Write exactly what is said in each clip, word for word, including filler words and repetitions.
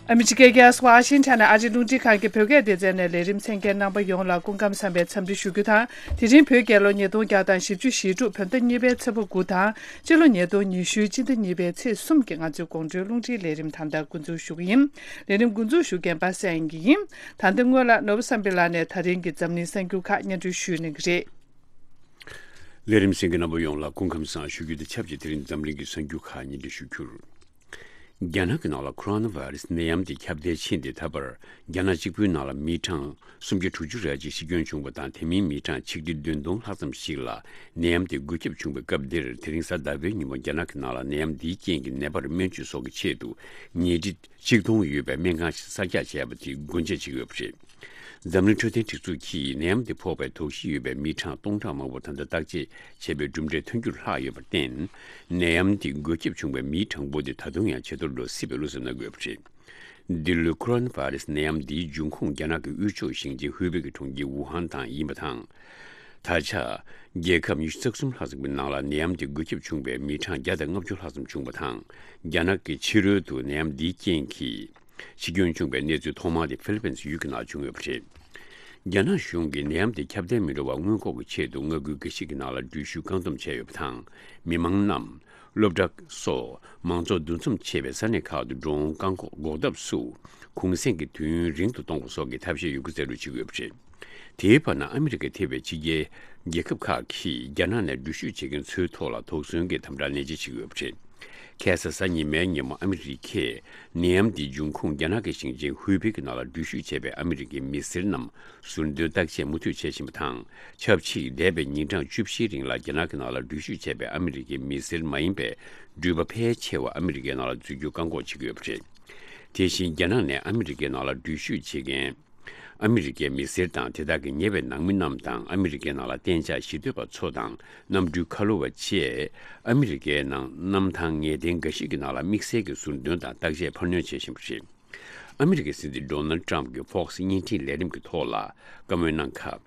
ཨ་མི་རི་ཀའི་རྒྱལ་ས་ཝ་ཤིང་ཊོན་ནས་ཨ་རིའི་རླུང་འཕྲིན་ཁང་གི་བོད་སྐད་སྡེ་ཚན་ནས་ལས་རིམ་གསན་མཁན་རྣམ་པ་ཡོངས་ལ་སྐུ་ཁམས་བཟང་བའི་འཚམས་འདྲི་ཞུ་རྒྱུ་དང་། དེ་རིང་བོད་རྒྱལ་ལོ་ཉིས་སྟོང་བརྒྱ་དང་བཞི་བཅུ་ཞེ་དྲུག་བོད་ཟླ་གཉིས་པའི་ཚེས་པ་དགུ་དང་། སྤྱི་ལོ་ཉིས་སྟོང་ཉི་ཤུའི་སྤྱི་ཟླ་གཉིས་པའི་ཚེས་གསུམ་གྱི་ང་ཚོའི་དགོང་དྲོའི་རླུང་འཕྲིན་ལས་རིམ་ད་ལྟ་འགོ་འཛུགས་ཞུ་གི་ཡིན། ལས་རིམ་འགོ་འཛུགས་ཞུ་མཁན་པ་སངས་དབྱངས་སྐྱིད་ཡིན། ད་ལྟ་སྔོན་ལ་ནོར་བུ་བསམ་འཕེལ་ལགས་ནས་ད་རིང་གི་འཛམ་གླིང་གསར་འགྱུར་ཁག་སྙན་སྒྲོན་ཞུ་གནང་གི་རེད། ལས་རིམ་གསན་མཁན་རྣམ་པ་ཡོངས་ལ་སྐུ་ཁམས་བཟང་ཞུ་རྒྱུ་དང་ཆབས་ཅིག་དེ་རིང་འཛམ་གླིང་གི་གསར་འགྱུར་ཁག་སྙན་སྒྲོན་ཞུ་རྒྱུར། རྒྱ་ནག་གི་ནང་ལ་ཁོ་རོ་ན་བྷ་རི་སི་ནད་ཡམས་དེ་ཁྱབ་གདལ་ཕྱིན་ཏེ། ད་བར་རྒྱ་ནག་གཅིག་པུའི་ནང་ལ་མི་གྲངས་སུམ་བརྒྱ་དྲུག་ཅུ་རེ་གཅིག་ཤི་སྐྱོན་བྱུང་བ་དང་། དེ་མིན་མི་གྲངས་ཆིག་ཁྲི་བདུན་སྟོང་ལྷག་ཙམ་ཞིག་ལ་ནད་ཡམས་དེ་འགོས་ཁྱབ་བྱུང་བའི་སྐབས་འདིར། དེ་རིང་གཟའ་ཟླ་བའི་ཉིན་མོ་རྒྱ་ནག་གི་ནང་ལ་ནད་ཡམས་འདིའི་རྐྱེན་གྱིས་ནད་པར་སྨན་བཅོས་སོགས་ཀྱི་ཆེད་དུ་ཉལ་ཁྲི་ཆིག་སྟོང་ཡོད་པའི་སྨན་ཁང་ཞིག་གསར་རྒྱག་བྱས་པ་དེ་སྒོ་འབྱེད་བྱེད་ཀྱི་ཡོད་པ་རེད། འཛམ་གླིང་འཕྲོད་བསྟེན་སྒྲིག་འཛུགས་ཀྱིས་ནད་ཡམས་དེ་ཕོག་པའི་དོགས་གཞི་ཡོད་པའི་མི་གྲངས་སྟོང་ཕྲག་མང་པོར་ད་ལྟ་བརྟག་དཔྱད་བྱས་པའི་གྲུབ་འབྲས་ཐོན་རྒྱུར་ལྷག་ཡོད་པར་བརྟེན། ནད་ཡམས་དེ་འགོས་ཁྱབ་བྱུང་བའི་མིའི་གྲངས་འབོར་དེ་ད་དུང་ཡང་ཇེ་མཐོར་འགྲོ་སྲིད་པའི་བློ་འཚབ་གནང་གི་ཡོད་པ་རེད། འདི་ལོའི་ཁོ་རོ་ན་བྷ་རི་སི་ནད་ཡམས་འདིའི་འབྱུང་ཁུངས་རྒྱ་ནག་གི་དབུས་ཕྱོགས་ཞིང་ཆེན་ཧུའེ་པེ་གི་གྲོང་ཁྱེར་ཝུ་ཧན་དང་ཡིན་པ་དང་། ད་ཆ། རྒྱལ་ཁབ་ཉི་ཤུ་རྩ་གསུམ་ལྷག་ཙམ་གྱི་ནང་ལ་ནད་ཡམས་དེ་འགོས་ཁྱབ་བྱུང་བའི་མི་གྲངས་བརྒྱ་དང་ལྔ་བཅུ་ལྷག་ཙམ་བྱུང་བ་དང་། རྒྱ་ནག་གི་ཕྱི་རོལ་དུ་ནད་ཡམས་འདིའི་རྐྱེན་གྱིས་འཆི་སྐྱོན་བྱུང་བའི་གནས་ཚུལ་ཐོག་མ་དེ་ཧྥི་ལི་པིན་སི་ཡུལ་གྱི་ནང་བྱུང་ཡོད་པ་རེད། རྒྱ་ནག་གཞུང་གིས་ནད་ཡམས་དེ་ཁྱབ་གདལ་མི་འགྲོ་བར་སྔོན་འགོག་གི་ཆེད་དུ་མངའ་ཁུལ་འགའ་ཞིག་གི་ནང་ལ་འགྲུལ་བཞུད་བཀག་སྡོམ་བྱས་ཡོད་པ་དང་། མི་མང་རྣམས་སློབ་གྲྭ་སོགས་མང་ཚོགས་འདུ་འཛོམས་ཆེ་བའི་ས་གནས་ཁག་ཏུ་འགྲོ་འོང་བཀག་འགོག་འགོག་ཐབས་སུ་གུང་གསེང་གི་དུས་ཡུན་རིང་དུ་གཏོང་བ་སོགས་ཀྱི་ཐབས་ཤེས་ཡོད་རྒུ་རྩལ་སྤྲུགས་བྱེད་ཀྱི་ཡོད་པ་རེད། དེའི་བར་ན། ཨ་མི་རི་ཀས་ཐེ་བའི་ཕྱི་རྒྱལ་རྒྱལ་ཁབ་ཁག་གིས་རྒྱ་ནག་ནས་འགྲུལ་བཞུད་བྱེད་མཁན་ཚོའི་ཐོག་ལ་དོགས་ཟོན་གྱི་དམ་དྲག་ནན་ཆེ་བྱེད་ཀྱི་ཡོད་པ་རེད། ཁ་སང་གཟའ་ཉི་མའི་ཉིན་མོ་ཨ་མི་རི་ཀས་ནད་ཡམས་འདིའི་འབྱུང་ཁུངས་རྒྱ་ནག་གི་ཞིང་ཆེན་ཧུའེ་པེ་གི་ནང་ལ་འགྲུལ་བཞུད་བྱས་པའི་ཨ་མི་རི་ཀའི་མི་སེར་རྣམས་ཟུར་འདོན་བརྟག་དཔྱད་མུ་མཐུད་བྱེད་བཞིན་པ་དང་། ཆབས་ཅིག་འདས་པའི་ཉིན་གྲངས་བཅུ་བཞིའི་རིང་ལ་རྒྱ་ནག་གི་ནང་ལ་འགྲུལ་བཞུད་བྱས་པའི་ཨ་མི་རི་ཀའི་མི་སེར་མ་ཡིན་པའི་འགྲུལ་པ་ཕལ་ཆེ་བ་ཨ་མི་རི་ཀའི་ནང་ལ་འཛུལ་རྒྱུ་བཀག་འགོག་བྱེད་ཀྱི་ཡོད་པ་རེད། དེ་བཞིན་རྒྱ་ནག་ནས་ཨ་མི་རི་ཀའི་ནང་ལ་འགྲུལ་བཞུད་བྱེད་མཁན་ཨ་མི་རི་ཀའི་མི་སེར་དང་། དེ་དག་གི་ཉེ་བའི་ནང་མི་རྣམས་དང་། ཨ་མི་རི་ཀའི་ནང་ལ་གཏན་འཇགས་གཞིས་སྡོད་པ་ཚོ་དང་། གནམ་གྲུའི་ཁ་ལོ་བ་བཅས་ཨ་མི་རི་ཀའི་ནང་གནམ་ཐང་ངེས་གཏན་འགའ་ཞིག་གི་ནང་ལ་དམིགས་བསལ་གྱི་ཟུར་འདོན་དང་བརྟག་དཔྱད་འཕར་སྣོན་བྱེད་བཞིན་པ་རེད། ཨ་མི་རི་ཀའི་སྲིད་འཛིན་ཌོ་ནལ་ཊམ་གྱིས་ཧྥོག་སི་བརྙན་འཕྲིན་ལས་རིམ་གྱི་ཐོག་ལ་བཀའ་མོལ་གནང་སྐབས།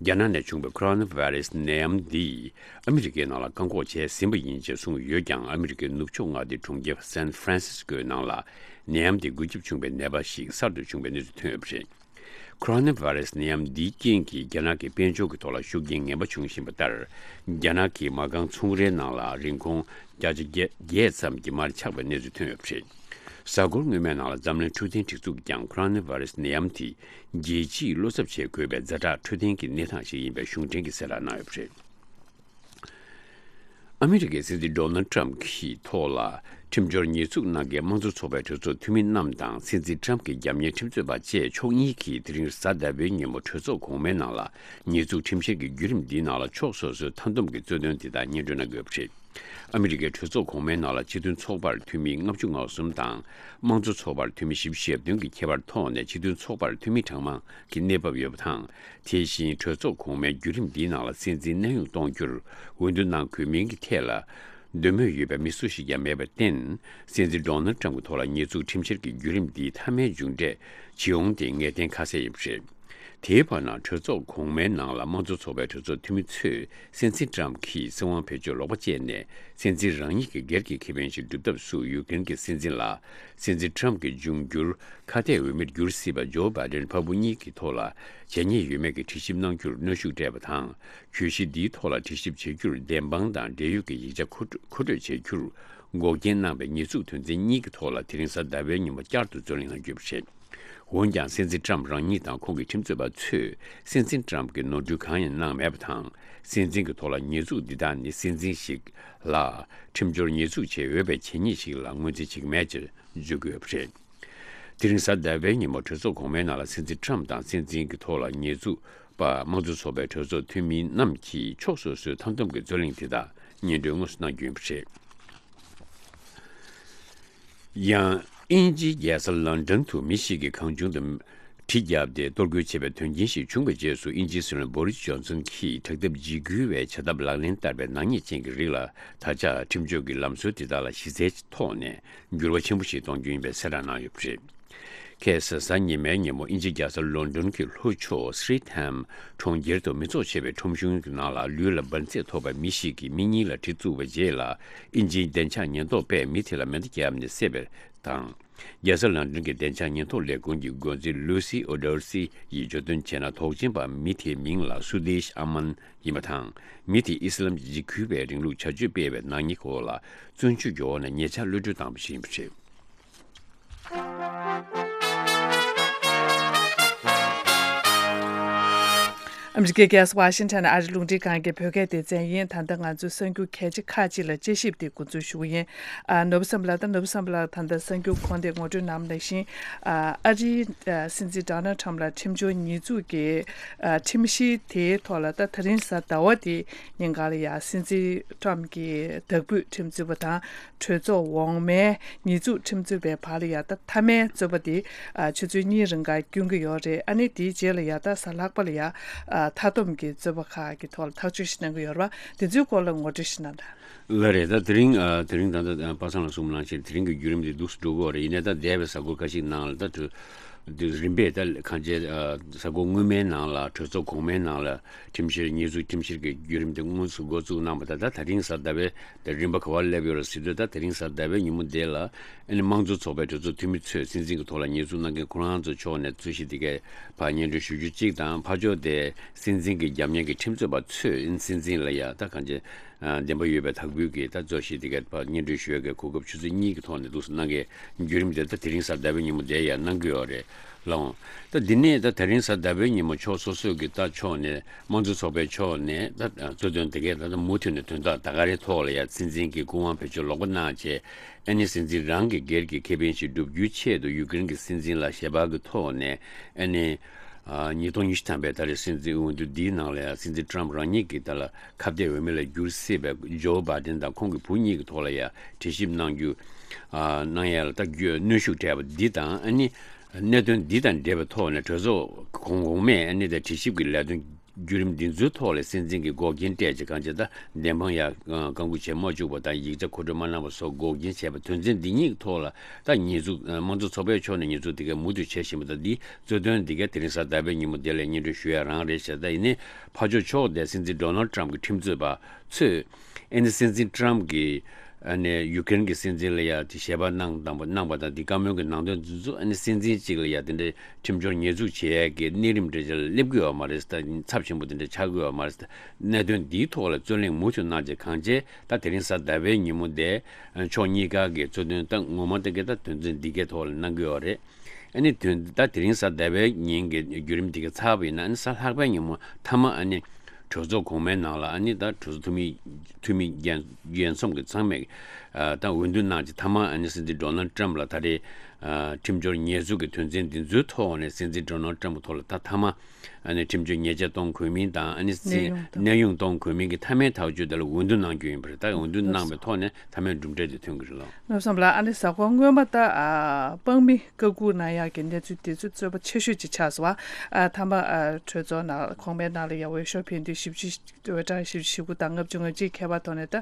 རྒྱ་ནག་ནས་བྱུང་བའི་ཁོ་རོ་ན་བྷ་རི་སི་ནད་ཡམས་འདིས་ཨ་མི་རི་ཀའི་ནང་ལ་བཀག་འགོག་བྱས་ཟིན་པ་ཡིན་ཅེས་གསུངས་ཡོད་ཀྱང་། ཨ་མི་རི་ཀའི་ནུབ་ཕྱོགས་མངའ་སྡེ་གྲོང་ཁྱེར་སན་ཧྥ་རན་སིས་ཀོའི་ནང་ལ་ནད་ཡམས་དེ་འགོས་ཁྱབ་བྱུང་བའི་ནད་པ་ཞིག་གསར་དུ་བྱུང་བའི་གནས་ཚུལ་ཐོན་ཡོད་པ་རེད། ཁོ་རོ་ན་བྷ་རི་སི་ནད་ཡམས་འདིའི་རྐྱེན་གྱིས་རྒྱ་ནག་གི་དཔལ་འབྱོར་གྱི་ཐོག་ལ་ཤུགས་རྐྱེན་ངན་པ་བྱུང་བཞིན་པ་ལྟར། རྒྱ་ནག་གི་མ་རྐང་ཚོང་རའི་ནང་ལ་རིན་གོང་བརྒྱ་ཆ་བརྒྱད་ཙམ་གྱི་མར་ཆག་པའི་གནས་ཚུལ་ཐོན་ཡོད་པ་རེད། གཟའ་འཁོར་སྔོན་མའི་ནང་ལ་འཛམ་གླིང་འཕྲོད་བསྟེན་སྒྲིག་འཛུགས་ཀྱིས་ཀྱང་ཁོ་རོ་ན་བྷ་རི་སི་ནད་ཡམས་དེ་རྒྱལ་སྤྱིའི་བློ་འཚབ་བྱེད་དགོས་པའི་ཛ་དྲག་འཕྲོད་བསྟེན་གྱི་གནས་སྟངས་ཤིག་ཡིན་པའི་གཞུང་འབྲེལ་གྱི་གསལ་བསྒྲགས་གནང་ཡོད་པ་རེད། ཨ་མི་རི་ཀའི་སྲིད་འཛིན་ཌོ་ནལ་ཊམ་གྱི་ཐོག་ལ་ཁྲིམས་སྦྱོར་ཉེས་འཛུགས་གནང་མཁན་དམངས་གཙོ་ཚོགས་པའི་གྲོས་ཚོགས་འཐུས་མི་རྣམས་དང་། སྲིད་འཛིན་ཊམ་གྱི་རྒྱབ་གཉེར་ཁྲིམས་རྩོད་པ་བཅས་ཕྱོགས་གཉིས་ཀྱིས་དེ་རིང་གཟའ་ཟླ་བའི་ཉིན་མོ་གྲོས་ཚོགས་གོང་མའི་ནང་ལ་ཉེས་འཛུགས་ཁྲིམས་བཤེར་གྱི་བརྒྱུད་རིམ་འདིའི་ནང་ལ་ཕྱོགས་སོ་སོའི་མཐའ་འདོམས་ཀྱི་རྩོད་དོན་དེ་དག་སྙན་སྒྲོན་གནང་དགོས་པ་རེད། ཨ་མི་རི་ཀའི་གྲོས་ཚོགས་གོང་མའི་ནང་ལ་སྤྱི་མཐུན་ཚོགས་པར་འཐུས་མི་ལྔ་བཅུ་ང་གསུམ་དང་། དམངས་གཙོ་ཚོགས་པར་འཐུས་མི་བཞི་བཅུ་ཞེ་བདུན་གྱི་ཁྱད་པར་ཐོག་ནས་སྤྱི་མཐུན་ཚོགས་པར་འཐུས་མི་གྲངས་མང་གི་གནས་བབ་ཡོད་པ་དང་། དེ་བཞིན་གྲོས་ཚོགས་གོང་མའི་བརྒྱུད་རིམ་འདིའི་ནང་ལ་སྲིད་འཛིན་གནས་དབྱུང་གཏོང་རྒྱུར་འོས་བསྡུ་གནང་དགོས་མིན་གྱི་ཐད་ལ་འདོད་མོས་ཡོད་པའི་མི་སུ་ཞིག་ཀྱང་མེད་པར་བརྟེན། སྲིད་འཛིན་ཌོ་ནལ་ཊམ་གྱི་ཐོག་ལ་ཉེས་འཛུགས་ཁྲིམས་བཤེར་གྱི་བརྒྱུད་རིམ་འདིའི་མཐའ་མའི་མཇུག་འབྲས་ཇི་ཡོང་དེ་ངེས་གཏན་ཁ་གསལ་ཡིན་པ་རེད། དེའི་བར་ན། གྲོས་ཚོགས་གོང་མའི་ནང་ལ་དམངས་གཙོ་ཚོགས་པའི་གྲོས་ཚོགས་འཐུས་མི་ཚོས་སྲིད་འཛིན་ཊམ་གྱིས་སྲིད་དབང་བེད་སྤྱོད་ལོག་པ་སྤྱད་ནས། སྲིད་འཛིན་རང་ཉིད་ཀྱི་སྒེར་གྱི་ཁེ་ཕན་ཞིག་སྒྲུབ་ཐབས་སུ་ཡུཀ་རེན་གྱི་སྲིད་འཛིན་ལ་སྲིད་འཛིན་ཊམ་གྱི་འབྱུང་འགྱུར་ཁ་གཏད་འོས་མིར་འགྱུར་སྲིད་པ་ཇོ་བྷའི་ཌེན་ཕ་བུ་གཉིས་ཀྱི་ཐོག་ལ་བྱས་ཉེས་ཡོད་མེད་ཀྱི་དྲི་ཞིབ་གནང་རྒྱུར་གནོན་ཤུགས་སྤྲད་པ་དང་། གྱོད་གཞི་འདིའི་ཐོག་ལ་དྲི་ཞིབ་བྱེད་རྒྱུར་བདེན་དཔང་དང་འབྲེལ་ཡོད་ཀྱི་ཡིག་ཆ་མཁོ་སྤྲོད་བྱེད་རྒྱུར་འགོག་རྐྱེན་གནང་བའི་ཉེས་འཛུགས་དོན་ཚན་གཉིས་ཀྱི་ཐོག་ལ་དེ་རིང་གཟའ་ཟླ་བའི་ཉིན་མོ་བསྐྱར་དུ་རྩོད་གླེང་གནང་རྒྱུ་ཡིན་པ་རེད། འོན་ཀྱང་། སྲིད་འཛིན་ཊམ་རང་ཉིད་དང་ཁོང་གི་ཁྲིམས་རྩོད་པ་ཚོས་སྲིད་འཛིན་ཊམ་གྱི་ནོར་འཁྲུལ་གང་ཡང་གནང་མེད་པ་དང་། སྲིད་འཛིན་གྱི་ཐོག་ལ་ཉེས་འཛུགས་འདི་དག་ནི་སྲིད་འཛིན་ཞིག་ལ་ཁྲིམས་སྦྱོར་ཉེས་འཛུགས་བྱེད་འོས་པའི་བྱས་ཉེས་ཤིག་ལ་ངོས་འཛིན་བྱེད་ཀྱི་མེད་ཅེས་བརྗོད་ཀྱི་ཡོད་པ་རེད། དེ་རིང་གཟའ་ཟླ་བའི་ཉིན་མོ་གྲོས་ཚོགས་གོང་མའི་ནང་ལ་སྲིད་འཛིན་ཊམ་དང་སྲིད་འཛིན་གྱི་ཐོག་ལ་ཉེས་འཛུགས་པ་དམངས་གཙོ་ཚོགས་པའི་གྲོས་ཚོགས་འཐུས་མི་རྣམས་ཀྱིས་ཕྱོགས་སོ་སོའི་མཐའ་འདོམས་ཀྱི་རྩོད་གླེང་དེ་དག་སྙན་སྒྲོན་དངོས་སུ་གནང་རྒྱུ་ཡིན་པ་རེད། ཡང་། དབྱིན་ཇིའི་རྒྱལ་ས་ལོན་ཌོན་དུ་མི་ཞིག་གིས་གང་བྱུང་དུ་གྲི་བརྒྱབ་སྟེ་གཏོར་རྒོལ་བྱས་པའི་དོན་རྐྱེན་ཞིག་བྱུང་བའི་རྗེས་སུ། དབྱིན་ཇིའི་སྲིད་བློན་བོ་རིས་ཇོན་སན་གྱིས་དྲག་འཐབ་འཇིགས་སྐུལ་བའི་བྱ་ཐབས་ལག་ལེན་བསྟར་བའི་ནག་ཉེས་ཅན་གྱི་རིགས་ལ་ད་ཆ་ཁྲིམས་གཅོད་ཀྱི་ལམ་སྲོལ་དེ་དག་ལ་གཞི་རྩའི་ཐོག་ནས་འགྱུར་བ་ཆེན་པོ་ཞིག་གཏོང་རྒྱུ་ཡིན་པའི་གསལ་བསྒྲགས་གནང་ཡོད་པ་རེད། ཁ་སང་གཟའ་ཉི་མའི་ཉིན་མོ་དབྱིན་ཇི་རྒྱལ་ས་ལོན་ཌོན་གྱི་ལྷོ་ཕྱོགས་སི་རི་ཐམ་གྲོང་ཁྱེར་དུ་མི་ཚོགས་ཆེ་བའི་ཁྲོམ་གཞུང་གི་ནང་ལ་ལུས་ལ་འབར་རྫས་ཐོགས་པའི་མི་ཞིག་གིས་མི་གཉིས་ལ་གྲི་བཙུགས་པའི་རྗེས་ལ། དབྱིན་ཇིའི་བདེ་འཇགས་ཉེན་རྟོག་པས་མི་དེ་ལ་མེ་མདའ་བརྒྱབ་ནས་བསད་པ་དང་། རྒྱལ་ས་ལོན་ཌོན་གྱི་བདེ་འཇགས་ཉེན་རྟོག་ལས་ཁུངས་ཀྱི་འགོ་འཛིན་ལུ་སི་ཨོ་ཌོར་སི་ཡིས་བརྗོད་དོན་བྱས་ན། དོགས་ཅན་པ་མི་དེའི་མིང་ལ་སུ་དེཤ་ཨ་མན་ཡིན་པ་དང་། མི་དེས་ཨི་སི་ལམ་འཇིགས་སྐུལ་བའི་རིང་ལུགས་བྱ་སྤྱོད་སྤེལ་བའི་ནག་ཉེས་སྐོར་ལ་བཙོན་འཇུག་གི་འོག་ནས་ཉེ་ཆར་གློད་གྲོལ་བཏང་བ་ཞིག་ཡིན་པ་རེད། ཨ་མི་རི་ཀའི་རྒྱལ་ས་ཝ་ཤིང་ཊོན་ཨ་རིའི་རླུང་འཕྲིན་ཁང་གི་བོད་སྐད་སྡེ་ཚན་ཡིན། ད་ལྟ་ང་ཚོའི་གསར་འགྱུར་གལ་ཆེ་ཁག་ཅིག་ལ་དཔྱད་ཞིབ་དེ་འགོ་འཛུགས་ཞུ་གི་ཡིན། ཨ། ནོར་བུ་བསམ་ལགས་དང་ནོར་བུ་བསམ་ལགས་ད་ལྟ་གསར་འགྱུར་གོང་དེ་ངོ་སྤྲོད་གནང་བ་ནང་བཞིན། ཨ། ཨ་རིའི་ཨ། སྲིད་འཛིན་ཌོ་ནལ་ཊམ་ལ་ཁྲིམས་སྦྱོར་ཉེས་འཛུགས་ཀྱི་ཨ། ཁྲིམས་གཞི་དེའི་ཐོག་ལ་ད་དེ་རིང་གཟའ་ཟླ་བ་དེ་ཉིན་གང་ལ་ཡང་སྲིད་འཛིན་ཊམ་གྱི་བདག་སྤོས་ཁྲིམས་རྩོད་པ་དང་། གྲོས་ཚོགས་འོག་མའི་ཉེས་འཛུགས་ཁྲིམས་རྩོད་པའི་བར་ལ་ཡང་ད་མཐའ་མའི་རྩོད་པ་དེ་ཨ། ཆུ་ཚོད་གཉིས་རིང་ག་སྐྱོན་གྱི་ཡོད་རེད། ཨ་ནི་དེའི་རྗེས་ལ་ཡང་ད་གཟའ་ལྷག་པ་ལ་ཡང་ཨ། མཐའ་སྡོམ་གྱི་རྩོད་པ་ཁག་གི་ཐོག་ལ་ཐག་གཅོད་ཞིག་གནང་གི་ཡོད་རེད་བ། དེ་ཚོའི་སྐོར་ལ་ངོ་སྤྲོད་ཞིག་གནང་དང་། ལགས་རེད། ད་དེ་རིང་ཨ། དེ་རིང་ད་ལྟ་པ་སངས་ལགས་གསུངས་པ་ནང་བཞིན་དེ་རིང་གི་བརྒྱུད་རིམ་དེ་འདུག་སེ་འགྲོ་གི་ཡོད་རེད། ཡིན་ནའི་ད་འདས་པའི་གཟའ་འཁོར་ཁ་ཤས་ནང་ལ་ད་དུ་དུས་རིམ་པས་ད་གང་ཅི་ཨ། གཟའ་འཁོར་སྔོན་མའི་ནང་ལ་གྲོས་ཚོགས་གོང་མའི་ནང་ལ་ཁྲིམས་བཤེར་ཉེས་འཛུགས་ཁྲིམས་བཤེར་གྱི་བརྒྱུད་རིམ་དེ་དངོས་སུ་འགོ་བཙུགས་གནང་བ་དང་། ད་ད་རིང་གཟའ་ཟླ་བའི་དེ་རིམ་པ་ག་པར་སླེབས་ཡོད་རེད་ཟེར་དུས། ད་དེ་རིང་གཟའ་ཟླ་བའི་ཉིན་མོ་དེ་ལ་ཨ་ནི་དམངས་གཙོ་ཚོགས་པའི་གྲོས་ཚོགས་འཐུས་མི་ཚོས་སྲིད་འཛིན་གྱི་ཐོག་ལ་ཉེས་འཛུགས་གནང་མཁན་ཁོ་རང་ཚོ་ཕྱོགས་ནས་རྩོད་གཞི་དེ་གའི་ཕར་སྙན་སྒྲོན་ཞུ་རྒྱུ་གཅིག་དང་། ཕར་ཕྱོགས་དེ་སྲིད་འཛིན་གྱི་རྒྱབ་གཉེར་གྱི་ཁྲིམས་རྩོད་པ་ཚོས་ཨ་ནི་སྲིད་འཛིན་ལ་ཡ་ད་གང་ཅི་ཨ། བདེན་པ་ཡོད་པའི་དག་འབུལ་གྱི་ད་རྩོད་གཞི་དེ་གའི་ཕར་སྙན་སྒྲོན་ཞུ་ཡ་གི་གོ་སྐབས་ཆུ་ཚོད་གཉིས་ཀྱི་ཐོག་ནས་འདུག་སེ་གནང་མཁན་བརྒྱུད་རིམ་དེ་ད་དེ་རིང་གཟའ་ཟླ་བའི་ཉིན་མོ་དེ་ཡ་གནང་གི་ཡོད་རེད། ལགས་འོང་། ད་འདི་ནས་ད་དེ་རིང་གཟའ་ཟླ་བའི་ཉིན་མོ་ཕྱོགས་སོ་སོའི་གི་ད་ཕྱོགས་ནས་དམངས་གཙོ་ཚོགས་པའི་ཕྱོགས་ནས་ད་གཙོ་འདོན་དེ་གའི་ད་ལྟ་མུ་མཐུད་ནས་དོན་དག་ད་ག་རེ་ཐོག་ལ་ཡ་སྲིད་འཛིན་གྱི་སྐུ་དབང་བེད་སྤྱོད་ལོག་པ་གནང་བྱས། ཨ་ནི་སྲིད་འཛིན་རང་གི་སྒེར་གྱི་ཁེ་ཕན་ཞིག་བསྒྲུབ་རྒྱུའི་ཆེད་དུ་ཡུ་ཀེ་རེན་གྱི་སྲིད་འཛིན་ལ་ཞལ་པར་གྱི་ཐོག་ནས། ཨ་ནི་ཨ། ཉིས་སྟོང་ཉི་ཤུ་ཐམ་པའི་ད་རེས་སྲིད་འཛིན་འོས་བསྡུ་འདིའི་ནང་ལ་ཡང་སྲིད་འཛིན་ཊམ་རང་ཉིད་ཀྱི་ད་ལ་ཁ་གཏད་འོས་མི་ལ་འགྱུར་སྲིད་པའི་ཇོ་བྷའི་ཌེན་དང་ཁོང་གི་བུ་གཉིས་ཀྱི་ཐོག་ལ་ཡང་དྲི་ཞིབ་གནང་རྒྱུ། ཨ། གནང་ཡ་ལ་ད་རྒྱུ་གནོན་ཤུགས་སྤྲད་པ་འདི་དང་། ཨ་ནི་གནད་དོན་འདི་དང་འབྲེལ་བའི་ཐོག་ནས་གྲོས་ཚོགས་གོང་གོང་མས་ཨ་ནི་ད་དྲི་ཞིབ་ཀྱི་ལས་དོན་བརྒྱུད་རིམ་འདི་ཚོའི་ཐོག་ལ་སྲིད་འཛིན་གྱིས་འགོག་རྐྱེན་སྤྲད་ཅིང་། གང་ཅི་ད་བདེན་དཔང་ཡང་བཀག་འགོག་བྱེད་མ་བཅུག་པ་དང་། ཡིག་ཆ་མཁོ་སྤྲོད་མ་གནང་བ་སོགས་འགོག་རྐྱེན་བྱས་པ་དོན་ཚན་འདི་གཉིས་ཐོག་ལ་ད་ཉེས་འཛུགས། དམངས་གཙོ་ཚོགས་པའི་ཕྱོགས་ནས་ཉེས་འཛུགས་དེ་གའི་མུ་མཐུད་བྱེད་བཞིན་པ་དང་། འདི་གཙོ་དོན་འདི་གའི་དེ་རིང་གཟའ་ཟླ་བའི་ཉིན་མོ་དེ་ལ་སྙན་སྒྲོན་ཞུ་ཡ་རང་རེད་ཤག་ད་ཡིན་ནའི་ཕར་ཕྱོགས་ཕྱོགས་དེ་སྲིད་འཛིན་ཌོ་ནལ་ཊམ་གྱི་ཁྲིམས་རྩོད་པ་ཚོས། ཨ་ནི་སྲིད་འཛིན་ཊམ་གྱིས་ཨ་ནི་ཡུ་ཀེ་རེན་གྱི་སྲིད་འཛིན་ལ་ཡ་དེ་ཞལ་པར་གནང་དང་པོ་གནང་བ་དང་། དེ་བཀའ་མོལ་གྱི་ནང་དོན་འདི་ཚོ་ཨ་ནི་སྲིད་འཛིན་གཅིག་ལ་ཡ་དེ་འདྲའི་ཁྲིམས་སྦྱོར་ཉེས་འཛུགས་བྱེད་ཡས་ཀྱི་གནས་རིམ་འདྲ་ཅིག་ལ་སླེབས་ཀྱི་ཡོད་མ་རེད། ད་ཚབས་ཆེན་པོ་དེ་འདྲ་ཆགས་ཀྱི་ཡོད་མ་རེད། གནད་དོན་འདིའི་ཐོག་ལ་རྩོད་གླེང་མུ་མཐུད་གནང་བྱས། གང་བྱས་ད་དེ་རིང་གཟའ་ཟླ་བའི་ཉིན་མོ་དེ་ཕྱོགས་གཉིས་ཀ་གི་གཙོ་དོན་ད་ངོ་མ་དེ་གའི་ད་དོན་ཚན་འདི་གའི་ཐོག་ལ་གནང་གི་ཡོད་རེད། ཨ་ནི་དོན་ད་དེ་རིང་གཟའ་ཟླ་བའི་ཉིན་གྱི་བརྒྱུད་རིམ་དེ་ག་ཚར་བ་ཡིན་ན། ཨ་ནི་གཟའ་ལྷག་པའི་ཉིན་མོ་མཐའ་མ་ཨ་ནི་གྲོས་ཚོགས་གོང་མའི་ནང་ལ། ཨ་ནི་ད་གྲོས་ཚོགས་འཐུས་མི་འཐུས་མི་རྒྱན་རྒྱན་ཚོགས་ཀྱི་ཚང་མས་ཨ་ད་འོས་བསྡུ་གནང་རྗེས་མཐའ་མ་ཨ་ནི་སྲིད་འཛིན་ཌོ་ནལ་ཊམ་ལ་ད་རེས་ཨ་ཁྲིམས་སྦྱོར་ཉེས་འཛུགས་ཀྱི་དོན་ཚན་འདི་ཚོའི་ཐོག་ནས་སྲིད་འཛིན་ཌོ་ནལ་ཊམ་གྱི་ཐོག་ལ་ད་མཐའ་མ་ཨ་ནི་ཁྲིམས་གཅོད་ཉེས་ཆད་གཏོང་དགོས་མིན་དང་། ཨ་ནི་གནས་དབྱུང་དང་། གནས་དབྱུང་གཏོང་དགོས་མིན་གྱི་མཐའ་མའི་ཐག་གཅོད་དེ་ལ་འོས་བསྡུ་གནང་རྒྱུ་ཡིན་པ་རེད། ད་འོས་བསྡུ་གནང་བའི་ཐོག་ནས་མཐའ་མའི་གྲུབ་འབྲས་དེ་ཐོན་གྱི་རེད་ལགས། ནོར་བུ་བསམ་ལགས། ཨ་ནི་གཟའ་འཁོར་སྔོན་མ་ད་ཨ་དཔང་མི་བཀའ་འགུག་གནང་ཡག་གི་གནས་ཚུལ་དེ་ཚོ་རྩོད་པ་ཆེ་ཤོས་ཅིག་ཆགས་སོང་བ། ཨ་མཐའ་མ་ཨ་གྲོས་ཚོགས་ནང་གོང་མའི་ནང་ལ་ཡ་འོས་ཤོག་འཕེན་དུས་བཞི་བཅུ། འོས་གྲངས་བཞི་བཅུ་ཞེ་དགུ་དང་ལྔ་བཅུ་ང་གཅིག་ཁྱད་པར་ཐོག་ནས་ད་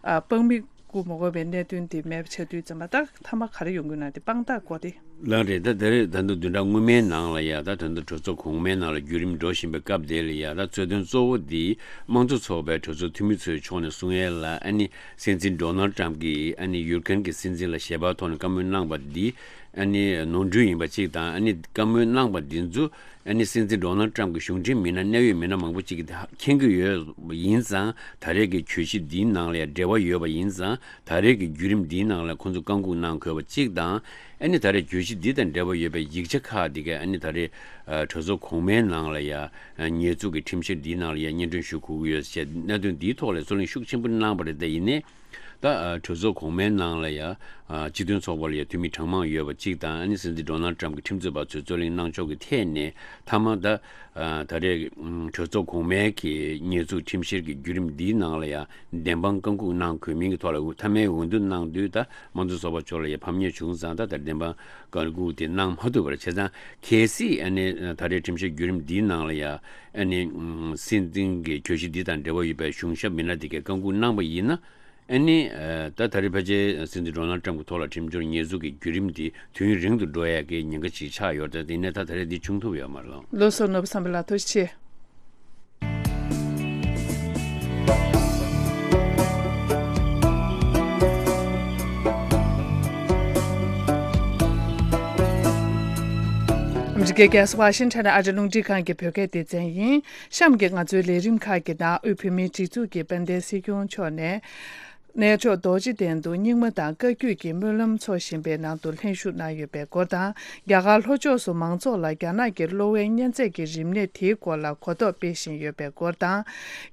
ཨ་དཔང་མི་བཀུག་མ་དགོས་པའི་གནད་དོན་དེ་མེད་པ་ཆགས་དུས་ཙམ་པ། ད་མཐའ་མ་ག་རེ་ཡོང་གི་ན་དེ་དཔང་རྟགས་དགོས་ཏེ། ལགས་རེད། ད་དེ་རེད། ད་དུང་བདུན་ཕྲག་སྔོན་མའི་ནང་ལ་ཡ་ད་ད་ལྟ་གྲོས་ཚོགས་གོང་མའི་ནང་ལ་བརྒྱུད་རིམ་འགྲོ་བཞིན་པའི་སྐབས་དེ་ལ་ཡ་ད་རྩོད་དོན་གཙོ་བོ་འདི་དམངས་གཙོ་ཚོགས་པའི་གྲོས་ཚོགས་འཐུས་མི་ཚོའི་ཕྱོགས་ནས་གསུང་ཡས་ལ། ཨ་ནི་སྲིད་འཛིན་ཌོ་ནལ་ཊམ་གྱིས་ཨ་ནི་ཡུ་ཀེ་རེན་གྱི་སྲིད་འཛིན་ལ་ཞལ་པར་ཐོག་ནས་བཀའ་མོལ་གནང་བ་འདི་ཨ་ནི་ནོར་འཁྲུལ་ཡིན་པ་གཅིག་དང་། ཨ་ནི་བཀའ་མོལ་གནང་བ་འདི་ཚོ་ཨ་ནི་སྲིད་འཛིན་ཌོ་ནལ་ཊམ་གྱི་གཞུང་འབྲེལ་མི་སྣ་གནད་ཡོད་མི་སྣ་མང་པོ་གཅིག་གིས་མཁྱེན་གྱི་ཡོད་པ་ཡིན་ཙང་། ད་རེས་ཀྱི་གྱོད་གཞི་འདིའི་ནང་ལ་ཡང་འབྲེལ་བ་ཡོད་པ་ཡིན་ཙང་། ད་རེས་ཀྱི་བརྒྱུད་རིམ་འདིའི་ནང་ལ་ཁོང་ཚོ་བཀའ་འགུག་གནང་དགོས་པ་གཅིག་དང་། ཨ་ནི་ད་རེས་གྱོད་གཞི་འདི་དང་འབྲེལ་བ་ཡོད་པའི་ཡིག་ཆ་ཁག་འདི་ག་ཨ་ནི་ད་རེས་ཨ་གྲོས་ཚོགས་གོང་མའི་ནང་ལ་ཡ་ཨ་ཉེས་འཛུགས་ཀྱི་ཁྲིམས་བཤེར་འདིའི་ནང་ལ་ཡ་སྙན་སྒྲོན་ཞུ་དགོས་ཀྱི་ཡོད་ཅེས་གནད་དོན་འདིའི་ཐོག་ལ་རྩོད་གླེང་ཤུགས་ཆེན་པོ་གནང་བ་རེད། དེ་ཡིན་ནའི་ད་ཨ་གྲོས་ཚོགས་གོང་མའི་ནང་ལ་ཡ་ཨ་སྤྱི་མཐུན་ཚོགས་པ་ལ་ཡ་འཐུས་མི་གྲངས་མང་ཡོད་པ་གཅིག་དང་། ཨ་ནི་སྲིད་འཛིན་ཌོ་ནལ་ཊམ་གྱི་ཁྲིམས་རྩོད་པ་ཚོས་རྩོད་གླེང་གནང་ཕྱོགས་ཀྱི་ཐད་ནས་མཐའ་མ་ད་ཨ་ད་རེས་ཨ་གྲོས་ཚོགས་གོང་མའི་གི་ཉེས་འཛུགས་ཁྲིམས་བཤེར་གྱི་བརྒྱུད་རིམ་འདིའི་ནང་ལ་ཡ་བདེན་དཔང་བཀའ་འགུག་གནང་དགོས་མིན་གྱི་ཐོག་ལ་མཐའ་མའི་འོས་བསྡུ་གནང་དུས་ད་དམངས་གཙོ་ཚོགས་པ་ཕྱོགས་ལ་ཡ་ཕམ་ཉེས་བྱུང་ཙང་། ད་ད་བདེན་དཔང་བཀའ་འགུག་དེ་གནང་མ་ཐུབ་པ་རེད། བྱས་ཙང་གལ་སྲིད་ཨ་ནི་ད་རེས་ཁྲིམས་བཤེར་བརྒྱུད་རིམ་འདིའི་ནང་ལ་ཡ་ཨ་ནི་སྲིད་འཛིན་གྱི་གྱོད་གཞི་འདི་དང་འབྲེལ་བ་ཡོད་པའི་གཞུང་ཞབས་མི་སྣ་དེ་གས་བཀའ་འགུག་གནང་བ་ཡིན་ན། ཨ་ནི་ད་ད་རེས་ཕལ་ཆེར་སྲིད་འཛིན་ཌོ་ནལ་ཊམ་གྱི་ཐོག་ལ་ཁྲིམས་སྦྱོར་ཉེས་འཛུགས་ཀྱི་བརྒྱུད་རིམ་འདི་དུས་ཡུན་རིང་དུ་འགྲོ་ཡག་གི་ཉེན་ཁ་ཅིག་ཆགས་ཡོད་རེད། དེ་ཡིན་ནའི་ད་ད་རེས་འདི་བྱུང་ཐུབ་ཡོད་མ་རེད། ལགས་སོ། ནོར་བུ་བསམ་འཕེལ་ལགས་ཐུགས་རྗེ་ཆེ། ཨ་མི་རི་ཀའི་རྒྱལ་ས་ཝ་ཤིང་ཊོན་ཨ་རི་རླུང་འཕྲིན་ཁང་གི་བོད་སྐད་སྡེ་ཚན་ཡིན། གཤམ་གྱི་ང་ཚོའི་ལས་རིམ་ཁག་གི་ནང་དབུས་བོད་མིའི་སྒྲིག་འཛུགས་ཀྱི་དཔལ་ལྡན་སྲིད་སྐྱོང་མཆོག་ནས། གནས་མཆོག་རྡོ་རྗེ་གདན་དུ་རྙིང་མ་དང་བཀའ་བརྒྱུད་ཀྱི་སྨོན་ལམ་འཚོགས་བཞིན་པའི་ནང་དུ་ལྷན་ཞུགས་གནང་ཡོད་པའི་སྐོར་དང་། རྒྱ་གར་ལྷོ་ཕྱོགས་སུ་མང་ཚོགས་ལ་རྒྱ་ནག་གི་གློ་བའི་གཉན་ཚད་ཀྱི་རིམས་ནད་དེའི་སྐོར་ལ་གོ་རྟོགས་སྤེལ་བཞིན་ཡོད་པའི་སྐོར་དང་།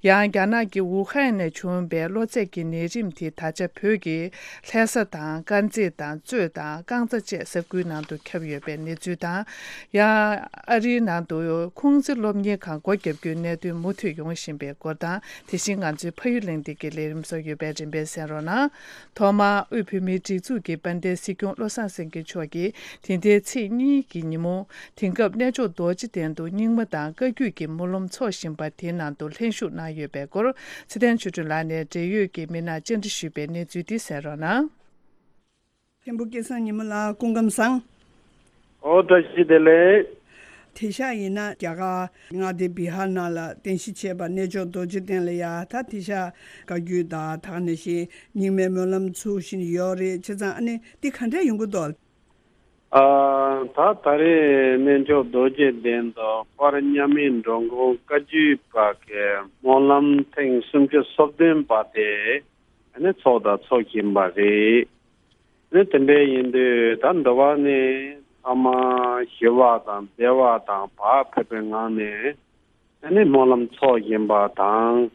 ཡང་རྒྱ་ནག་གི་ཝུ་ཧན་ནས་བྱུང་བའི་གློ་ཚད་ཀྱི་ནད་རིམས་དེ་ད་ཆ་བོད་ཀྱི་ལྷ་ས་དང་དཀར་མཛེས་དང་གཙོས་དང་རྐང་ཚ་བཅས་ས་ཁུལ་ནང་དུ་ཁྱབ་ཡོད་པའི་གནས་ཚུལ་དང་། ཡང་ཨ་རིའི་ནང་དུ་ཁུང་ཙི་སློབ་གཉེར་ཁང་སྒོ་བརྒྱབ་རྒྱུའི་གནད་དོན་མུ་མཐུད་ཡོང་བཞིན་པའི་སྐོར་དང་། དེ་བཞིན་ང་ཚོའི་ཕ་ཡུལ་གླེང་སྟེགས་ཀྱི་ལས་རིམ་སོགས་ཡོད་པས་རིམ་པས་གསན་རོགས་གནང་། ཐོག་མར་དབུས་བོད་མིའི་སྒྲིག་འཛུགས་ཀྱི་དཔལ་ལྡན་སྲིད་སྐྱོང་བློ་བཟང་སེང་གེ་མཆོག་གིས་དེ་ཟླའི་ཚེས་གཉིས་ཀྱི་ཉིན་མོ། དེང་སྐབས་གནས་མཆོག་རྡོ་རྗེ་གདན་དུ་རྙིང་མ་དང་བཀའ་བརྒྱུད་ཀྱི་སྨོན་ལམ་འཚོགས་བཞིན་པ་དེའི་ནང་དུ་ལྷན་ཞུགས་གནང་ཡོད་པའི་སྐོར། ཚེ་བརྟན་ཆོས་སྒྲོན་ལགས་ནས་འབྲེལ་ཡོད་ཀྱི་མི་སྣར་བཅར་འདྲི་ཞུས་པའི་གནས་ཚུལ་འདི་གསན་རོགས་གནང་། མཁན་པོ་སྐལ་བཟང་ཉི་མ་ལགས་སྐུ་ཁམས་བཟང་། ཨོ་བཀྲ་ཤིས་བདེ་ལེགས། དེང་སང་ཡིན་ན་རྒྱ་གར་མངའ་སྡེ་བི་ཧར་ནང་ལ་རྟེན་གཞི་བྱས་པ་གནས་མཆོག་རྡོ་རྗེ་གདན་ལ་ཡ་ད་དེང་སང་བཀའ་བརྒྱུད་དང་ད་ག་ནང་བཞིན་རྙིང་མའི་སྨོན་ལམ་ཚུགས་བཞིན་ཡོད་རེད། བྱས་ཙང་ཨ་ནི་འདི་ག་འདྲ་ཡོང་གི་འདུག་ཨ། ད་ད་རེས་གནས་མཆོག་རྡོ་རྗེ་གདན་དུ་དཔལ་མཉམ་མེད་འགྲོ་མགོན་བཀའ་བརྒྱུད་པ་གི་སྨོན་ལམ་ཐེངས་སུམ་ཅུ་སོ་བདུན་པ་དེ་ཨ་ནི་ཚོགས་དང་ཚོགས་བཞིན་པ་རེད། ཨ་ནི་དེ་འདྲ་ཡིན་དུས་ད་འདི་བ་ནི་ཐ་མ་ཞི་བ་དང་བདེ་བ་དང་བག་ཕེབས་པའི་ངང་ནས་ཨ་ནི་སྨོན་ལམ་འཚོགས་བཞིན་པ་དང་།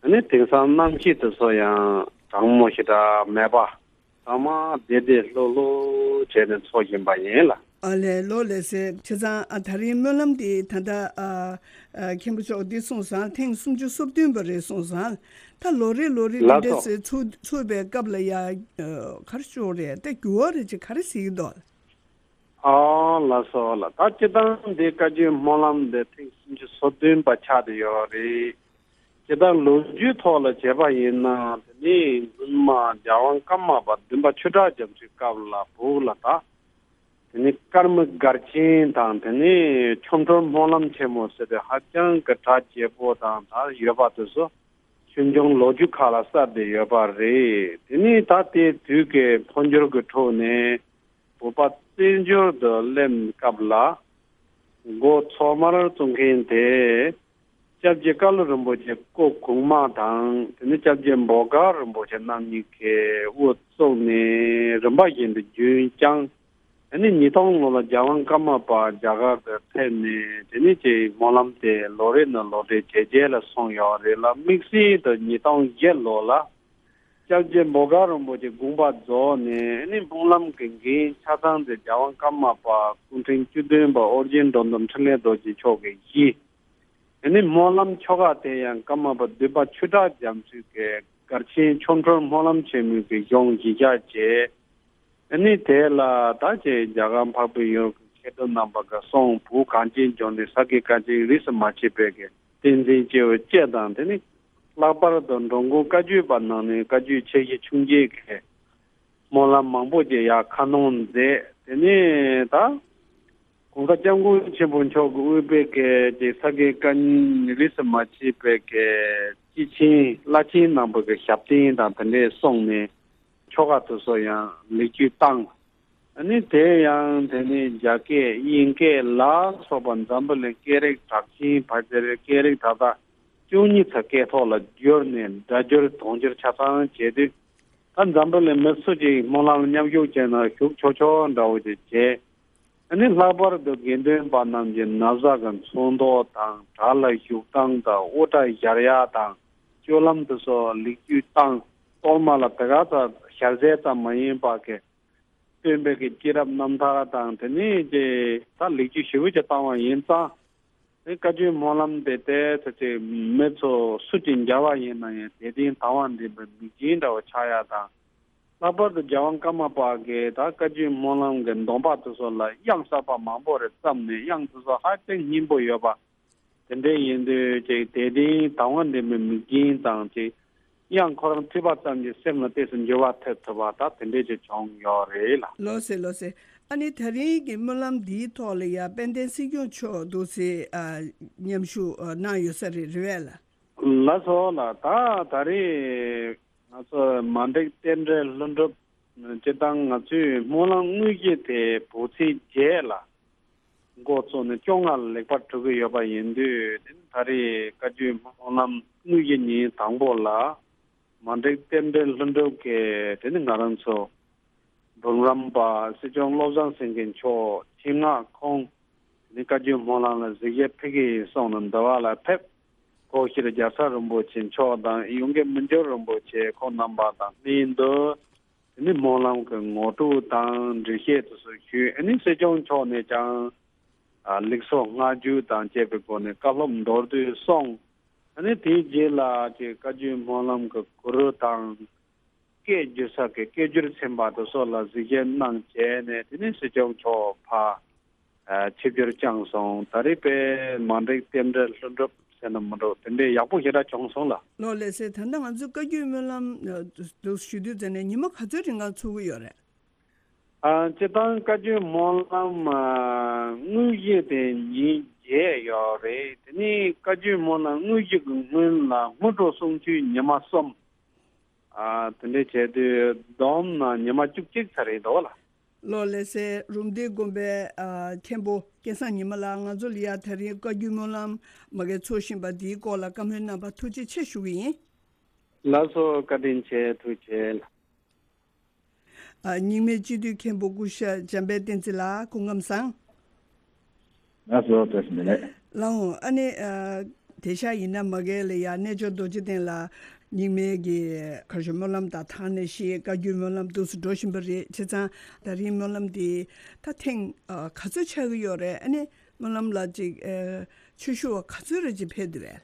ཨ་ནི་དེང་སང་གནམ་གཤིས་དེ་ཚོ་ཡང་གྲང་མོ་ཞེ་དྲག་མེད་པ། ཚང་མ་བདེ་བདེ་ལྷོད་ལྷོད་བྱས་ནས་འཚོགས་བཞིན་པ་ཡིན་ལ། ཨ་ལས་ལོ་ལས་སེ་བྱས་ཙང་ཨ་ད་རིང་སྨོན་ལམ་འདི་ད་ལྟ་ཨ་ཨ་མཁན་པོ་མཆོག་འདི་གསུངས་སོང་། ཐེངས་སུམ་ཅུ་སོ་བདུན་པ་རེད་གསུངས་སོང་། ད་ལོ་རེ་ལོ་རེ་འདི་ལགས་འདྲ་སོ། སེ་ཚུགས་ཚུགས་པའི་སྐབས་ལ་ཡ་ཨ་ག་རེ་ཤོག་རེད། ད་འགྱུར་བ་རེ་ཅིག་ག་རེ་ཟེར་གྱི་འདུག་ཨ་ལགས་སོ་ལགས། ད་སྤྱིར་བཏང་འདི་བཀའ་བརྒྱུད་སྨོན་ལམ་འདི་ཐེངས་སུམ་ཅུ་སོ་བདུན་པ་ཆགས་བསྡད་ཡོད་རེད། སྤྱིར་བཏང་ལོ་རྒྱུས་ཐོག་ལ་བྱས་པ་ཡིན་ན་དེ་ནི་སྔོན་མ་རྒྱལ་དབང་ཀརྨ་པ་བདུན་པ་ཆོས་གྲགས་རྒྱ་མཚོའི་སྐབས་ལ་བོད་ལ་ད་དེ་ནི་ཀརྨ་སྒར་ཆེན་དང་དེ་ནི་ཆོ་འཕྲུལ་སྨོན་ལམ་ཆེན་མོ་ཟེར་ཏེ་ཧ་ཅང་གི་གྲགས་ཆེ་པོ་དང་ད་ཡོད་པ་དེ་ཚོ་ཆོས་འབྱུང་ལོ་རྒྱུས་ཁག་ལ་གསལ་བསྡད་ཡོད་པ་རེད། དེ་ནི་ད་དེ་དུས་ཀྱི་འཕོ་འགྱུར་གྱི་ཁྲོད་ནས། བོད་པ་བཙན་བྱོལ་དུ་སླེབས་སྐབས་ལ་འགོ་ཐོག་མར་བཙུགས་མཁན་དེ་སྐྱབས་རྗེ་ཀ་ལུ་རིན་པོ་ཆེ་སྐུ་གོང་མ་དང་དེ་ནས་སྐྱབས་རྗེ་འབོ་དཀར་རིན་པོ་ཆེ་རྣམ་གཉིས་ཀྱིས་དབུ་བཙུགས་ནས་རིམ་པ་བཞིན་དུ་རྒྱུན་བསྐྱངས། དེ་ནས་ཉིས་སྟོང་ལོ་ལ་རྒྱལ་དབང་ཀརྨ་པ་རྒྱ་གར་དུ་ཕེབས་ནས་དེ་ནས་ཀྱི་སྨོན་ལམ་དེ་ལོ་རེ་ནས་ལོ་རེ་ཇེ་རྒྱས་ལ་སོང་ཡོད་རེད་ལ། དམིགས་བསལ་དུ་ཉིས་སྟོང་བརྒྱད་ལོ་ལ། སྐྱབས་རྗེ་འབོ་དཀར་རིན་པོ་ཆེ་དགོངས་པ་རྫོགས་ནས་ནི་སྨོན་ལམ་གྱི་འགན་ཆ་ཚང་དེ་རྒྱལ་དབང་ཀརྨ་པ་སྐུ་ཕྲེང་བཅུ་བདུན་པ་ཨོ་རྒྱན་འགྲོ་འདུལ་འཕྲིན་ལས་རྡོ་རྗེ་མཆོག་གིས་བཞེས། ནི་སྨོན་ལམ་ཆོ་ག་དེ་ཡང་ཀརྨ་པ་བདུན་པ་ཆོས་གྲགས་རྒྱ་མཚོས་ཀྱི་སྒར་ཆེན་ཆོ་འཕྲུལ་སྨོན་ལམ་ཆེན་མོའི་གི་གཞུང་གཞི་བཞག་བྱས། ནི་དེ་ལ་ད་ཅེ་རྒྱ་གར་འཕགས་པའི་ཡུལ་གྱི་མཁས་གྲུབ་རྣམ་པ་གི་གསུང་བོད་གངས་ཅན་ལྗོངས་འདི་ས་དགེ་བཀའ་དྲིན་རིས་སུ་མ་ཆད་པའི་གི་བསྟན་འཛིན་སྐྱེས་བུ་བཅས་དང་དེ་ནི་ལྷག་པར་དུ་འགྲོ་མགོན་བཀའ་བརྒྱུད་པ་ནང་ནས་བཀའ་བརྒྱུད་ཆེ་བཞི་ཆུང་བརྒྱད་ཀྱི་སྨོན་ལམ་མང་པོ་ཅིག་ཡར་ཁ་སྣོན་མཛད། དེ་ནས་ད་༸གོང་ས་༸སྐྱབས་མགོན་ཆེན་པོ་མཆོག་གིས་དབུས་པའི་གི་ཅིག་ས་དགེ་བཀའ་རྙིང་རིས་སུ་མ་ཆད་པའི་གི་སྐྱེས་ཆེན་བླ་ཆེན་རྣམ་པ་གི་ཞབས་བརྟན་དང་དེ་འདྲའི་གསུངས་ནས་ཆོ་ག་དེ་ཚོ་ཡང་ལེགས་བཅོས་བཏང་། ཨ་ནི་དེ་ཡང་དེ་ནི་རྒྱ་སྐད་དབྱིན་སྐད་ལ་སོགས་པ་འཛམ་བུ་གླིང་སྐད་རིགས་གྲགས་ཅན་ཕལ་ཆེར་སྐད་རིགས་ད་ལྟ་བཅུ་གཉིས་ཚོ་སྐད་ཐོག་ལ་བསྒྱུར་ནས་སྒྲ་སྒྱུར་དུང་སྒྱུར་ཆ་ཚང་བྱས་དུས། ད་འཛམ་བུ་གླིང་མི་སུ་ཅིག་སྨོན་ལམ་མཉམ་ཞུགས་བྱས་ན་ཞུགས་ཆོག་ཆོག་འདྲ་བོ་ཅིག་བྱས། ཨ་ནི་ལྷག་པར་དུ་དགེ་འདུན་པ་རྣམས་ཀྱི་ན་བཟའ་གི་ཚོན་མདོག་དང་གྲྭ་ལ་བཞུགས་སྟངས་དང་དབུ་སྐྲ་སྦྱར་ཡག་དང་སྤྱོད་ལམ་དེ་ཚོ་ལེགས་བཅོས་བཏང་། གཏོར་མ་ལ་དེ་ག་ཙམ་ཞལ་ཟས་ཙམ་མ་ཡིན་པ་གི་སྟོན་པའི་གི་སྐྱེས་རབས་རྣམ་ཐར་དང་དེ་ནས་ཀྱི་ད་ལེགས་བཅོས་ཞེ་པོ་ཅིག་བཏང་བ་ཡིན་ཙང་། དེ་བཀའ་བརྒྱུད་སྨོན་ལམ་དེ་ཏོག་ཙམ་ཅིག་མི་ཚོ་སུ་ཅིག་མཇལ་བ་ཡིན་ན་ཡང་དད་ལྡན་དང་བ་འདྲེན་པའི་མིག་རྒྱན་འདྲ་བོ་ཆགས་ཡག་དང་། ལྷག་པར་དུ་རྒྱལ་དབང་ཀརྨ་པ་གིས་ད་བཀའ་བརྒྱུད་སྨོན་ལམ་གྱི་འདོན་པ་དེ་ཚོ་ལ་དབྱངས་གསར་པ་མང་པོ་རེ་བརྩམས་ནས་དབྱངས་དེ་ཚོ་ཧ་ཅང་སྙན་པོ་ཡོད་པ། དེ་འདྲ་ཡིན་དུས་ཅིག་དད་ལྡན་དང་བ་འདྲེན་པའི་མིག་རྒྱན་དང་ཅིག་ ཡང་ཁོ་རང་ཐོས་པ་ཙམ་གྱིས་སེམས་ལ་ཏོག་ཙམ་འགྱུར་བ་ཐེབས་ཐུབ་པ་ད་དེ་འདྲས་ཅིག་བྱུང་ཡོད་རེད་ལ། ལགས་སེ་ལགས་སེ། ཨ་ནི་ད་རིང་གི་སྨོན་ལམ་འདིའི་ཐོག་ལ་ཡ་དཔལ་ལྡན་སྲིད་སྐྱོང་མཆོག་འདུག་སེ་ཨ་མཉམ་ཞུགས་ཨ་གནང་ཡོད་ས་རེད། རེད་པས་ལགས། ལགས་སོ་ལགས། ད་ད་རེས་ང་ཚོ་མ་འགྲིག་རྟེན་འབྲེལ་ལྷུན་གྲུབ་སྤྱིར་བཏང་ང་ཚོའི་སྨོན་ལམ་དངོས་གཞི་དེ་བོད་ཚེས་བརྒྱད་ལ་འགོ་བཙུགས་ནས་བཅོ་ལྔ་ལ་ལེགས་པར་གྲུབ་ཀྱི་ཡོད་པ་ཡིན་དུས། དེ་ནི་ད་རེས་བཀའ་བརྒྱུད་སྨོན་ལམ་དངོས་གཞི་ཉིན་དང་པོ་ལ་མ་འགྲིག་རྟེན་འབྲེལ་ལྷུན་གྲུབ་ཀྱིས་དེ་ནི་ང་རང་ཚོ་འབུམ་རམས་པ་སྲིད་སྐྱོང་བློ་བཟང་སེང་གེ་མཆོག་ཆེད་མངགས་ཁོང་དེ་ནི་བཀའ་བརྒྱུད་སྨོན་ལམ་ལ་གཟིགས་ཞིབ་ཕེབས་ཀྱི་ཡིན་གསུངས་ནས་འདི་བ་ལ་ཕེབས། སྒོ་ཕྱིར་རྒྱལ་ཚབ་རིན་པོ་ཆེ་མཆོག་དང་ཡོངས་དགེ་མི་འགྱུར་རིན་པོ་ཆེ་ཁོང་རྣམ་པ་དང་ལྷན་དུ། དེ་ནི་སྨོན་ལམ་གྱི་ངོ་སྤྲོད་དང་འགྲེལ་བཤད་དེ་ཚོ་ཞུས། ཨ་ནི་སྲིད་སྐྱོང་མཆོག་ནས་ཀྱང་ཨ་ལེགས་སོ་བསྔགས་བརྗོད་དང་བཅས་པའི་སྒོ་ནས་བཀའ་སློབ་མདོར་བསྡུས་གསུངས། ཨ་ནི་དེའི་རྗེས་ལ་ཅིག་བཀའ་བརྒྱུད་སྨོན་ལམ་གྱི་གུ་རུ་དང་། སྐད་བསྒྱུར་ས་གི་སྐད་བསྒྱུར་ཚན་པ་དེ་ཚོ་ལ་གཟིགས་ཞིབ་གནང་བྱས་ནས། དེ་ནས་སྲིད་སྐྱོང་མཆོག་ཕར་ཨ་ཆིབས་བསྒྱུར་བསྐྱངས་སོང་། ད་རེས་དཔེ་མ་འགྲིག་རྟེན་འབྲེལ་ལྷུན་གྲུབ་ཟེར་ན་མི་འགྲོ། དེ་འདྲའི་ཡག་པོ་ཞེ་དྲག་བྱུང་སོང་ལགས། ལགས་ལགས་སེ། ད་ལྟ་ང་ཚོའི་བཀའ་བརྒྱུད་སྨོན་ལམ་ཨ་འདུག་ཞུ་དུས་ཙམ་ནས་ཉི་མ་ག་ཚོད་རིང་ག་ཚུགས་ཀྱི་ཡོད་རེད། ཨ་སྤྱིར་བཏང་བཀའ་བརྒྱུད་སྨོན་ལམ་ཨ་དངོས་གཞི་དེ་ཉིན་བརྒྱད་ཡོད་རེད། དེ་ནས་བཀའ་བརྒྱུད་སྨོན་ལམ་དངོས་གཞི་གི་སྔོན་ལ་སྔོན་འགྲོ་གསུང་ཆོས་ཉི་མ་གསུམ། ཨ་དེ་འདྲ་བྱས་དུས་བསྡོམས་ན་ཉི་མ་བཅུ་གཅིག་ཙམ་རེད་འདུག་ལགས། ལགས་ལགས་སེ། རུམ་བཏེག་དགོན་པའི་ཨ་མཁན་པོ་སྐལ་བཟང་ཉི་མ་ལགས། ང་ཚོ་ལ་ཡ་ད་རིང་བཀའ་བརྒྱུད་སྨོན་ལམ་མ་གི་ཚོགས་བཞིན་པ་འདིའི་སྐོར་ལ་བཀའ་མོལ་གནང་བར་ཐུགས་རྗེ་ཆེ་ཞུ་གི་ཡིན། ལགས་སོ། བཀའ་དྲིན་ཆེ། ཐུགས་རྗེ་ཆེ། ཨ་རྙིང་མའི་སྤྱི་འཐུས་མཁན་པོ་སྐུ་ཞབས་འཇམ་དཔལ་བསྟན་འཛིན་ལགས། སྐུ་ཁམས་བཟང་། ལགས་སོ། བཀྲ་ཤིས་བདེ་ལེགས། ལགས་འོང་། ཨ་ནི་ཨ་དེང་སང་ཡིན་ན་མ་གི་ལ་ཡ་རྣལ་འབྱོར་རྡོ་རྗེ་གདན་ལ་རྙིང་མའི་གི་གར་ཞོ་སྨོན་ལམ་དང་ཐང་ནས་ཤི་བཀའ་བརྒྱུད་སྨོན་ལམ་འདུག་སེ་འགྲོ་བཞིན་པ་རེད། བྱས་ཙང་ད་རིང་སྨོན་ལམ་འདི་ད་ཐེངས་ཨ་ག་ཚོད་ཆགས་ཀྱི་ཡོད་རེད། ཨ་ནི་སྨོན་ལམ་ལ་ཅིག་ཨ་ཆོས་ཞུ་བ་ག་ཚོད་རེ་ཅིག་ཕེབས་འདུག་རེད།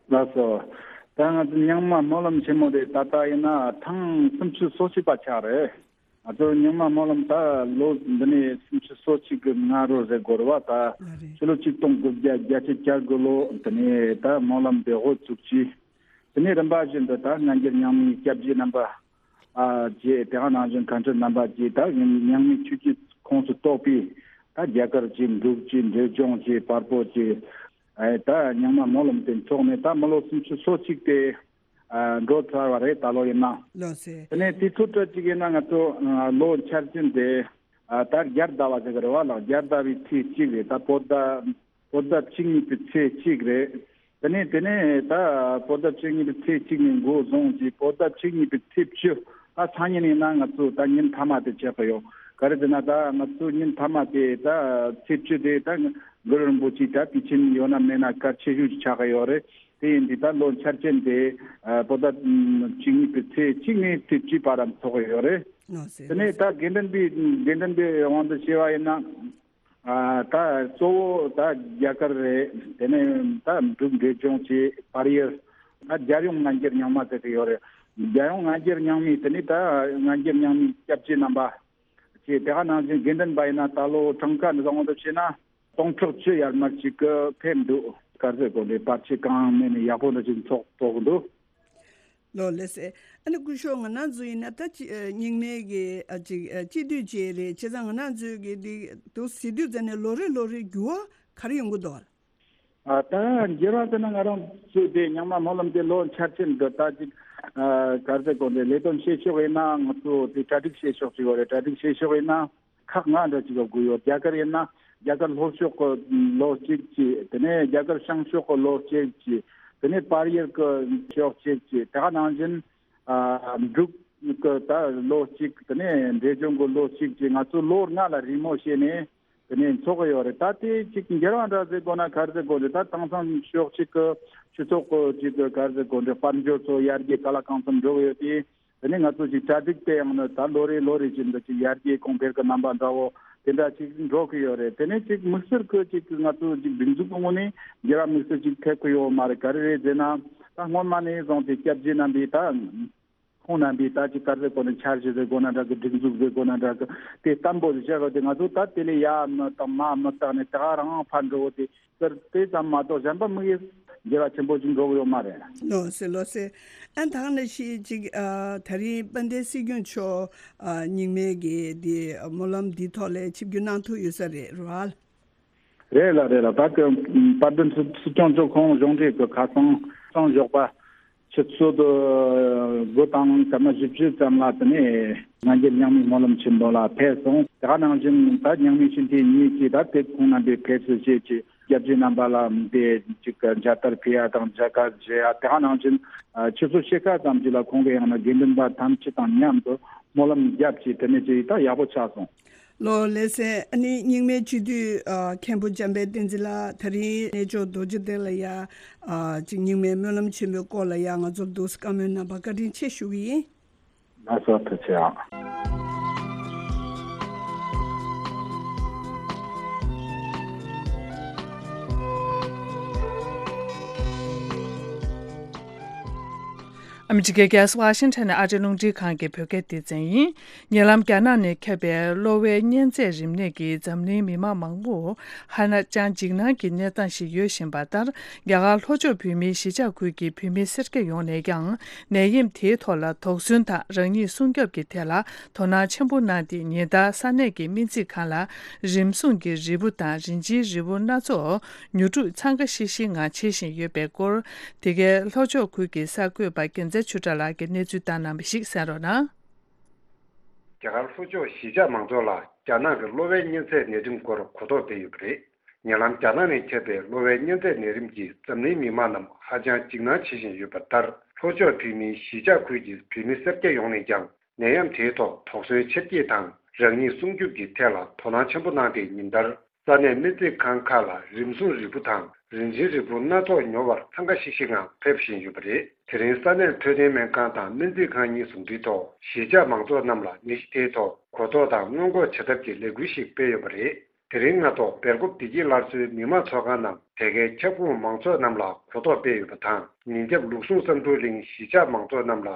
ལགས་སོ། ད་ང་ཚོ་རྙིང་མ་སྨོན་ལམ་ཆེན་མོ་དེ་ད་ལྟ་ཡིན་ན་ཐེངས་སུམ་ཅུ་སོ་གཅིག་པ་ཆགས་རེད། ང་ཚོ་རྙིང་མ་སྨོན་ལམ་ད་ལོ་འདི་ནས་སུམ་ཅུ་སོ་གཅིག་གི་སྔ་རོལ་ཟེར་དགོས་རེད་བ། ད་ལ་རེད། ཕྱི་ལོ་ཆིག་སྟོང་དགུ་བརྒྱ་བརྒྱད་ཅུ་གྱ་དགུ་ལོ་དེ་ནས་ད་སྨོན་ལམ་དེ་འགོ་བཙུགས་ཀྱིས། དེ་ནས་རིམ་པ་བཞིན་དུ་ད་སྔ་འགྱུར་རྙིང་མའི་སྐྱབས་རྗེ་རྣམ་པ་ཨ་བཅས། དེ་ག་ནང་བཞིན་མཁན་སྤྲུལ་རྣམ་པ་བཅས། ད་རྙིང་མའི་ཆོས་བརྒྱུད་ཁོངས་སུ་གཏོགས་པའི་ད་རྒྱ་གར་གྱི་འབྲུག་གི་འབྲས་ལྗོངས་ཀྱི་བལ་པོ་གྱི་ཨ་ད་རྙིང་མ་སྨོན་ལམ་དེ་འཚོགས་ནས་ད་མི་ལོ་སུམ་ཅུ་སོ་གཅིག་དེ་ཨ་འགྲོ་ཚར་བ་རེད། ད་ལོ་ཡིན་ན། ལགས་སེ། དེ་ནས་དུས་ཚོད་སྤྲད་ཅིག་ཡིན་ན་ང་ཚོ་ཨ་ལོ་འཆར་ཅན་དེ་ཨ་ད་རྒྱལ་ཟླ་བ་ཟེར་གི་རེད་བ་ལགས། རྒྱལ་ཟླ་བའི་ཚེས་གཅིག་རེད། ད་བོད་ཟླ་བོད་ཟླ་བཅུ་གཉིས་པའི་ཚེས་གཅིག་རེད། དེ་ནས་དེ་ནས་ད་བོད་ཟླ་བཅུ་གཉིས་པའི་ཚེས་གཅིག་ནས་འགོ་བཟུང་གིས་བོད་ཟླ་བཅུ་གཉིས་པའི་ཚེས་བཅུ། ད་སང་ཉིན་ཡིན་ན་ང་ཚོ་ད་ཉིན་མཐའ་མ་དེ་ཆགས་ཀྱི་ཡོད། ག་རེ་ཟེར་ན་ད་ང་ཚོ་ཉིན་མཐའ་མ་དེ་ད་ཚེས་བཅུ་དེ་ད་གུ་རུ་རིན་པོ་ཆེ་ད་དུས་ཆེན་ཡོད་ན་མེད་ན་གལ་ཆེ་ཤོས་ཅིག་ཆགས་ཀྱི་ཡོད་རེད། དེ་ཡིན་དུས་ད་ལོ་འཆར་ཅན་དེ་ཨ་བོད་ཟླ་བཅུ་གཉིས་པའི་ཚེས་གཅིག་ནས་ཚེས་བཅུའི་བར་ལ་འཚོགས་ཀྱི་ཡོད་རེད། ལགས་སེ། དེ་ནས་ད་དགེ་འདུན་པའི་དགེ་འདུན་པའི་དབང་དུ་བྱས་པ་ཡིན་ན། ཨ་ད་གཙོ་བོ་ད་རྒྱ་གར་རེད། དེ་ནས་ད་འབྲུག་འབྲས་ལྗོངས་ཀྱི་བལ་ཡུལ། ད་རྒྱལ་ཡོངས་སྔ་འགྱུར་རྙིང་མ་ཟེར་གྱི་ཡོད་རེད། རྒྱལ་ཡོངས་སྔ་འགྱུར་རྙིང་མའི་དེ་ནས་ད་སྔ་འགྱུར་རྙིང་མའི་སྐྱབས་རྗེ་རྣམ་པ་ཀྱི་དེ་ག་ནང་བཞིན་དགེ་འདུན་པ་ཡིན་ན་ད་ལོ་གྲངས་ཀ་འདི་དང་དབང་དུ་བྱས་ན་སྟོང་ཕྲག་བཅུ་ཡར་མར་ཅིག་གི་ཕེབས་འདུག་ག་རེ་ཟེར་དགོས་རེད། བར་ཆད་གང་མེད་ནས་ཡག་པོ་འདྲ་ཅིག་འཚོགས་ཐུབ་ཀྱི་འདུག་ལགས་ལགས་སེ། ཨ་ནི་སྐུ་ཞབས་ང་རང་ཚོ་ཡིན་ན་ད་ཅི་ཨ་རྙིང་མའི་གི་ཨ་ཅིག་ཨ་སྤྱི་འཐུས་ཅིག་རེད། བྱས་ཙང་ང་རང་ཚོའི་གི་འདི་འདུག་ཟེར་དུས་ཙམ་ནས་ལོ་རེ་ལོ་རེ་འགྱུར་བ་ག་རེ་ཡོང་གི་འདུག་ཨ། ད་འགྱུར་བ་ཟེར་ན་ང་རང་ཚོའི་དེ་རྙིང་མ་སྨོན་ལམ་དེ་ལོ་འཆར་ཅན་གི་ད་ཅིག་ཨ་ག་རེ་ཟེར་དགོས་རེད། ལས་དོན་བྱེད་ཕྱོགས་ཡིན་ན་ང་ཚོ་དེ་གྲ་སྒྲིག་བྱེད་ཕྱོགས་ཅིག་ཡོད་རེད། གྲ་སྒྲིག་བྱེད་ཕྱོགས་ཡིན་ན། ཁག་ལྔ་འདྲ་ཅིག་ལ་དགོས་ཡོད། རྒྱ་གར་ཡིན་ན་རྒྱ་གར་ལྷོ་ཕྱོགས་ཀྱི་ལོ་གཅིག་ཅིག་དེ་ནས་རྒྱ་གར་བྱང་ཕྱོགས་ཀྱི་ལོ་གཅིག་ཅིག་དེ་ནས་བལ་ཡུལ་གྱི་ཕྱོགས་གཅིག་ཅིག་དེ་ག་ནང་བཞིན་ཨ་འབྲུག་གི་ད་ལོ་གཅིག་དེ་ནས་འབྲས་ལྗོངས་ཀྱི་ལོ་གཅིག་ཅིག་ང་ཚོ་ལོ་ལྔ་ལ་རེས་མོས་བྱས་ནས་དེ་ནས་འཚོགས་ཀྱི་ཡོད་རེད། ད་དེ་ཅིག་འགྱུར་བ་འདྲ་ཟེར་དགོས་ན་ག་རེ་ཟེར་དགོས་རེད། ད་དེང་སང་ཕྱོགས་གཅིག་གི་སྤྱི་ཚོགས་ཀྱི་ཅིག་གི་ག་རེ་ཟེར་དགོས་རེད། དཔལ་འབྱོར་ཚོ་ཡར་རྒྱས་ག་ལ་གང་འཚམ་འགྲོ་གི་ཡོད་དེ། དེ་ནས་ང་ཚོ་ཅིག་གྲ་སྒྲིག་དེ་ཡང་ནི་ད་ལོ་རེ་ལོ་རེ་བཞིན་དུ་ཅིག་ཡར་རྒྱས་གོང་འཕེལ་གྱི་རྣམ་པ་འདྲ་བོ་དེ་འདྲ་ཅིག་འགྲོ་གི་ཡོད་རེད། དེ་ནས་ཅིག་དམིགས་བསལ་གྱི་ཅིག་ང་ཚོ་ཅིག་སྒྲིག་འཛུགས་ཀྱི་ངོས་ནས་འགྱུར་བ་དམིགས་བསལ་ཅིག་ཐེབས་ཀྱི་ཡོད་མ་རེད། ག་རེ་རེད་ཟེར་ན་ད་སྔོན་མ་ནས་བཟུང་སྟེ་སྐྱབས་རྗེ་རྣམ་པས་ད་ཁོང་རྣམ་པས་ད་ཅིག་ག་རེ་ཟེར་དགོས་ན་འཆར་གཞི་ཟེར་དགོས་ན་འདྲ་གི། སྒྲིག་འཛུགས་ཟེར་དགོས་ན་འདྲ་གི། དེ་བརྟན་པོ་ཞིག་བྱ་དགོས་ཏེ་ང་ཚོ་ད་དེ་ལས་ཡར་མི་བཏང་མར་མི་བཏང་ནས་ད་ག་རང་ཕར་འགྲོ་དེ་ཟེར་དེ་ཙམ་མ་གཏོགས་གཞན་པ་དམིགས་ཡུལ་ འགྱུར་བ་ཆེན་པོ་ཅིག་འགྲོ་གི་ཡོད་མ་རེད། ལགས་སེ་ལགས་སེ། ཨ་ད་ག་ནང་བཞིན་ཅིག་ཨ་ད་རིང་དཔལ་ལྡན་སྲིད་སྐྱོང་མཆོག་ཨ་རྙིང་མའི་གི་དེ་སྨོན་ལམ་འདིའི་ཐོག་ལ་ཆིབས་བསྒྱུར་གནང་ཐུབ་ཡོད་ས་རེད་རེད་བ། རེད་ལ་རེད་ལ། ད་དེ་དཔལ་ལྡན་སྲིད་སྐྱོང་མཆོག་ཁོང་གཞུང་འབྲེལ་གྱི་ཁ་སང་གསང་སྦྱོར་པ་ཆུ་ཚོད་དགུ་དང་སྐར་མ་བཞི་བཅུ་ཙམ་ལ་དེ་ནས་སྔ་འགྱུར་རྙིང་མའི་སྨོན་ལམ་ཆེན་མོ་ལ་ཕེབས་སོང་། དེ་ག་ནང་བཞིན་ད་རྙིང་མའི་སྤྱི་འཐུས་གཉིས་ཀྱིས་ད་དེབ་ཁོང་རྣམ་པའི་ཕེབས་བསུ་བྱས་ཀྱི་སྐྱབས་རྗེ་རྣམ་པ་ལ་དེ་ཅིག་མཇལ་དར་ཕུལ་ཡ་དང་མཇལ་ཁ་བཞེས་ཡ། དེ་ག་ནང་བཞིན་ཆུ་ཚོད་ཕྱེད་ཀ་ཙམ་ཅིག་ལ་ཁོང་གི་ཡང་ན་དགེ་འདུན་པ་ཐམས་ཅད་དང་མཉམ་དུ་སྨོན་ལམ་བརྒྱབ་ཀྱི་དེ་ནས་ཅིག་ད་ཡག་པོ་ཆགས་སོང་། ལགས་ལགས་སེ། ཨ་ནི་རྙིང་མའི་སྤྱི་འཐུས་ཨ་མཁན་པོ་འཇམ་དཔལ་བསྟན་འཛིན་ལགས། ད་རིང་གནས་མཆོག་རྡོ་རྗེ་གདན་ལ་ཡ་ཨ་ཅིག་རྙིང་མའི་སྨོན་ལམ་ཆེན་མོའི་སྐོར་ལ་ཡ་ང་ཚོར་འདུག་སེ་བཀའ་མོལ་གནང་བར་བཀའ་དྲིན་ཆེ་ཞུ་གི་ཡིན། ལགས་སོ། ཐུགས་རྗེ་ཆེ། ཨ་མི་རི་ཀའི་རྒྱལ་ས་ཝ་ཤིང་ཊོན་ནས་ཨ་རིའི་རླུང་འཕྲིན་ཁང་གི་བོད་སྐད་སྡེ་ཚན་ཡིན། ཉེ་ལམ་རྒྱ་ནག་ནས་ཁྱབ་པའི་གློ་བའི་གཉན་ཚད་རིམས་ནད་ཀྱིས་འཛམ་གླིང་མི་མང་མང་པོ་ཧ་ཅང་འཇིགས་སྣང་གི་གནས་སྟངས་ཤིག་ཡོད་བཞིན་པ་ལྟར། རྒྱ་གར་ལྷོ་ཕྱོགས་བོད་མིའི་གཞིས་ཆགས་ཁུལ་གྱི་བོད་མི་སེར་སྐྱ་ཡོངས་ནས་ཀྱང་ནད་ཡམས་དེའི་ཐོག་ལ་དོགས་ཟོན་དང་རང་ཉིད་སྲུང་སྐྱོབ་ཀྱི་ཐད་ལ་དོ་སྣང་ཆེན་པོ་གནང་སྟེ། ཉིན་ལྟར་ས་གནས་ཀྱི་སྨན་རྩིས་ཁང་ལ་རིམས་སྲུང་གི་རིལ་བུ་དང་རིན་ཆེན་རིལ་བུ་སྣ་ཚོགས་ཉོ་སྒྲུབ་འཚང་ཁ་ཤིག་ཤིག་ངང་བྱེད་བཞིན་ཡོད་པའི་སྐོར། དེ་གའི་ལྷོ་ཕྱོགས་ཁུལ་གྱི་གསར་འགོད་པ་རྒྱལ་མཚན་ཆོས་གྲགས་ལགས་ཀྱིས་གནས་ཚུལ་བཏང་གནང་བ་ཞིག་གསན་རོགས་གནང་། རྒྱ་གར་ལྷོ་ཕྱོགས་གཞིས་ཆགས་མང་ཚོགས་ལ་རྒྱ་ནག་གི་གློ་བའི་གཉན་ཚད་ནད་རིམས་སྐོར་གོ་རྟོགས་སྤེལ་ཡོད་པ་རེད། ཉེ་ལམ་རྒྱ་ནག་ནས་ཁྱབ་པའི་གློ་བའི་གཉན་ཚད་ནད་རིམས་ཀྱིས་འཛམ་གླིང་མི་མང་རྣམས་ཧ་ཅང་འཇིགས་སྣང་བྱེད་བཞིན་ཡོད་པ་ལྟར། ལྷོ་ཕྱོགས་བོད་མིའི་གཞིས་ཆགས་ཁུལ་གྱི་བོད་མི་སེར་སྐྱ་ཡོངས་ནས་ཀྱང་ནད་ཡམས་དེའི་ཐོག་དོགས་ཟོན་ཆེར་སྐྱེད་དང་རང་ཉིད་སྲུང་སྐྱོབ་ཀྱི་ཐད་ལ་དོ་སྣང་ཆེན་པོ་གནང་སྟེ། ཉིན་ལྟར་ས་གནས་སྨན་རྩིས་ཁང་ཁག་ལ་རིམས་སྲུང་རིལ་བུ་དང་རིན་ཆེན་རིལ་བུ་སྣ་ཚོགས་ཉོ་བར་འཚང་ཁ་ཤིག་ཤིག་ངང་ཕེབས་བཞིན་ཡོད་པ་རེད། དེ་རིང་ས་གནས་འཕྲོད་བསྟེན་སྨན་ཁང་དང་སྨན་རྩིས་ཁང་གཉིས་ཟུང་འབྲེལ་ཐོག་གཞིས་ཆགས་མང་ཚོགས་རྣམས་ལ་ནད་གཞི་དེའི་ཐོག་གོ་རྟོགས་དང་སྔོན་འགོག་བྱ་ཐབས་ཀྱི་ལས་འགུལ་ཞིག་སྤེལ་ཡོད་པ་རེད། དེ་རིང་སྔ་ཐོག་སྦེལ་ཀོབ་བདེ་སྐྱིད་སླར་གསོའི་མི་མང་ཚོགས་ཁང་ནང་དེ་གའི་ཁྱབ་ཁོངས་མང་ཚོགས་རྣམས་ལ་གོ་རྟོགས་སྤེལ་ཡོད་པ་དང་། ཉིན་རྒྱབ་ལུགས་ཟུང་བསམ་འགྲུབ་གླིང་གཞིས་ཆགས་མང་ཚོགས་རྣམས་ལ་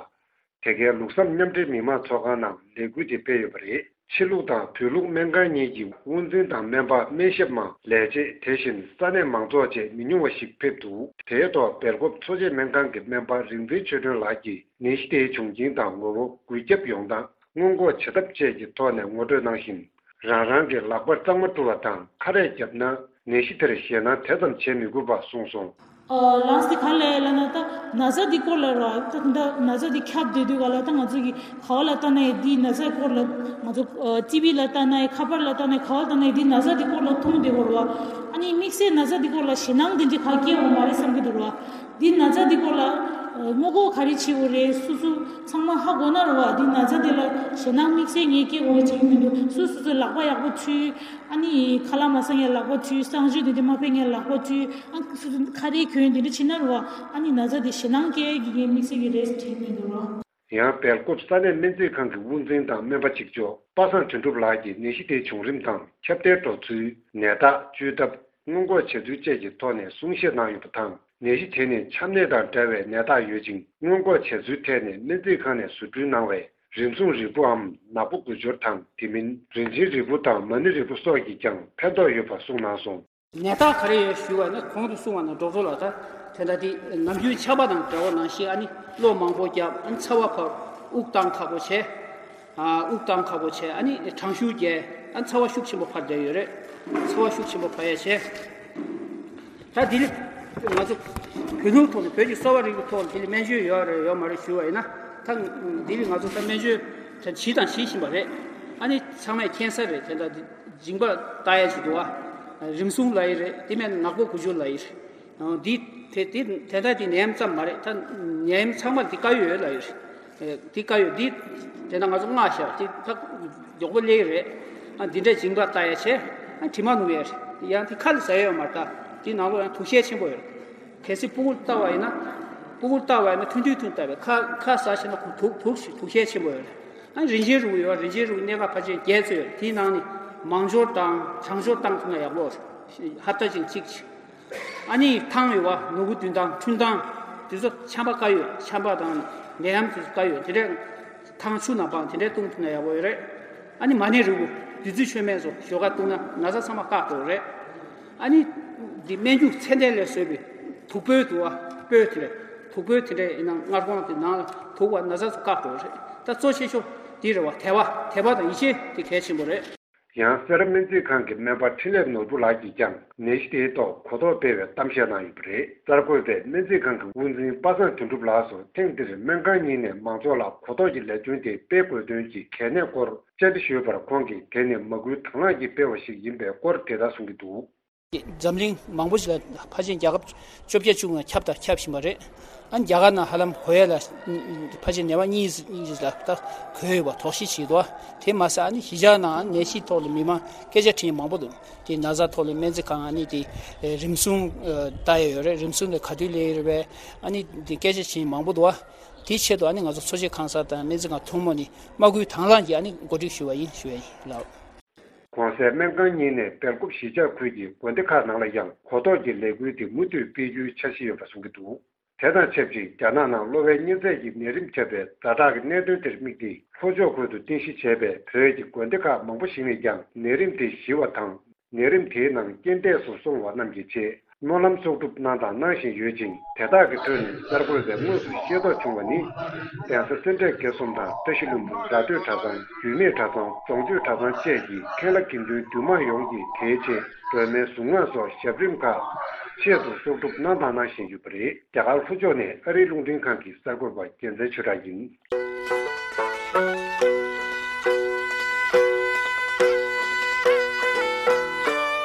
དེ་གའི་ལུགས་བསམ་མཉམ་འབྲེལ་མི་མང་ཚོགས་ཁང་ནང་ལས་འགུལ་དེ་སྤེལ་ཡོད་པ་རེད། ཕྱི་ལུགས་དང་བོད་ལུགས་སྨན་ཁང་གཉིས་ཀྱི་དབུ་འཛིན་དང་སྨན་པ། སྨན་ཞབས་མང་། ལས་བྱེད། དེ་བཞིན་ས་གནས་མང་ཚོགས་བཅས་མི་ཉུང་བ་ཞིག་ཕེབས་འདུག་དེའི་ཐོག་སྦེལ་ཀོབ་འཚོ་བྱེད་སྨན་ཁང་གི་སྨན་པ་རིག་འཛིན་ཆོས་སྒྲོན་ལགས་ཀྱིས་ནད་གཞི་དེའི་བྱུང་རྐྱེན་དང་ངོ་བོ། འགོས་ཁྱབ་ཡོང་སྟངས། སྔོན་འགོག་བྱ་ཐབས་བཅས་ཀྱི་ཐོག་ནས་ངོ་སྤྲོད་གནང་བཞིན། རང་རང་གི་ལག་པ་གཙང་མ་བཀྲུ་བ་དང་ཁ་རས་བརྒྱབ་ན་ནད་གཞི་དེར་ཞེད་སྣང་དེ་ཙམ་བྱེད་མི་དགོས་པ་གསུངས་སོང་། ཨ་ལགས་སེ། ག་ལེ་ལབ་ན་ད་ན་ཚ་འདི་སྐོར་ལ་ར་ད་ད་ན་ཚ་འདི་ཁྱབ་བསྡད་དུས་ག་ལ་ད་ང་ཚོ་གི་ག་བ་ལ་ལྟ་ན་ཡང་འདི་ན་ཚ་སྐོར་ལ་ང་ཚོ་ཨ་ཊི་བི་ལ་ལྟ་ན་ཡང་ཁ་པར་ལ་ལྟ་ན་ཡང་ག་བ་ལ་ལྟ་ན་ཡང་འདི་ན་ཚ་འདི་སྐོར་ལ་མཐོང་བསྡད་ཡོད་རེད་བ། ཨ་ནི་དམིགས་བསལ་ན་ཚ་འདི་སྐོར་ལ་ཞེད་སྣང་འདི་འདྲ་ག་སྐྱེ་ཡོད་མ་རེད་བསམ་གྱི་འདུག་ར། འདི་ན་ཚ་འདི་སྐོར་ལ་ཨ་སྔོན་འགོག་ག་རེ་བྱེད་དགོས་རེད། སོ་སོ་ཚང་མ་ཧ་གོ་ན་རེད་བ། འདི་ན་ཚ་འདི་ལ་ཞེད་སྣང་དམིགས་བསལ་ངས་སྐྱེ་དགོས་བྱེད་ཀྱི་མི་འདུག་སོ་སོ་སོའི་ལག་པ་ཡག་པོ་འཁྲུ། ཨ་ནི་ཁ་ལག་མ་ཟ་མཁན་ལག་པ་འཁྲུ། གསང་སྤྱོད་འདི་འདྲ་མ་སྤེལ་མཁན་ལག་པ་འཁྲུ། ཨ་སོ་སོ་ཁ་རས་གྱོན་འདི་འདྲ་བྱེད་ན་རེད་བ། ཨ་ནི་ན་ཚ་འདི་ཞེད་སྣང་སྐྱེ་གི་ངས་དམིགས་བསལ་གྱི་རེད་ཟེར་དྲན་གྱི་མི་འདུག་ར། ཡང་སྦེལ་ཀོབ་ས་གནས་སྨན་རྩིས་ཁང་གི་དབུ་འཛིན་དང་སྨན་པ་གཅིག་ལྕོགས་པ་སངས་དོན་གྲུབ་ལགས་ཀྱིས་ནད་གཞི་དེའི་བྱུང་རིམ་དང་ཁྱབ་གདལ་འགྲོ་ཚུལ། ནད་རྟགས། བཅོས་ཐབས། སྔོན་འགོག་བྱ་ཚུལ་བཅས་ཀྱི་ཐོག་ནས་གསུང་བཤད་གནང་ཡོད་པ་དང་། ནད་གཞི་དེ་ནི་ཆམ་ནད་དང་འདྲ་བའི་ནད་རྟགས་ཡོད་ཅིང་། སྔོན་འགོག་བྱ་ཚུལ་ཐད་ནས་སྨན་རྩིས་ཁང་ནས་བཟོ་སྐྲུན་གནང་བའི་རིམས་སྲུང་རིལ་བུའམ་ནག་པོ་དགུ་སྦྱོར་དང་། དེ་མིན་རིན་ཆེན་རིལ་བུ་དང་མ་ཎི་རིལ་བུ་སོགས་ཀྱིས་ཀྱང་ཕན་ཐོགས་ཡོད་པ་གསུངས་གནང་སོང་། ནད་རྟགས་ག་རེ་ཡོད་ཞུས་པ་ན། གོང་དུ་གསུངས་པ་ནང་འགྲོ་ཚོ་ལ་ད་དེ་འདྲ་དེ་ནམ་རྒྱུན་ཆར་པ་དང་འདྲ་བ་ནང་བཞིན། ཨ་ནི་གློ་མང་པོ་རྒྱབ། ཨ་ནི་ཚ་བ་འཕར། དབུགས་བཏང་ཁག་པོ་བྱས། ཨ་དབུགས་བཏང་ཁག་པོ་བྱས། ཨ་ནི་གྲང་ཤུར་རྒྱས། ཨ་ནི་ཚ་བ་ཤུགས་ཆེན་པོ་འཕར་བསྡད་ཡོད་རེད། ཚ་བ་ཤུགས་ཆེན་པོ་འཕར་ཡ་བྱས། ད་དེ་ལས་ང་ཚོ་བོད་ལུགས་ཐོག་ནས། བོད་ཀྱི་གསོ་བ་རིག་པའི་ཐོག་ནས་དེ་ལ་སྨན་བཅོས་ཡོད་རེད་ཡོད་མ་རེད་ཞུས་པ་ཡིན་ན། ད་དེ་ལས་ང་ཚོ་ད་སྨན་བཅོས་ད་བྱས་དང་བྱེད་བཞིན་པ་རེད། ཨ་ནི་ཚང་མས་མཁྱེན་གསལ་རེད། དེ་འདྲ་མཇིང་པ་ལྟ་ཡ་ཅིག་འདུག་བ། རིམས་སྲུང་ལབ་ཡི་རེད། དེ་མིན་ནག་པོ་དགུ་སྦྱོར་ལབ་ཡི་རེད། འདི་དེ་དེ་དེ་ལྟར་དེ་ནད་ཡམས་ཙམ་མ་རེད། ད་ནད་ཡམས་ཚང་མ་འདི་དཀར་ཡོལ་ལབ་ཡི་རེད། འདི་དཀར་ཡོལ་འདི་དེ་ན་ང་ཚོ་སྔགས་བཤད་དེ་ད་མགྱོགས་པོ་སླེབས་ཡི་རེད། ཨ་འདི་འདྲ་མཇིང་པ་ལྟ་ཡ་བྱས། ཨ་དྲི་མ་ནུབ་ཡ་རེད། ཡང་དེ་ཁ་ལ་ཟ་ཡ་ཡོད་མ་རེད། ད་དེ་ནང་ལོགས་ཡང་དུག་ཤེལ་ཆེན་པོ་ཡོད་རེད། གལ་སྲིད་སྤུ་གུར་ལྟ་བ་ཡིན་ན། སྤུ་གུར་ལྟ་བ་ཡིན་ན་ཐུང་ཐུང་ཐུང་ལྟ་བས། ཁ་ཁ་ཟ་ཤེས་ན་ཁོ་དུག་དུག་ཤི་དུག་ཤེལ་ཆེན་པོ་ཡོད་རེད། ཨ་རིན་ཆེན་རིལ་བུ་ཡོད། རིན་ཆེན་རིལ་བུ་སྣ་ཁ་ཕལ་ཆེར་བརྒྱད་ཙམ་ཡོད་རེད། དེའི་ནང་ནས་མང་སྦྱོར་དང་གྲང་སྦྱོར་བཏང་ཐུབ་ན་ཡག་པོ་རེད། ཧབ་ཏ་གཅིག་གཅིག་ཅིག་ཨ་ནི་ཐང་ཡོད་བ། ནོར་བུ་བདུན་ཐང་། ཁྲུན་ཐང་། དེ་ཚོ་ཆམ་པ་དཀར་ཡོལ། ཆམ་པ་དང་ནད་ཡམས་དེ་ཚོ་དཀར་ཡོལ། དེ་འདྲའི་ཐང་ཆུ་ནང་སྤང་། དེ་འདྲའི་བཏུང་ཐུབ་ན་ཡག་པོ་ཡོད་རེད། ཨ་ནི་མ་ཎི་རིལ་བུ་བདུད་རྩི་མཆོད་མེ་སོགས་ཞོགས་ཀ་བཏུང་ན་ན་ཚ་ཚང་མ་བཀག་འགྲོ་རེད། ཨ་ནི་འདི་སྨན་རྒྱུ་ཚད་ལྡན་ལས་བཟོས་པའི་ དུག་སྤོས་འདུག་བ། སྤོས་དེ་འདྲ། དུག་སྤོས་དེ་འདྲ་ཡིན་ན་མངར་གོང་དེ་ནང་ལ་དུག་བ་ན་ཚ་བཀག་འགྲོ་རེད། ད་གཙོ་ཆེ་ཤོས་འདི་རེད་བ། དད་པ། དད་པ་དང་ཡིད་ཆེས་དེ་གལ་ཆེན་པོ་རེད། ཡང་སེ་ར་སྨན་རྩིས་ཁང་གི་སྨན་པ་འཕྲིན་ལས་ནོར་བུ་ལགས་ཀྱིས་ཀྱང་ནད་གཞི་དེའི་ཐོག་གོ་རྟོགས་སྤེལ་བའི་གཏམ་བཤད་གནང་ཡོད་པ་རེད། གསར་འགོད་པས་སྨན་རྩིས་ཁང་གི་དབུ་འཛིན་པ་སངས་དོན་གྲུབ་ལགས་སུ་ཐེངས་འདིར་སྨན་ཁང་གཉིས་ནས་མང་ཚོགས་ལ་གོ་རྟོགས་ཀྱི་ལས་དོན་དེ་སྤེལ་དགོས་དོན་གྱི་གལ་གནད་སྐོར་བཅར་འདྲི་ཞུས་པར། ཁོང་གིས་དེ་ནི་མ་སྐུལ་དང་བླངས་ཀྱིས་སྤེལ་བ་ཞིག་ཡིན་པའི་སྐོར་དེ་ལྟར་གསུང་གི་འདུག། འཛམ་གླིང་མང་པོ་ཞིག་ལ་ཕལ་ཆེར་རྒྱལ་ཁབ་བཅོ་བརྒྱད་བཅུ་ལྔ་ཁྱབ་དང་ཁྱབ་བཞིན་པ་རེད། ཨ་ནི་རྒྱ་གར་ནང་ཧ་ལམ་གོ་ཡ་ལ་ཕལ་ཆེར་ནད་པ་གཉིས་ལ་ད་གོ་ཡོད་པ་དོགས་གཞི་བྱེད་དོ། དེ་མ་ཟད་ཨ་ནི་གཞིས་ཆགས་ནང་ནད་གཞིའི་ཐོག་ལ་མི་མང་སྐད་ཆ་དྲིས་མང་པོ་འདུག། དེ་ན་ཚ་ཐོག་ལ་སྨན་རྩིས་ཁང་ཨ་ནི་དེ་རིམས་སྲུང་ལྟ་ཡ་ཡོད་རེད། རིམས་སྲུང་ལ་ག་དུས་སླེབས་ཡོད་རེད་པས། ཨ་ནི་དེ་སྐད་ཆ་དྲིས་མང་པོ་འདུག་བ། དེའི་ཆེད་དུ་ཨ་ནི་ང་ཚོ་འཚོ་བྱེད་ཁང་གསར་དང་སྨན་རྩིས་ཁང་ཐུན་མོང་ནས་མ་སྐུལ་དང་བླངས་ཀྱིས་ཨ་ནི་གོ་སྒྲིག་ཞུ་བ་ཡིན་ཞུ་བ་ཡིན་ལགས། གོང་གསལ་སྨན་ཁང་གཉིས་ནས་སྦེལ་ཀོབ་གཞིས་ཆགས་ཁུལ་གྱི་དགོན་སྡེ་ཁག་ནང་ལ་ཡང་གོ་རྟོགས་ཀྱི་ལས་འགུལ་དེ་མུ་མཐུད་སྤེལ་རྒྱུའི་འཆར་གཞི་ཡོད་པ་གསུང་གི་འདུག། དེ་དང་ཆབས་ཅིག་རྒྱ་ནག་ནང་གློ་བའི་གཉན་ཚད་ཀྱི་ནད་རིམས་ཁྱབ་པའི་ཛ་དྲག་གི་གནད་དོན་དེར་དམིགས་ཏེ། ལྷོ་ཕྱོགས་ཁུལ་དུ་རྟེན་གཞི་བྱས་པའི་བོད་ཀྱི་དགོན་སྡེ་ཁག་མང་པོ་ཞིག་ནས་ཀྱང་ནད་རིམས་དེ་ཞི་བ་དང་། ནད་རིམས་དེའི་ནང་རྐྱེན་འདས་སུ་སོང་བ་རྣམས་ཀྱི་ཆེད་སྨོན་ལམ་གསོག་སྒྲུབ་གནང་དང་གནང་བཞིན་ཡོད་ཅིང་། དེ་དག་གི་ཁྲོད་ནས་གསར་འགོད་པས་དངོས་སུ་ཤེས་རྟོགས་བྱུང་བ་ནི། གདན་ས་སེ་འབྲས་དགེ་གསུམ་དང་བཀྲ་ཤིས་ལྷུན་པོ་སྒྲ་སྡུད་གྲྭ་ཚང་། རྒྱུད་སྨད་གྲྭ་ཚང་། རྫོང་རྒྱུད་གྲྭ་ཚང་བཅས་ཀྱི་མཁན་བླ་དགེ་འདུན་འདུས་མང་ཡོངས་ཀྱིས་དེའི་ཆེད་སྒྲོལ་མའི་གཟུངས་སྔགས་སོགས་ཞབས་རིམ་ཁག་ཆེད་དུ་གསོག་སྒྲུབ་གནང་དང་གནང་བཞིན་ཡོད་པ་རེད། རྒྱ་གར་ལྷོ་ཕྱོགས་ནས་ཨ་རིའི་རླུང་འཕྲིན་ཁང་གི་གསར་འགོད་པ་རྒྱལ་མཚན་ཆོས་གྲགས་ཡིན།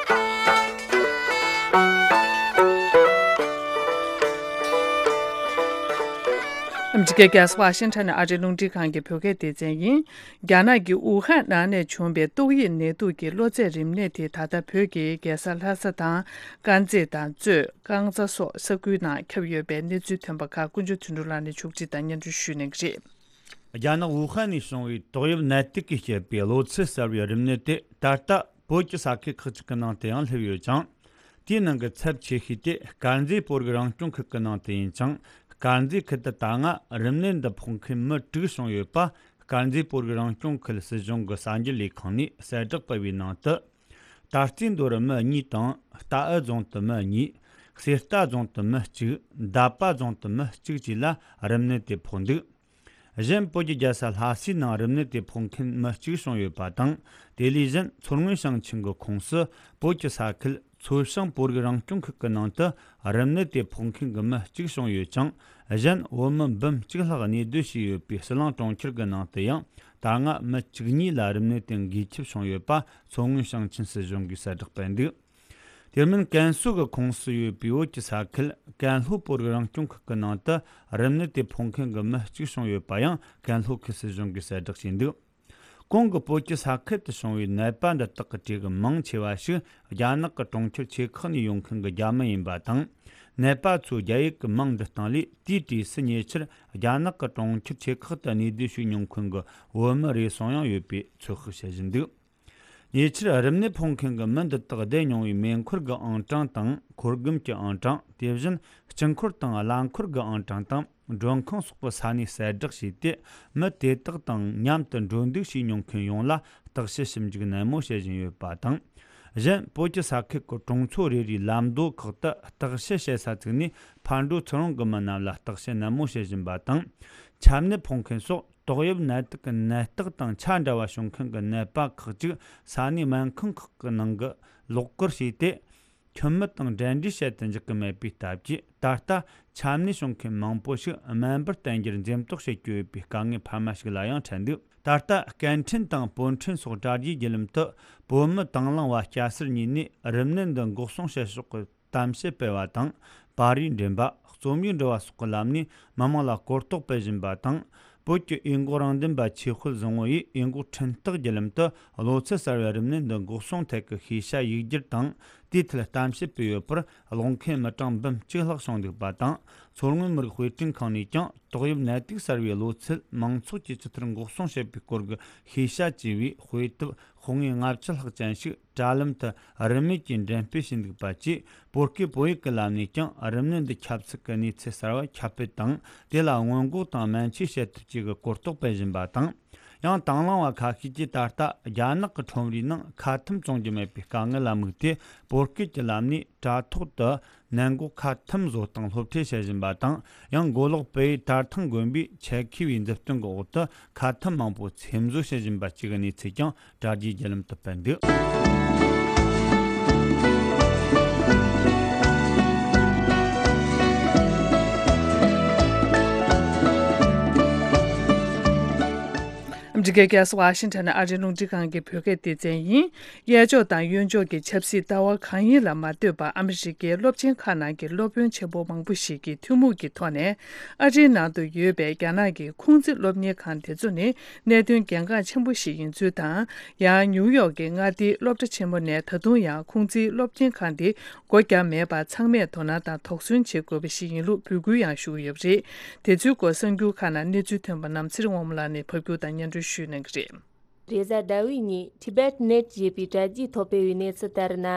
ཨ་མི་རི་ཀའི་རྒྱལ་ས་ཝ་ཤིང་ཊོན་ནས་ཨ་རིའི་རླུང་འཕྲིན་ཁང་གི་བོད་སྐད་སྡེ་ཚན་ཡིན། རྒྱ་ནག་གི་ཝུ་ཧན་ནང་ནས་བྱུང་བའི་ཏོག་དབྱིབས་ནད་དུག་གི་གློ་ཚད་རིམས་ནད་དེ་ད་ལྟ་བོད་ཀྱི་རྒྱལ་ས་ལྷ་ས་དང་དཀར་མཛེས་དང་གཙོས་རྐང་ཚ་སོགས་ས་ཁུལ་ནང་ཁྱབ་ཡོད་པའི་གནས་ཚུལ་ཐོན་པ་ཁག་ཀུན་སྤྱོད་དོན་གྲུབ་ལགས་ནས་ཕྱོགས་སྒྲིག་དང་སྙན་སྒྲོན་ཞུས་གནང་གི་རེད། རྒྱ་ནག་ཝུ་ཧན་ནས་བྱུང་བའི་ཏོག་དབྱིབས་ནད་དུག་གིས་བསྐྱེད་པའི་གློ་ཚད་གསར་བའི་རིམས་ནད་དེ་ད་ལྟ་བོད་ཀྱི་ས་ཁུལ་ཁག་ཅིག་གི་ནང་དུ་ཡང་སླེབས་ཡོད་ཅིང་། དེའི་ནང་གི་ཚབས་ཆེ་ཤོས་དེ་དཀར་མཛེས་བོད་རིགས་རང་སྐྱོང་ཁུལ་གྱི་ནང་དུ་ཡིན་ཅིང་། དཀར་མཛེས་ཁུལ་དུ་ད་སྔ་རིམས་ནད་འདི་ཕོག་མཁན་མི་དྲུག་བྱུང་ཡོད་པ། དཀར་མཛེས་བོད་རིགས་རང་སྐྱོང་ཁུལ་སྲིད་གཞུང་གི་གསར་འགྱུར་ལས་ཁང་ནས་གསལ་བསྒྲགས་སྤེལ་བའི་ནང་དུ། ད་རྩིས་མདོ་རུ་མི་གཉིས་དང་། རྟའུ་རྫོང་དུ་མི་གཉིས། གསེར་རྟ་རྫོང་དུ་མི་གཅིག། འདབ་པ་རྫོང་དུ་མི་གཅིག་བཅས་ལ་རིམས་ནད་དེ་ཕོག་འདུག། གཞན་བོད་ཀྱི་རྒྱལ་ས་ལྷ་སའི་ནང་རིམས་ནད་དེ་ཕོག་མཁན་མི་གཅིག་བྱུང་ཡོད་པ་དང་། དེ་ལས་གཞན་མཚོ་སྔོན་ཞིང་ཆེན་གྱི་ཁོངས་སུ་བོད་ཀྱི་ས་ཁུལ་མཚོ་བྱང་བོད་རིགས་རང་སྐྱོང་ཁུལ་གྱི་ནང་དུ་རིམས་ནད་དེ་ཕོག་མཁན་གྱི་མི་གཅིག་བྱུང་ཡོད་ཅིང་། གཞན་བོད་མི་འབུམ་གཅིག་ལྷག་གནས་སྡོད་བྱས་ཡོད་པའི་ཟི་ལིང་གྲོང་ཁྱེར་གྱི་ནང་དུ་ཡང་ད་སྔ་མི་བཅུ་གཉིས་ལ་རིམས་ནད་དེ་འགོས་ཁྱབ་བྱུང་ཡོད་པ་མཚོ་སྔོན་ཞིང་ཆེན་སྲིད་གཞུང་གིས་གསལ་བསྒྲགས་སྤེལ་འདུག། དེ་མིན་ཀན་སུའུ་གི་ཁོངས་སུ་ཡོད་པའི་བོད་ཀྱི་ས་ཁུལ་ཀན་ལྷོ་བོད་རིགས་རང་སྐྱོང་ཁུལ་གྱི་ནང་དུ་རིམས་ནད་དེ་ཕོག་མཁན་གྱི་མི་གཅིག་བྱུང་ཡོད་པ་ཡང་ཀན་ལྷོ་ཁུལ་སྲིད་གཞུང་གིས་གསལ་བསྒྲགས་བྱས་འདུག། གོང་གི་བོད་ཀྱི་ས་ཁུལ་དུ་བྱུང་བའི་ནད་པ་འདི་དག་གི་གྲས་ཀྱི་མང་ཆེ་བ་ཞིག་རྒྱ་ནག་གི་གྲོང་ཁྱེར་ཆེ་ཁག་ནས་ཡོང་མཁན་གྱི་རྒྱ་མི་ཡིན་པ་དང་། ནད་པ་ཚོའི་རྒྱ་ཡིག་གི་མིང་འབྲི་སྟངས་ལས་དེའི་གྲས་སུ་ཉེ་ཆར་རྒྱ་ནག་གི་གྲོང་ཁྱེར་ཆེ་ཁག་ཏུ་གནས་སྡོད་བྱས་མྱོང་མཁན་གྱི་བོད་མི་རེ་ཟུང་ཡང་ཡོད་པའི་ཚོད་དཔག་བྱེད་བཞིན་འདུག། ཉེ་ཆར་རིམས་ནད་ཕོག་མཁན་གྱི་མི་འདི་དག་བསྡད་མྱོང་བའི་མེ་འཁོར་གྱི་ཨང་གྲངས་དང་། འཁོར་སྒམ་གྱི་ཨང་གྲངས། དེ་བཞིན་སྤྱི་འཁོར་དང་རླངས་འཁོར་གྱི་ཨང་གྲངས་དང་། མགྲོན་ཁང་སོགས་པའི་ས་གནས་གསལ་བསྒྲགས་བྱས་ཏེ། མི་དེ་དག་དང་མཉམ་དུ་འགྲོ་འདུག་བྱས་མྱོང་མཁན་ཡོངས་ལ་བརྟག་དཔྱད་ཞིབ་འཇུག་ནན་མོ་བྱེད་བཞིན་ཡོད་པ་དང་། གཞན་བོད་ཀྱི་ས་ཁུལ་གྱི་གྲོང་ཚོ་རེ་རེའི་ལམ་མདོ་ཁག་ཏུ་བརྟག་དཔྱད་བྱེད་ས་བཙུགས་ནས། ཕར་འགྲོ་ཚུར་འོང་གི་མི་རྣམས་ལ་བརྟག་དཔྱད་ནན་མོ་བྱེད་བཞིན་པ་དང་། ཆམ་ནད་ཕོག་མཁན་སོགས་ཏོག་དབྱིབས་ནད་དུག་གི་ནད་རྟགས་དང་ཆ་འདྲ་བ་བྱུང་མཁན་གྱི་ནད་པ་ཁག་ཅིག་ས་གནས་སྨན་ཁང་ཁག་གི་ནང་གི་ལོགས་བཀར་བྱས་ཏེ། ཁྱིམ་མི་དང་འབྲེལ་འདྲིས་བྱེད་དུ་འཇུག་གི་མེད་པའི་སྟབས་ཀྱིས། ད་ལྟ་ཆམ་ནད་བྱུང་མཁན་མང་པོ་ཞིག་སྨན་པར་བསྟེན་རྒྱུར་འཛེམ་དོགས་བྱེད་ཀྱི་ཡོད་པའི་དཀའ་ངལ་འཕར་མ་ཞིག་ལ་ཡང་འཕྲད་འདུག། ད་ལྟ་སྐད་འཕྲིན་དང་པོད་འཕྲིན་སོགས་དྲ་རྒྱའི་བརྒྱུད་ལམ་དུ་བོད་མི་དང་བླངས་པ་སྐྱ་སེར་གཉིས་ནས་རིམས་ནད་འདི་འགོག་སྲུང་བྱེད་ཕྱོགས་ཀྱི་གཏམ་བཤད་སྤེལ་བ་དང་། པར་རིས་འགྲེམས་པ། རྩོམ་ཡིག་འབྲི་བ་སོགས་ཀྱི་ལམ་ནས་མི་མང་ལ་གོ་རྟོགས་སྤེལ་བཞིན་པ་དང་། བོད་ཀྱི་འོས་འགོག་རང་བདེན་པ་ཆོས་དཔལ་བཟང་བོ་ཡིས་འོས་འགོག་འཕྲིན་སྟེགས་བརྒྱུད་ལམ་དུ་གློ་ཚད་གསར་བའི་རིམས་ནད་འདི་འགོག་སྲུང་ཐད་ཀྱི་ཤེས་བྱ་ཡིག་སྒྱུར་དང་། དེའི་ཐད་གཏམ་བཤད་སྤེལ་ཡོད་པར། གློག་འཁེལ་མི་གྲངས་འབུམ་གཅིག་ལྷག་བྱུང་འདུག་པ་དང་། མཚོ་སྔོན་མི་རིགས་དཔེ་སྐྲུན་ཁང་ནས་ཀྱང་ཏོག་དབྱིབས་ནད་དུག་གསར་བའི་གློ་ཚད་མང་ཚོགས་ཀྱིས་ཇི་ལྟར་འགོག་སྲུང་བྱེད་པའི་སྐོར་གྱི་ཤེས་བྱ་ཅེས་པའི་དཔེ་དེབ་ཤོག་ངོས་ལྔ་བཅུ་ལྷག་ཅན་ཞིག་དྲ་ལམ་དུ་རིན་མེད་ཀྱིས་འགྲེམས་སྤེལ་བྱས་འདུག་པ་བཅས། བོད་སྐད་བོད་ཡིག་གི་ལམ་ནས་ཀྱང་རིམས་ནད་འདི་ཁྱབ་ཚུལ་གྱི་གནས་ཚུལ་གསར་བ་ཁྱབ་སྤེལ་དང་། དེ་ལ་སྔོན་འགོག་དང་སྨན་བཅོས་བྱེད་ཐབས་བཅས་ཀྱི་གོ་རྟོགས་སྤེལ་བཞིན་པ་དང་། ཡང་དང་བླངས་པ་ཁ་ཤས་ཀྱིས་ད་ལྟ་རྒྱ་ནག་གི་ཁྲོམ་རའི་ནང་ཁ་ཐུམ་བཙོང་རྒྱུ་མེད་པའི་དཀའ་ངལ་ལ་དམིགས་ཏེ། བོད་སྐད་ཀྱི་ལམ་ནས་དྲ་ཐོག་ཏུ་ནན་གོག་ཁ་ཐུམ་བཟོ་སྟངས་སློབ་ཁྲིད་བྱེད་བཞིན་པ་དང་། ཡང་མགོ་ལོག་བལ་ཡུལ་དར་ཐང་དགོན་པའི་ཆེད་མཁས་པའི་མཛུབ་སྟོན་གྱི་འོག་ཏུ་ཁ་ཐུམ་མང་པོ་ཚེམ་བཟོ་བྱེད་བཞིན་པ་བཅས་ཀྱི་གནས་ཚུལ་ཀྱང་དྲ་རྒྱའི་བརྒྱུད་ལམ་དུ་སྤེལ་འདུག་ཨ་མི་རི་ཀའི་རྒྱལ་ས་ཝ་ཤིང་ཊོན་ནས་ཨ་རིའི་རླུང་འཕྲིན་ཁང་གི་བོད་སྐད་སྡེ་ཚན་ཡིན། གཡས་ཕྱོགས་དང་གཡོན་ཕྱོགས་ཀྱི་ཆབ་སྲིད་ལྟ་བ་གང་ཡིན་ལ་མ་ལྟོས་པར། ཨ་མི་རི་ཀའི་སློབ་ཆེན་ཁག་ནང་གི་སློབ་དཔོན་ཆེན་པོ་མང་པོ་ཞིག་གིས་ཐུན་མོང་གི་ཐོག་ནས་ཨ་རིའི་ནང་དུ་ཡོད་པའི་རྒྱ་ནག་གི་ཁུང་ཙི་སློབ་གཉེར་ཁང་དེ་ཚོ་ནི་གནད་དོན་གལ་འགངས་ཆེན་པོ་ཞིག་ཡིན་ཚུལ་དང་། ཡང་ནིའུ་ཡོག་གི་མངའ་སྡེའི་སློབ་གྲྭ་ཆེན་མོ་ནས་ད་དུང་ཡང་ཁུང་ཙིའི་སློབ་གཉེར་ཁང་དེ་སྒོ་བརྒྱབ་མེད་པར་ཚང་མས་དོ་སྣང་དང་དོགས་ཟོན་བྱེད་དགོས་པ་ཞིག་ཡིན་ལུགས་འབོད་སྐུལ་ཡང་ཞུ་གི་ཡོད་པ་རེད། དེ་ཚོའི་སྐོར་གསར་འགྱུར་ཁག་ནང་གནས་ཚུལ་ཐོན་པ་རྣམས་ཚེ་རིང་དབང་མོ་ལགས་ནས་ཕབ་སྒྱུར་དང་སྙན་སྒྲོན་ཞུ་གནང་གི་རེད། རེས་གཟའ་ཟླ་བའི་ཉིན་Tibet Net ཞེས་པའི་དྲ་རྒྱའི་ཐོག་སྤེལ་བའི་གནས་ཚུལ་ལྟར་ན།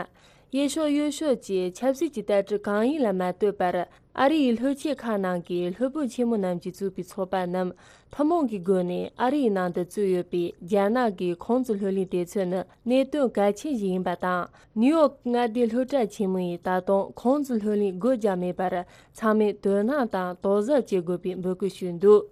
གཡས་ཕྱོགས་གཡོན་ཕྱོགས་ཀྱི་ཆབ་སྲིད་ཀྱི་ལྟ་གྲུབ་གང་ཡིན་ལ་མ་ལྟོས་པར། ཨ་རི་ཡི་སློབ་ཆེན་ཁག་ནང་གི་སློབ་དཔོན་ཆེན་མོ་རྣམས་ཀྱིས་བཙུགས་པའི་ཚོགས་པ་རྣམས་ཐུན་མོང་གི་སྒོ་ནས་ཨ་རི་ཡི་ནང་དུ་བཙུགས་ཡོད་པའི་རྒྱ་ནག་གི་ཁུང་ཙི་ལྷོད་གླིང་དེ་ཚོ་ནི་གནད་དོན་གལ་ཆེན་ཞིག་ཡིན་པ་དང་། ནིའུ་ཡོག་མངའ་སྡེའི་སློབ་གྲྭ་ཆེན་མོ་ཡིས་ད་དུང་ཁུང་ཙི་ལྷོད་གླིང་སྒོ་བརྒྱབ་མེད་པར་ཚང་མས་དོ་སྣང་དང་དོགས་ཟབ་བྱེད་དགོས་པའི་འབོད་སྐུལ་ཞུས་འདུག་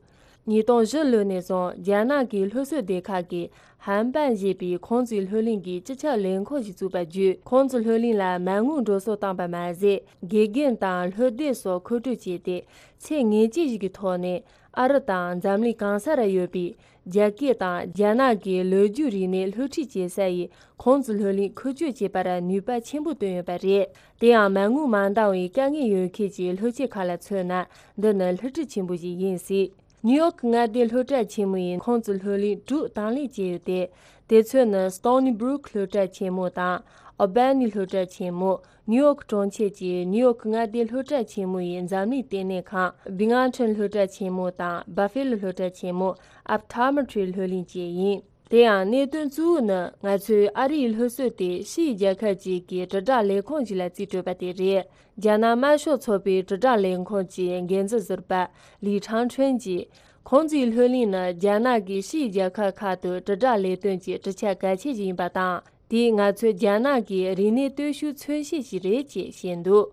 ཉིས་སྟོང་བཞི་ལོ་ནས་བཟུང་རྒྱ་ནག་གི་སློབ་གསོ་སྡེ་ཁག་གིས་ཧན་པན་ཞེས་པའི་ཁུང་ཙི་ལྷོད་གླིང་གི་སྤྱི་ཁྱབ་ལས་ཁུངས་ཤིག་བཙུགས་པ་བརྒྱུད། ཁུང་ཙི་ལྷོད་གླིང་ལ་མ་དངུལ་འགྲོ་སོང་བཏང་པ་མ་ཟད། དགེ་རྒན་དང་སློབ་སྡེ་སོགས་མཁོ་སྤྲོད་བྱས་ཏེ། ཚད་ངེས་ཅན་ཞིག་གི་ཐོག་ནས་ཨ་རི་དང་འཛམ་གླིང་གང་སར་ཡོད་པའི་རྒྱ་སྐད་དང་རྒྱ་ནག་གི་ལོ་རྒྱུས་རིག་གནས་སློབ་ཁྲིད་བྱེད་ས་ཡི་ཁུང་ཙི་ལྷོད་གླིང་འཁོ་སྤྱོད་བྱེད་པར་ནུས་པ་ཆེན་པོ་བཏོན་ཡོད་པ་རེད། དེ་ཡང་མ་དངུལ་མ་འདང་བའི་དཀའ་ངལ་ཡོད་མཁན་གྱི་སློབ་ཆེན་ཁག་ལ་མཚོན་ན། འདི་ནི་བསླུ་བྲིད་ཆེན་པོ་ཞིག་ཡིན་སྲིད། ནིའུ་ཡོག་མངའ་སྡེའི་སློབ་གྲྭ་ཆེན་མོ་ཡིས་ཁུང་ཙི་ལྷོད་གླིང་དྲུག་དང་ལེན་བྱས་ཡོད་དེ། དེ་ཚོ་ནི་Stony Brook སློབ་གྲྭ་ཆེན་མོ་དང་། Albany སློབ་གྲྭ་ཆེན་མོ། ནིའུ་ཡོག་གྲོང་ཁྱེར་གྱི་ནིའུ་ཡོག་མངའ་སྡེའི་སློབ་གྲྭ་ཆེན་མོ་ཡི་འཛམ་གླིང་ལྟེ་གནས་ཁང་། Binghamton སློབ་གྲྭ་ཆེན་མོ་དང་། Buffalo སློབ་གྲྭ་ཆེན་མོ། Optometry སློབ་གླིང་བཅས་ཡིན། དེ་ཡང་གནད་དོན་གཙོ་བོ་ནི། ང་ཚོས་ཨ་རིའི་སློབ་གསོ་དེ་ཕྱིའི་རྒྱལ་ཁབ་ཅིག་གི་དྲིལ་བསྒྲགས་ལས་ཁུངས་ཤིག་ལ་རྩིས་སྤྲོད་པ་དེ་རེད། རྒྱ་ནག་དམར་ཤོག་ཚོགས་པའི་དྲིལ་བསྒྲགས་ལས་ཁུངས་ཀྱི་འགན་འཛིན་ཟུར་པ་ལི་ཁྲང་ཁྲོན་གྱིས། ཁུང་ཙིའི་ལྷོད་གླིང་ནི་རྒྱ་ནག་གིས་ཕྱིའི་རྒྱལ་ཁབ་ཁག་ཏུ་དྲིལ་བསྒྲགས་ལས་དོན་གྱི་གྲུབ་ཆ་གལ་ཆེ་ཞིག་ཡིན་པ་དང་། དེས་ང་ཚོའི་རྒྱ་ནག་གི་རིག་གནས་སྟོབས་ཤུགས་མཚོན་བྱེད་ཞིག་རེད་ཅེས་བཤད་འདུག་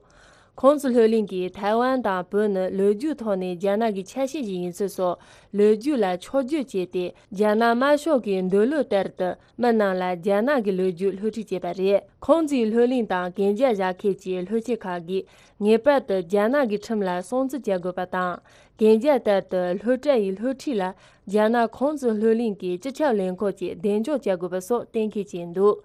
ཁུང་ཙི་ལྷོད་གླིང་གིས་ཐའེ་ཝན་དང་བོད་ནི་ལོ་རྒྱུས་ཐོག་ནས་རྒྱ་ནག་གི་ཆ་ཤས་ཤིག་ཡིན་ཚུལ་སོགས་ལོ་རྒྱུས་ལ་འཕྱོག་བརྗོད་བྱས་ཏེ། རྒྱ་ནག་དམར་ཤོག་གི་འདོད་བློ་ལྟར་དུ་མི་རྣམས་ལ་རྒྱ་ནག་གི་ལོ་རྒྱུས་སློབ་ཁྲིད་བྱས་པ་རེད། ཁུང་ཙིའི་ལྷོད་གླིང་དང་གན་རྒྱ་བཞག་མཁན་གྱི་སློབ་ཆེན་ཁག་གིས་ངེས་པར་དུ་རྒྱ་ནག་གི་ཁྲིམས་ལ་སྲུང་བརྩི་བྱ་དགོས་པ་དང་། གན་རྒྱ་ལྟར་དུ་སློབ་གྲྭ་ཡི་སློབ་ཁྲིད་ལ་རྒྱ་ནག་ཁུང་ཙི་ལྷོད་གླིང་གི་སྤྱི་ཁྱབ་ལས་ཁུངས་ཀྱིས་གདེང་འཇོག་བྱ་དགོས་པ་སོགས་གཏན་འཁེལ་བྱས་འདུག་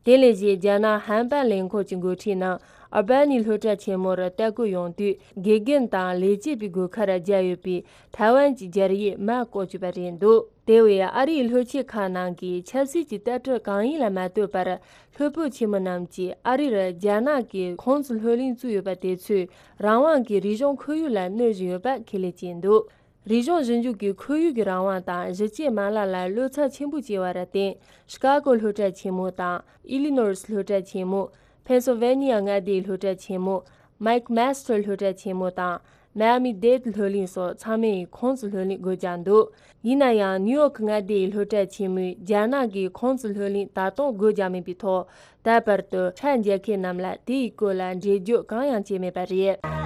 དེ་ལས་གཞན། རྒྱ་ནག་ཧན་པན་ལས་ཁུངས་ཀྱི་འགོ་ཁྲིད་རྣམས་ཨལ་བྷ་ནི་སློབ་གྲྭ་ཆེན་མོར་ལྟ་སྐོར་ཡོང་དུས། དགེ་རྒན་དང་ལས་བྱེད་པའི་སྒོ་ཁར་སྦྱར་ཡོད་པའི་ཐའེ་ཝན་གྱི་སྦྱར་ཡིག་མར་བཀོག་བཅུག་པ་རེད་འདུག་དེ་བས་ཨ་རིའི་སློབ་ཆེན་ཁག་ནང་གི་ཆབ་སྲིད་ཀྱི་ལྟ་གྲུབ་གང་ཡིན་ལ་མ་ལྟོས་པར། སློབ་དཔོན་ཆེན་མོ་རྣམས་ཀྱིས་ཨ་རིར་རྒྱ་ནག་གིས་ཁུང་ཙི་ལྷོད་གླིང་བཙུགས་ཡོད་པ་དེ་ཚོས་རང་དབང་གི་རིག་གཞུང་ཁོར་ཡུག་ལ་གནོད་བཞིན་ཡོད་པ་ཁས་ལེན་བྱས་འདུག་རིག་གཞུང་ཞིབ་འཇུག་གི་ཁོར་ཡུག་གི་རང་དབང་དང་གཞི་བཅོས་མ་ལག་ལ་བློ་འཚབ་ཆེན་པོ་སྐྱེ་བར་བརྟེན། ཤི་ཀ་གོ་སློབ་གྲྭ་ཆེན་མོ་དང་། ཨི་ལི་ནོས་སློབ་གྲྭ་ཆེན་མོ། ཕེན་སིལ་ཝེ་ནི་ཡ་མངའ་སྡེའི་སློབ་གྲྭ་ཆེན་མོ། མེག་མེ་སི་ཊར་སློབ་གྲྭ་ཆེན་མོ་དང་། མ་ཡ་མི་ཌེ་ཌི་སློབ་གླིང་སོགས་ཚང་མས་ཁུང་ཙི་ལྷོད་གླིང་སྒོ་བརྒྱབ་འདུག་ཡིན་ན་ཡང་། ནིའུ་ཡོག་མངའ་སྡེའི་སློབ་གྲྭ་ཆེན་མོས་རྒྱ་ནག་གིས་ཁུང་ཙི་ལྷོད་གླིང་ད་དུང་སྒོ་བརྒྱབ་མེད་པའི་ཐོག་ད་བར་དུ་ཧྲ་མཇལ་མཁན་རྣམས་ལ་དེའི་སྐོར་ལ་འགྲེལ་བརྗོད་གང་ཡང་བྱས་མེད་པ་རེད།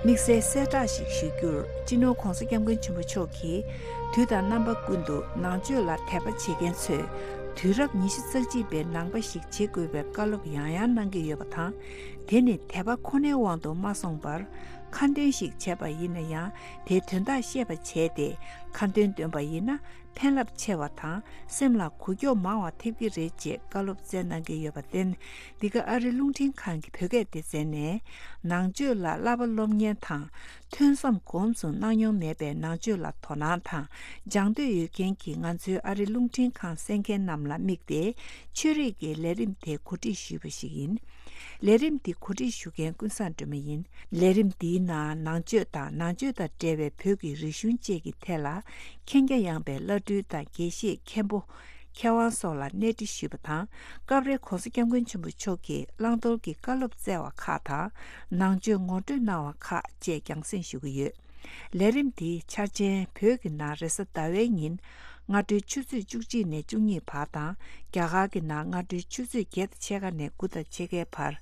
དམིགས་བསལ་གསལ་བསྒྲགས་ཤིག་ཞུ་རྒྱུར། སྤྱི་ནོར་༧གོང་ས་༧སྐྱབས་མགོན་ཆེན་པོ་མཆོག་གིས་དུས་དང་རྣམ་པ་ཀུན་ཏུ་ནང་ཆོས་ལ་དད་པ་བྱེད་མཁན་ཚོས་དུས་རབས་ཉི་ཤུ་རྩ་གཅིག་པའི་ནང་པ་ཞིག་བྱེད་དགོས་པའི་བཀའ་སློབ་ཡང་ཡང་གནང་གི་ཡོད་པ་དང་། དེ་ནི་དད་པ་ཁོ་ནའི་དབང་དུ་མ་སོང་བར། ཁ་འདོན་ཞིག་བྱས་པ་ཡིན་ན་ཡང་། དེའི་དོན་དག་ཤེས་པ་བྱས་ཏེ་ཁ་འདོན་འདོན་པ་ཡིན་ན། ཕན་རླབས་ཆེ་བ་དང་སེམས་ལ་འགུལ་སྐྱོད་མང་བ་ཐེབས་ཀྱི་རེད་ཅེས་བཀའ་སློབ་སྩལ་གནང་གི་ཡོད་པར་བརྟེན། འདི་ག་ཨ་རི་རླུང་འཕྲིན་ཁང་གི་བོད་སྐད་སྡེ་ཚན་ནས། ནང་ཆོས་ལ་བསླབ་པ་སློབ་གཉེར་དང་། ཐོས་བསམ་སྒོམ་གསུམ་གནང་མྱོང་མེད་པའི་ནང་ཆོས་ལ་དོ་སྣང་དང་སྦྱང་འདོད་ཡོད་མཁན་གྱི་ང་ཚོའི་ཨ་རི་རླུང་འཕྲིན་ཁང་གསན་མཁན་རྣམས་ལ་དམིགས་ཏེ། ཆོས་རིག་གི་ལས་རིམ་དེ་གོ་སྒྲིག་ཞུས་པ་ཞིག་ཡིན། ལས་རིམ་འདི་གོ་སྒྲིག་ཞུ་མཁན་ཀུན་བཟང་སྒྲོལ་མ་ཡིན། ལས་རིམ་འདིའི་ནང་ནང་ཆོས་དང་ནང་ཆོས་དང་འབྲེལ་བའི་བོད་ཀྱི་རིག་གཞུང་བཅས་ཀྱི་ཐད་ལ་མཁྱེན་རྒྱ་ཡངས་པའི་བླ་སྤྲུལ་དང་དགེ་བཤེས་མཁན་པོ། མཁས་དབང་སོགས་ལ་གནས་འདྲི་ཞུས་པ་དང་། སྐབས་རེ་༸གོང་ས་༸སྐྱབས་མགོན་ཆེན་པོ་མཆོག་གིས་བླང་དོར་གྱི་བཀའ་སློབ་སྩལ་བ་ཁག་དང་། ནང་ཆོས་ངོ་སྤྲོད་གནང་བ་ཁག་བཅས་རྒྱང་སྲིང་ཞུ་གི་ཡོད། ལས་རིམ་འདིའི་འཆར་ཅན། བོད་ཀྱི་ནང་རེས་གཟའ་ཟླ་བའི་ཉིན་སྔ་དྲོའི་ཆུ་ཚོད་བཅུ་གཅིག་ནས་བཅུ་གཉིས་བར་དང་། རྒྱ་གར་གྱི་ནང་སྔ་དྲོའི་ཆུ་ཚོད་བརྒྱད་དང་ཕྱེད་ཀ་ནས་དགུ་དང་ཕྱེད་ཀའི་བར།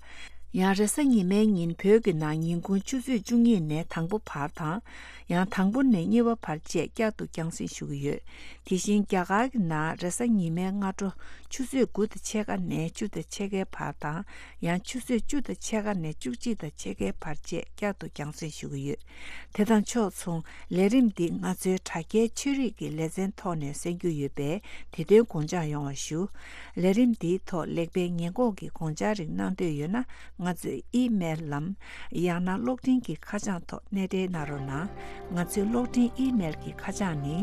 ཡང་རེས་གཟའ་ཉི་མའི་ཉིན་བོད་ཀྱི་ནང་ཉིན་གུང་ཆུ་ཚོད་བཅུ་གཉིས་ནས་དང་པོ་བར་དང་། ཡང་དང་པོ་ནས་གཉིས་པ་བར་བཅས་བསྐྱར་དུ་རྒྱང་སྲིང་ཞུ་གི་ཡོད། དེ་བཞིན་རྒྱ་གར་གྱི་ནང་རེས་གཟའ་ཉི་མའི་སྔ་དྲོ་ཆུ་ཚོད་དགུ་དང་ཕྱེད་ཀ་ནས་བཅུ་དང་ཕྱེད་ཀའི་བར་དང་། ཡང་ཆུ་ཚོད་བཅུ་དང་ཕྱེད་ཀ་ནས་བཅུ་གཅིག་དང་ཕྱེད་ཀའི་བར་བཅས་བསྐྱར་དུ་རྒྱང་སྲིང་ཞུ་གི་ཡོད། དེ་དང་ཕྱོགས་མཚུངས་ལས་རིམ་འདི་ང་ཚོའི་དྲ་རྒྱའི་ཆོས་རིག་གི་ལེ་ཚན་ཐོག་ནས་གསན་རྒྱུ་ཡོད་པས། དེ་དོན་དགོངས་འཇགས་ཡོང་བ་ཞུ། ལས་རིམ་འདིའི་ཐོག་ལེགས་སྤེལ་ཉེས་འགོག་གི་དགོངས་འཆར་རིགས་གནང་འདོད་ཡོད་ན། ང་ཚོའི་ཨི་མེལ་ལམ། ཡང་ན་གློག་འཕྲིན་གྱི་ཁ་བྱང་ཐོག་གནས་འབྲེལ་གནང་རོགས་གནང་། ང་ཚོའི་གློག་འཕྲིན་ཨི་མེལ་གྱི་ཁ་བྱང་ནི།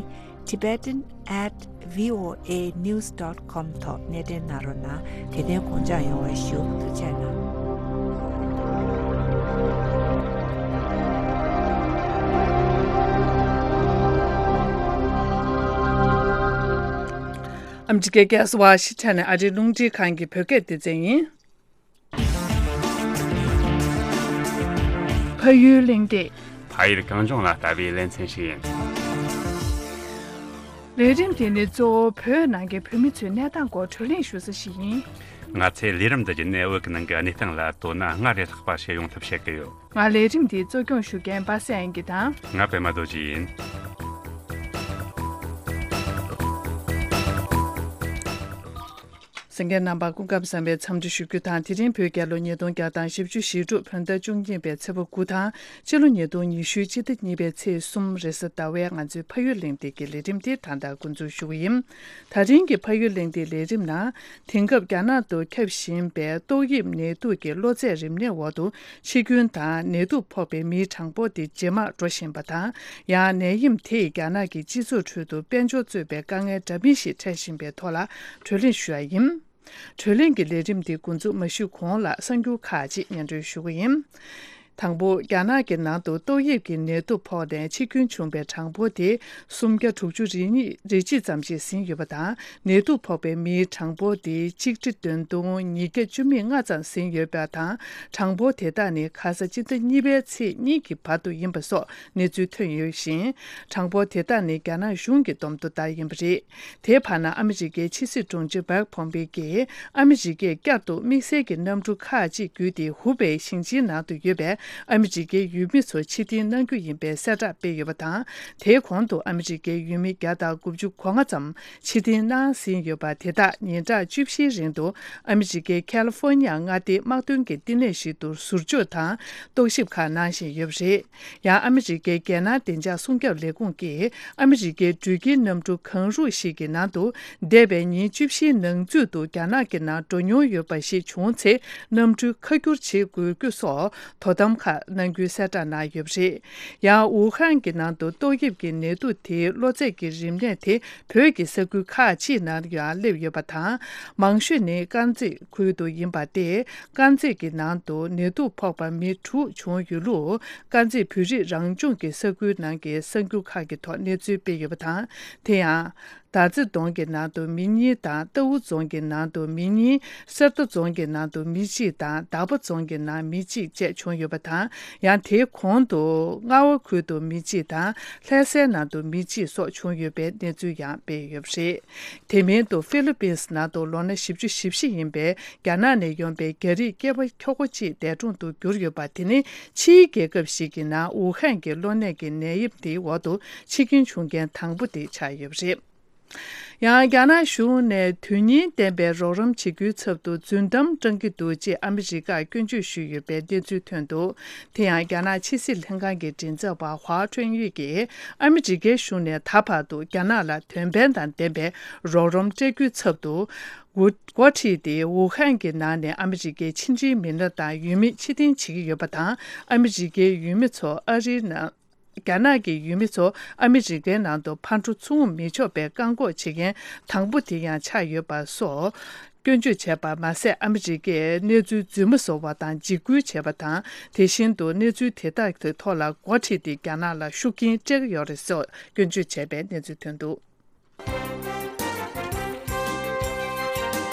tibetan at voanews dot com ཐོག་གནས་འབྲེལ་གནང་རོགས་གནང་། དེ་དོན་དགོངས་འཇགས་ཡོང་བ་ཞུ། ཐུགས་རྗེ་གནང་། ཨ་མི་རི་ཀའི་རྒྱལ་ས་ཝ་ཤིང་ཊོན་ནས་ཨ་རིའི་རླུང་འཕྲིན་ཁང་གི་བོད་སྐད་སྡེ་ཚན་ཡིན། ཕ་ཡུལ་གླེང་སྟེགས། ཕ་ཡུལ་གངས་ལྗོངས་ལ་ལྟ་བའི་ལེ་ཚན་ཞིག་ཡིན། ལས་རིམ་དེ་ནི་གཙོ་བོ་བོད་ནང་གི་བོད་མི་ཚོའི་གནས་སྟངས་སྐོར་བགྲོ་གླེང་ཞུ་ས་ཞིག་ཡིན། ང་ཚོས་ལས་རིམ་འདི་བརྒྱུད་ནས་བོད་ཀྱི་ནང་གི་གནས་སྟངས་ལ་དོ་སྣང་སྔར་ལས་ལྷག་པ་བྱེད་ཡོང་ཐབས་བྱེད་ཀྱི་ཡོད། ང་ལས་རིམ་འདི་གཙོ་སྐྱོང་ཞུ་མཁན་པ་སངས་དབྱངས་སྐྱིད་དང་། ང་པད་མ་རྡོ་རྗེ་ཡིན། གསན་མཁན་རྣམ་པ་སྐུ་ཁམས་བཟང་བའི་འཚམས་འདྲི་ཞུ་རྒྱུ་དང་། དེ་རིང་བོད་རྒྱལ་ལོ་ཉིས་སྟོང་བརྒྱ་དང་བཞི་བཅུ་ཞེ་དྲུག་བོད་ཟླ་བཅུ་གཉིས་པའི་ཚེས་པ་དགུ་དང་། སྤྱི་ལོ་ཉིས་སྟོང་ཉི་ཤུའི་སྤྱི་ཟླ་གཉིས་པའི་ཚེས་གསུམ་རེས་གཟའ་ཟླ་བའི་ང་ཚོའི་ཕ་ཡུལ་གླེང་སྟེགས་ཀྱི་ལས་རིམ་དེ་ད་ལྟ་འགོ་འཛུགས་ཞུ་གི་ཡིན། ད་རིང་གི་ཕ་ཡུལ་གླེང་སྟེགས་ལས་རིམ་ནང་། དེང་སྐབས་རྒྱ་ནག་ཏུ་ཁྱབ་བཞིན་པའི་ཏོག་དབྱིབས་ནད་དུག་གི་གློ་ཚད་རིམས་ནད་འོག་ཏུ་འཆི་སྐྱོན་དང་ནད་དུག་ཕོག་པའི་མིའི་གྲངས་འབོར་དེ་ཇེ་མང་འགྲོ་བཞིན་པ་དང་། ཡང་ནད་ཡམས་དེས་རྒྱ་ནག་གི་སྤྱི་ཚོགས་ཁྲོད་དུ་དཔལ་འབྱོར་གཙོས་པའི་དཀའ་ངལ་འདྲ་མིན་ཞིག་འཕྲད་བཞིན་པའི་ཐོག་ལ་བགྲོ་གླེང་ཞུ་ཡ་ཡིན། བགྲོ་གླེང་གི་ལས་རིམ་འདི་འགོ་འཛུགས་མ་ཞུས་གོང་ལ་གསར་འགྱུར་ཁག་ཅིག་སྙན་སྒྲོན་ཞུ་གི་ཡིན། དང་པོ། རྒྱ་ནག་གི་ནང་དུ་ཏོག་དབྱིབས་ཀྱི་ནད་དུག་ཕོག་ནས་འཆི་སྐྱོན་བྱུང་བའི་གྲངས་འབོར་དེ་སུམ་བརྒྱ་དྲུག་ཅུ་རེ་གཉིས་རེ་གཅིག་ཙམ་ཞིག་ཟིན་ཡོད་པ་དང་། ནད་དུག་ཕོག་པའི་མིའི་གྲངས་འབོར་དེ་ཆིག་ཁྲི་བདུན་སྟོང་ཉིས་བརྒྱ་བཅུ་མེད་ལྔ་ཙམ་ཟིན་ཡོད་པ་དང་། གྲངས་འབོར་དེ་དག་ནི་ཁ་ས་སྤྱི་ཟླ་གཉིས་པའི་ཚེས་གཉིས་ཀྱི་བར་དུ་ཡིན་པ་སོགས་གནས་ཚུལ་ཐོན་ཡོད་ཞིང་། གྲངས་འབོར་དེ་དག་ནི་རྒྱ་ནག་གཞུང་གི་བསྡོམས་ཐོ་ལྟར་ཡིན་པ་རེད། དེའི་བར་ན་ཨ་མི་རི་ཀའི་ཕྱི་སྲིད་དྲུང་ཆེ་མཱིག་ཕོམ་པེ་ཡིས་ཨ་མི་རི་ཀས་བསྐྱར་དུ་དམིགས་བསལ་གྱི་གནམ་གྲུ་ཁག་ཅིག་བརྒྱུད་དེ་ཧུ་པེ་ཞིང་ཆེན་ནང་དུ་ཡོད་པའི་ཨ་མི་རི་ཀའི་ཡུལ་མི་ཚོ་ཕྱིར་འཐེན་གནང་རྒྱུ་ཡིན་པའི་གསལ་བསྒྲགས་སྤེལ་ཡོད་པ་དང་། དེའི་གོང་དུ་ཨ་མི་རི་ཀའི་ཡུལ་མི་བརྒྱ་དང་དགུ་བཅུ་གོ་ལྔ་ཙམ་ཕྱིར་འཐེན་གནང་ཟིན་ཡོད་པ་དེ་དག་ཉིན་གྲངས་བཅུ་བཞིའི་རིང་དུ་ཨ་མི་རི་ཀའི་ཁ་ལི་ཧྥོ་ནི་ཡ་མངའ་སྡེའི་དམག་དོན་གྱི་བསྟི་གནས་ཤིག་ཏུ་ཟུར་འཇོག་དང་རྟོག་ཞིབ་ཁག་གནང་བཞིན་ཡོད་པ་རེད། ཡང་ཨ་མི་རི་ཀའི་རྒྱལ་ནང་བདེ་འཇགས་སྲུང་སྐྱོབ་ལས་ཁུངས་ཀྱིས་ཨ་མི་རི་ཀའི་འགྲུལ་སྐྱེལ་གནམ་གྲུ་གང་རུང་ཞིག་གི་ནང་དུ་འདས་པའི་ཉིན་བཅུ་བཞིའི་ནང་ཚུད་དུ་རྒྱ་ནག་གི་ནང་འགྲོ་མྱོང་ཡོད་པ་ཞིག་བྱུང་ཚེ། གནམ་གྲུ་ཁ་བསྒྱུར་བྱེད་དགོས་རྒྱུ་སོགས་དོ་དམ་ཁག་གནང་རྒྱུའི་གསལ་བསྒྲགས་གནང་ཡོད་པ་རེད། ཡང་ཝུ་ཧན་གྱི་ནང་དུ་ཏོག་དབྱིབས་ཀྱི་ནད་དུག་དེའི་གློ་ཚད་ཀྱི་རིམས་ནད་དེ་བོད་ཀྱི་ས་ཁུལ་ཁག་ཅིག་ནང་ཡང་སླེབས་ཡོད་པ་དང་། མང་ཤོས་ནི་དཀར་མཛེས་ཁུལ་དུ་ཡིན་པ་སྟེ། དཀར་མཛེས་ཀྱི་ནང་དུ་ནད་དུག་ཕོག་པ་མི་དྲུག་བྱུང་ཡོད་ལུགས། དཀར་མཛེས་བོད་རིགས་རང་སྐྱོང་གི་ས་ཁུལ་ནང་གི་གསར་འགྱུར་ཁག་གི་ཐོག་གནས་ཚུལ་སྤེལ་ཡོད་པ་དང་། དེ་ཡང་། དར་རྩེ་རྫོང་གི་ནང་དུ་མི་གཉིས་དང་། རྟའུ་རྫོང་གི་ནང་དུ་མི་གཉིས། གསེར་རྟ་རྫོང་གི་ནང་དུ་མི་གཅིག་དང་། དག་པ་རྫོང་གི་ནང་མི་གཅིག་བཅས་བྱུང་ཡོད་པ་དང་། ཡང་དེའི་གོང་དུ་རྔ་བ་ཁུལ་དུ་མི་གཅིག་དང་། ལྷ་སའི་ནང་དུ་མི་གཅིག་སོགས་བྱུང་ཡོད་པའི་གནས་ཚུལ་ཡང་སྤེལ་ཡོད་པ་རེད། དེ་མིན་དུ་ཧྥི་ལི་པིན་སི་ནང་དུ་ལོ་ན་བཞི་བཅུ་ཞེ་བཞི་ཡིན་པའི་རྒྱ་ནག་ནས་ཡོང་པའི་རྒྱ་རིགས་སྐྱེས་པ་ཁྱོ་ག་གཅིག་འདས་གྲོངས་དུ་གྱུར་ཡོད་པ་དེ་ནི་ཕྱིའི་རྒྱལ་ཁབ་ཞིག་གི་ནང་ཝུ་ཧན་གྱི་གློ་ནད་ཀྱི་ནད་ཡམས་དེའི་འོག་ཏུ་འཆི་སྐྱོན་བྱུང་མཁན་དང་པོ་དེ་ཆགས་ཡོད་པ་རེད། ཡང་རྒྱ་ནག་གཞུང་ནས་དོན་སྙིང་ལྡན་པའི་རོགས་རམ་བྱེད་རྒྱུའི་ཚབ་ཏུ་རྫུན་གཏམ་བཀྲམ་གྱི་འདུག་ཅེས་ཨ་མི་རི་ཀར་སྐྱོན་བརྗོད་ཞུས་ཡོད་པའི་གནས་ཚུལ་ཐོན་འདུག་དེ་ཡང་རྒྱ་ནག་ཕྱི་སྲིད་ལྷན་ཁང་གི་མགྲིན་ཚབ་པ་ཧྭ་ཁྲུན་ཡུས་ཀྱིས་ཨ་མི་རི་ཀའི་གཞུང་ནས་ད་བར་དུ་རྒྱ་ནག་ལ་དོན་ཕན་དང་ལྡན་པའི་རོགས་རམ་སྤྲད་རྒྱུའི་ཚབ་ཏུ་འགོ་འགོ་ཁྲིད་དེ་ཝུ་ཧན་གྱི་ནང་ནས་ཨ་མི་རི་ཀའི་ཕྱི་འབྲེལ་མི་སྣ་དང་ཡུལ་མི་ཕྱིར་འཐེན་བྱེད་ཀྱི་ཡོད་པ་དང་། ཨ་མི་རི་ཀའི་ཡུལ་མི་ཚོ་ཨ་རིའི་ནང་། རྒྱ་ནག་གི་ཡུལ་མི་ཚོ་ཨ་མི་རི་ཀའི་ནང་དུ་ཕར་འགྲོ་ཚུར་འོང་མི་ཆོག་པའི་བཀག་འགོག་བྱེད་མཁན་དང་པོ་དེ་ཡང་ཆགས་ཡོད་པ་སོགས། སྐྱོན་བརྗོད་བྱས་པ་མ་ཟད། ཨ་མི་རི་ཀས་གནས་ཚུལ་རྫུན་མ་བཟོ་བ་དང་འཇིགས་སྐུལ་བྱས་པ་དང་། དེ་བཞིན་དུ་གནས་ཚུལ་དེ་དག་གི་ཐོག་ལ་འགོ་ཁྲིད་དེ་རྒྱ་ནག་ལ་ཤུགས་རྐྱེན་སྤྲད་ཀྱི་ཡོད་རེད་ཟེར་སྐྱོན་བརྗོད་བྱས་པའི་གནས་ཚུལ་ཐོན་འདུག་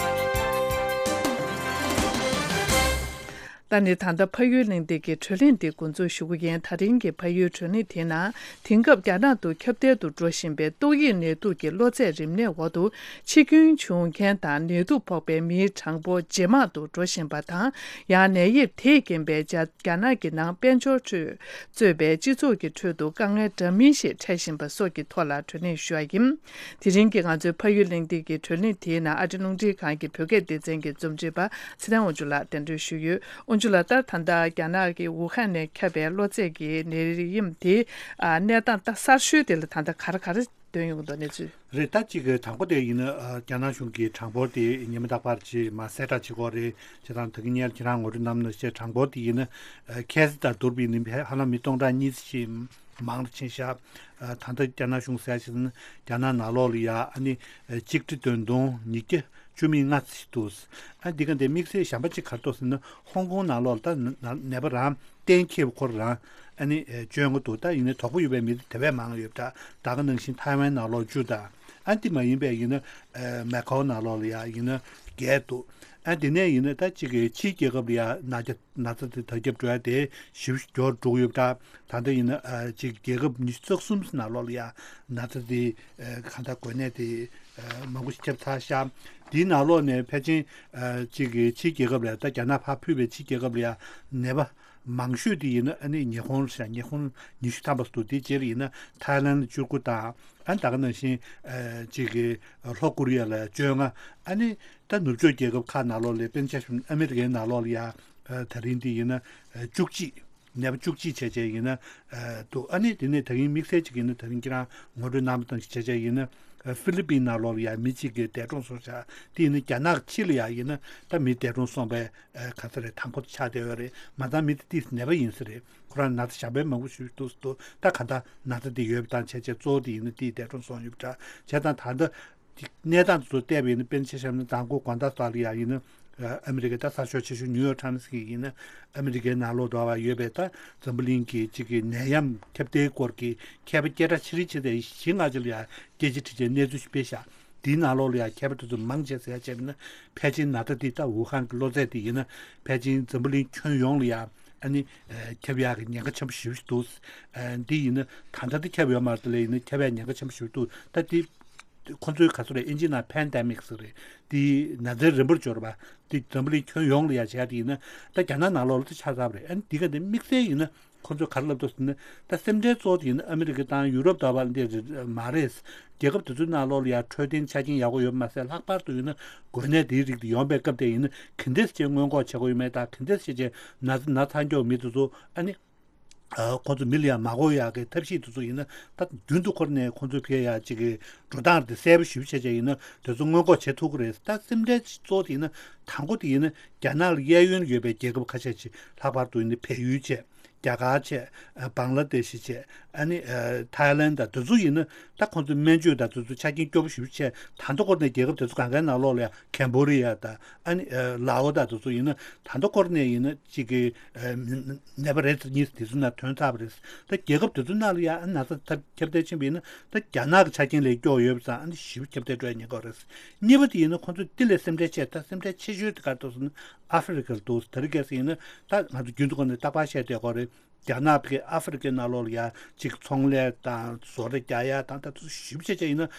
ད་ནི་ད་ལྟ་ཕ་ཡུལ་གླེང་སྟེགས་ཀྱི་བགྲོ་གླེང་འདི་འགོ་འཛུགས་ཞུ་གི་ཡིན། ད་རིང་གི་ཕ་ཡུལ་བགྲོ་གླེང་དེའི་ནང་། དེང་སྐབས་རྒྱ་ནག་ཏུ་ཁྱབ་གདལ་དུ་འགྲོ་བཞིན་པའི་ཏོག་དབྱིབས་ནད་དུག་གི་གློ་ཚད་རིམས་ནད་འོག་ཏུ་འཆི་སྐྱོན་བྱུང་མཁན་དང་། ནད་དུག་ཕོག་པའི་མིའི་གྲངས་འབོར་ཇེ་མང་དུ་འགྲོ་བཞིན་པ་དང་། ཡང་ནད་དབྱིབས་དེས་རྐྱེན་པས་རྒྱ་རྒྱ་ནག་གི་ནང་དཔལ་འབྱོར་ཁྲོད་གཙོས་པའི་སྤྱི་ཚོགས་ཀྱི་ཁྲོད་དུ་དཀའ་ངལ་འདྲ་མིན་ཞིག་འཕྲད་བཞིན་པ་སོགས་ཀྱི་ཐོག་ལ་བགྲོ་གླེང་ཞུ་བ་ཡིན། དེ་རིང་གི་ང་ཚོའི་ཕ་ཡུལ་གླེང་སྟེགས་ཀྱི་བགྲོ་གླེང་དེའི་ནང་ཨ་རི་རླུང་འཕྲིན་ཁང་གི་བོད་སྐད་སྡེ་ཚན་གྱི་རྩོམ་སྒྲིག་པ་ཚེ་བརྟན་དབང་ཕྱུག་ལགས་གདན་འདྲེན་ཞུས་ཡོད། དབང་ཕྱུག་ལགས། ད་ད་ལྟ་རྒྱ་ནག་གི་ཝུ་ཧན་ནས་ཁྱབ་པའི་གློ་ཚད་ཀྱི་ནད་ཡམས་དེ། ཨ། གནས་སྟངས་ད་གསར་ཤོས་དེ་ལ་ད་ལྟ་ག་རེ་ག་རེ་ཐོན་ཡོང་གི་འདུག་གནས་ཚུལ། རེད། ད་གཅིག་གི་དང་པོ་དེ་ཡིན་ན། ཨ། རྒྱ་ནག་གཞུང་གིས་གྲངས་འབོར་དེ་ཉི་མ་རྟག་པར་ཅིག་མར་གསལ་བསྒྲགས་བྱེད་ཀྱི་ཡོད་རེད། བྱས་ཙང་ད་གིན་ཉེར་ཁྱེད་རང་ངོ་སྤྲོད་གནང་ནང་བཞིན་གྲངས་འབོར་དེ་ཡིན་ན། ཨ། ཁ་སང་དང་བསྡུར་བ་ཡིན་ན་ཧ་ལམ་མི་སྟོང་ཕྲག་གཉིས་ཙམ་ཞིག་མང་རུ་ཕྱིན་ཤག་ཨ། ད་ལྟ་རྒྱ་ནག་གཞུང་ཟེར་ཞིག་ན། རྒྱ་ནག་ནང་ལོགས་ལ་ཡ། ཨ་ནི་ཆིག་ཁྲི་བདུན་སྟོང་ཉིས་བརྒྱ་བཅུ་མེད་ལྔ་ཙམ་ཞིག་འདུག་ཨ། འདི་ག་འདི་དམིགས་བསལ་གཞན་པ་ཅིག་ག་རེ་འདུག་ཟེར་ན། ཧོང་ཀོང་ནང་ལོགས་ལ་ད་ན་ན་ནད་པ་རང་གཏན་འཁེལ་བ་ཁོ་རང་། ཨ་ནི་བཅོ་ལྔ་འདུག་ད་ཡིན་ནའི་དོགས་པ་ཡོད་པའི་མི་དེ་དེ་བས་མང་ཡོད་པ་འདྲ། ད་ག་ནང་བཞིན་ཐའེ་ཝན་ནང་ལོགས་བཅུ་དང་། ཨ། འདི་མ་ཡིན་པའི་ཡིན་ན། ཨ། མེ་ཁའོ་ནང་ལོགས་ལ་ཡ་ཡིན་ན་བརྒྱད་འདུག་ཨ། འདི་ནས་ཡིན་ན་ད་གཅིག་གི་ཕྱིའི་རྒྱལ་ཁབ་ལ་ཡ་ན་རྒྱ་ན་ཚ་དེ་དར་ཁྱབ་འགྲོ་ཡ་དེ་ཞེ་པོ་མགྱོགས་འགྲོ་གི་ཡོད་པ་འདྲ། ད་ལྟ་ཡིན་ན། ཨ། གཅིག་རྒྱལ་ཁབ་ཉི་ཤུ་རྩ་གསུམ་ནང་ལོགས་ལ་ཡ་ན་ཚ་དེ། ཨ། གང་ལྟར་འགོས་ནད་དེ། ཨ། མང་པོ་ཞིག་ཁྱབ་ཚར་ཤག་དེའི་ནང་ལོགས་ནས་ཕལ་ཆེར། ཨ། གཅིག་གི་ཕྱིའི་རྒྱལ་ཁབ་ལ་ཡ། ད་རྒྱ་ནག་ཕར་ཕུད་པའི་ཕྱིའི་རྒྱལ་ཁབ་ལ་ཡ་ནད་པ་མང་ཤོས་དེ་ཡིན་ན། ཨ་ནི་ཉི་ཧོང་ལ་ཤག་ཉི་ཧོང་ཉི་ཤུ་ཐམ་པ་འདུག་དེའི་རྗེས་ལ་ཡིན་ན་ཐའི་ལན་ལ་བཅུ་དགུ་དང་། ཨ། ད་ག་ནང་བཞིན། ཨ། གཅིག་གི་ལྷོ་ཀོ་རི་ཡ་ལ་བཅོ་ལྔ། ཨ་ནི་ད་ནུབ་ཕྱོགས་རྒྱལ་ཁབ་ཁག་ནང་ལོགས་ལ། དཔེར་ན་ཆ་བཞག་ན་ཨ་མི་རི་ཀའི་ནང་ལོགས་ལ་ཡ། ཨ། ད་རིང་འདི་ཡིན་ན། ཨ། བཅུ་གཅིག་ནད་པ་བཅུ་གཅིག་བྱས་བྱས་ཡིན་ན། ཨ། འདུག་ཨ་ནི་དེ་ནས་ད་རིང་དམིགས་བསལ་གཅིག་ཡིན་ན། ད་རིང་ཁྱེད་རང་ངོ་སྤྲོད་གནང་བ་ནང་བཞིན་བྱས་བྱས་ཡིན་ན། ཨ། ཧྥི་ལི་པིན་ནང་ལོགས་ལ་ཡ་མི་གཅིག་གིས་འདས་གྲོངས་སོང་ཤག་དེ་ཡིན་ན་རྒྱ་ནག་ཕྱི་ལ་ཡ་ཡིན་ན་ད་མི་འདས་གྲོངས་སོང་བའི། ཨ། ག་ཚོད་རེད། དང་པོ་ཆགས་བསྡད་ཡོད་རེད། མ་ཚད་མི་དེ་ཏིས་ནད་པ་ཡིན་ས་རེད། ཁོ་རང་ན་ཚ་ཞེ་པོ་མང་པོ་ཞིག་འདུག་འདུག་ད་ག་འདྲ་ན་ཚ་དེ་ཡོད་པ་དང་བྱས་བྱས་གཙོ་བོ་དེ་ཡིན་ན་དེའི་འདས་གྲོངས་སོང་ཡོད་པ་འདྲ། བྱས་ཙང་ད་ལྟ་གནས་སྟངས་དེ་ཚོ་བལྟས་པ་ཡིན་ན། དཔེར་ན་ཆ་བཞག་ན་མདང་དགོང་དགོང་དག་སོགས་ལ་ཡ་ཡིན་ན། ཨ། ཨ་མི་རི་ཀའི་ད་གསར་ཤོག་ཆེ་ཤོས་ནིའུ་ཡོག་ཊའིམ་སི་གི་ཡིན་ན། ཨ་མི་རི་ཀའི་ནང་ལོགས་འགྲོ་བ་ཡོད་པའི་ད་འཛམ་བུ་གླིང་གི་གཅིག་གི་ནད་ཡམས་ཁྱབ་གདལ་སྐོར་གྱི་མཁས་པ་སྐད་གྲགས་ཆེ་རིགས་ཆེ་ཚད་བཞི་ལྔ་ཅིག་ལ་ཡ་སྐད་ཆ་དྲིས་བྱས་གནས་ཚུལ་ཞིག་སྤེལ་ཤག་དེའི་ནང་ལོགས་ལ་ཡ་མཁས་པ་དེ་ཚོ་མང་ཆེ་ཟེར་ཡ་བྱས་པ་ན། ཕལ་ཆེར་ན་ཚ་འདི་ད་ཝུ་ཧན་གྱི་གློ་ཚད་དེ་ཡིན་ན་ཕལ་ཆེར་འཛམ་བུ་གླིང་ཁྱོན་ཡོངས་ལ་ཡ། ཨ་ནི། ཨ། ཁྱབ་ཡག་གི་ཉེན་ཁ་ཆེན་པོ་ཞེ་པོ་ཞིག་འདུག་ཨ། འདི་ཡིན་ན་ད་ལྟ་འདི་ཁྱབ་ཡོད་མ་རེད། དེ་ལས་ཡིན་ན་ཁྱབ་ཡག་ཉེན་ཁ་ཆེན་པོ་ཞེ་པོ་འདུག་ད་འདི་ཁོ་ཚོའི་ག་ཚོད་རེད། ཨིན་ཇི་ནང་པེན་ཌེ་མིག་ཟེར་རེད། འདི་ན་ཚ་རིམ་པར་འབྱོར་བ་འདི་འཛམ་བུ་གླིང་ཁྱོན་ཡོངས་ལ་ཡ་བྱས་ཏེ་ཡིན་ན། ད་རྒྱ་ནག་ནང་ལོགས་ལ་དེ་ཆགས་ཚར་བ་རེད། ཨ་ནི་འདི་ག་འདི་དམིགས་བསལ་ཡིན་ན། ཁོ་ཚོས་ག་རེ་ལབ་འདུག་ཟེར་ན། ད་སེམས་ཁྲལ་གཙོ་བོ་དེ་ཡིན་ན་ཨ་མི་རི་ཀ་དང་ཡུ་རོབ་ཟླ་བ་འདི་མ་རེད། རྒྱལ་ཁབ་དེ་ཚོའི་ནང་ལོགས་ལ་ཡང་འཕྲོད་བསྟེན་ཆ་རྐྱེན་ཡག་པོ་ཡོད་པ་མ་ཟད། ལྷག་པར་དུ་ཡིན་ན་འགོས་ནད་དེའི་རིགས་དེ་ཡོང་པའི་སྐབས་དེ་ཡིན་ན་ག་འདྲས་བྱས་སྔོན་འགོག་བྱེད་དགོས་ཡོད་མེད་དང་། ག་འདྲས་བྱས་བྱས་ན་ཚ་ན་ཚ་མགྱོགས་མི་དེ་ཚོ། ཨ་ནི། ཨ། ཁོ་ཚོ་མི་ལ་ཡང་མ་འགོས་ཡག་གི་ཐབས་ཤེས་དེ་ཚོ་ཡིན་ན། ད་རྒྱུན་དུ་ཁོ་རང་ནས་ཁོ་ཚོའི་ཕ་གིར་ཡ་གཅིག་གི་འགྲོ་སྟངས་དེ་གསལ་པོ་ཞེ་པོ་བྱས་བྱས་ཡིན་ན་དེ་ཚོ་སྔོན་འགོག་བྱེད་ཐུབ་ཀྱི་རེད། ད་སེམས་ཁྲལ་གཙོ་བོ་དེ་ཡིན་ན། དང་པོ་དེ་ཡིན་ན་རྒྱ་ནག་ལ་གཡས་གཡོན་ཡོད་པའི་རྒྱལ་ཁབ་ཁ་ཤས་ཤིག་ལྷག་པར་དུ་ཡིན་ན་བལ་ཡུལ་བྱས། རྒྱ་གར་བྱས། ཨ། བང་ལ་དེ་ཤི་བྱས། ཨ་ནི། ཨ། ཐའི་ལན་དང་དེ་ཚོ་ཡིན་ན་ད་ཁོང་ཚོ་སྨན་བཅོས་དང་དེ་ཚོ་ཆ་རྐྱེན་སྐྱོ་པོ་ཞེ་པོ་བྱས། ད་ལྟ་སྐོར་ནས་རྒྱལ་ཁབ་དེ་ཚོ་གང་གའི་ནང་ལོགས་ལ་ཡང་ཁེམ་བྷོ་ཌི་ཡ་དང་། ཨ་ནི། ཨ། ལའོ་དང་དེ་ཚོ་ཡིན་ན་ད་ལྟ་སྐོར་ནས་ཡིན་ན་གཅིག་གི། ཨ། ནད་པ་རེ་གཉིས་དེ་ཚོ་ནང་ཐོན་ཚར་བ་རེད། ད་རྒྱལ་ཁབ་དེ་ཚོ་ནང་ལ་ཡང་ན་ཚ་ཁྱབ་གདལ་ཕྱིན་པ་ཡིན་ན་ད་རྒྱ་ནག་གི་ཆ་རྐྱེན་ལས་སྐྱོ་ཡོད་པ་ཙང་། ཨ་ནི་ཞེ་པོ་ཁྱབ་གདལ་འགྲོ་ཡ་ཉེན་ཁ་རེད། གཉིས་པ་དེ་ཡིན་ན་ཁོང་ཚོ་དེ་ལས་སེམས་ཁྲལ་ཆེ། ད་སེམས་ཁྲལ་ཆེ་ཤོས་དེ་ག་རེ་འདུག་ཟེར་ན་ཨ་ཧྥེ་རི་ཁ་ལ་འདུག་དེ་རིང་ཁ་སང་ཡིན་ན་ད་ང་ཚོ་རྒྱུན་དུ་ཁོ་ནས་རྟག་པར་བཤད་བསྡད་ཀྱི་ཡོད་རེད། རྒྱ་ནག་གིས་ཨ་ཧྥེ་རི་ཁའི་ནང་ལོགས་ལ་ཡ་གཅིག་ཚོང་ལས་དང་བཟོ་གྲྭ་རྒྱག་ཡ་དང་། ད་དེ་ཚོ་ཞེ་པོ་ཅིག་བྱས་ཡིན་ན་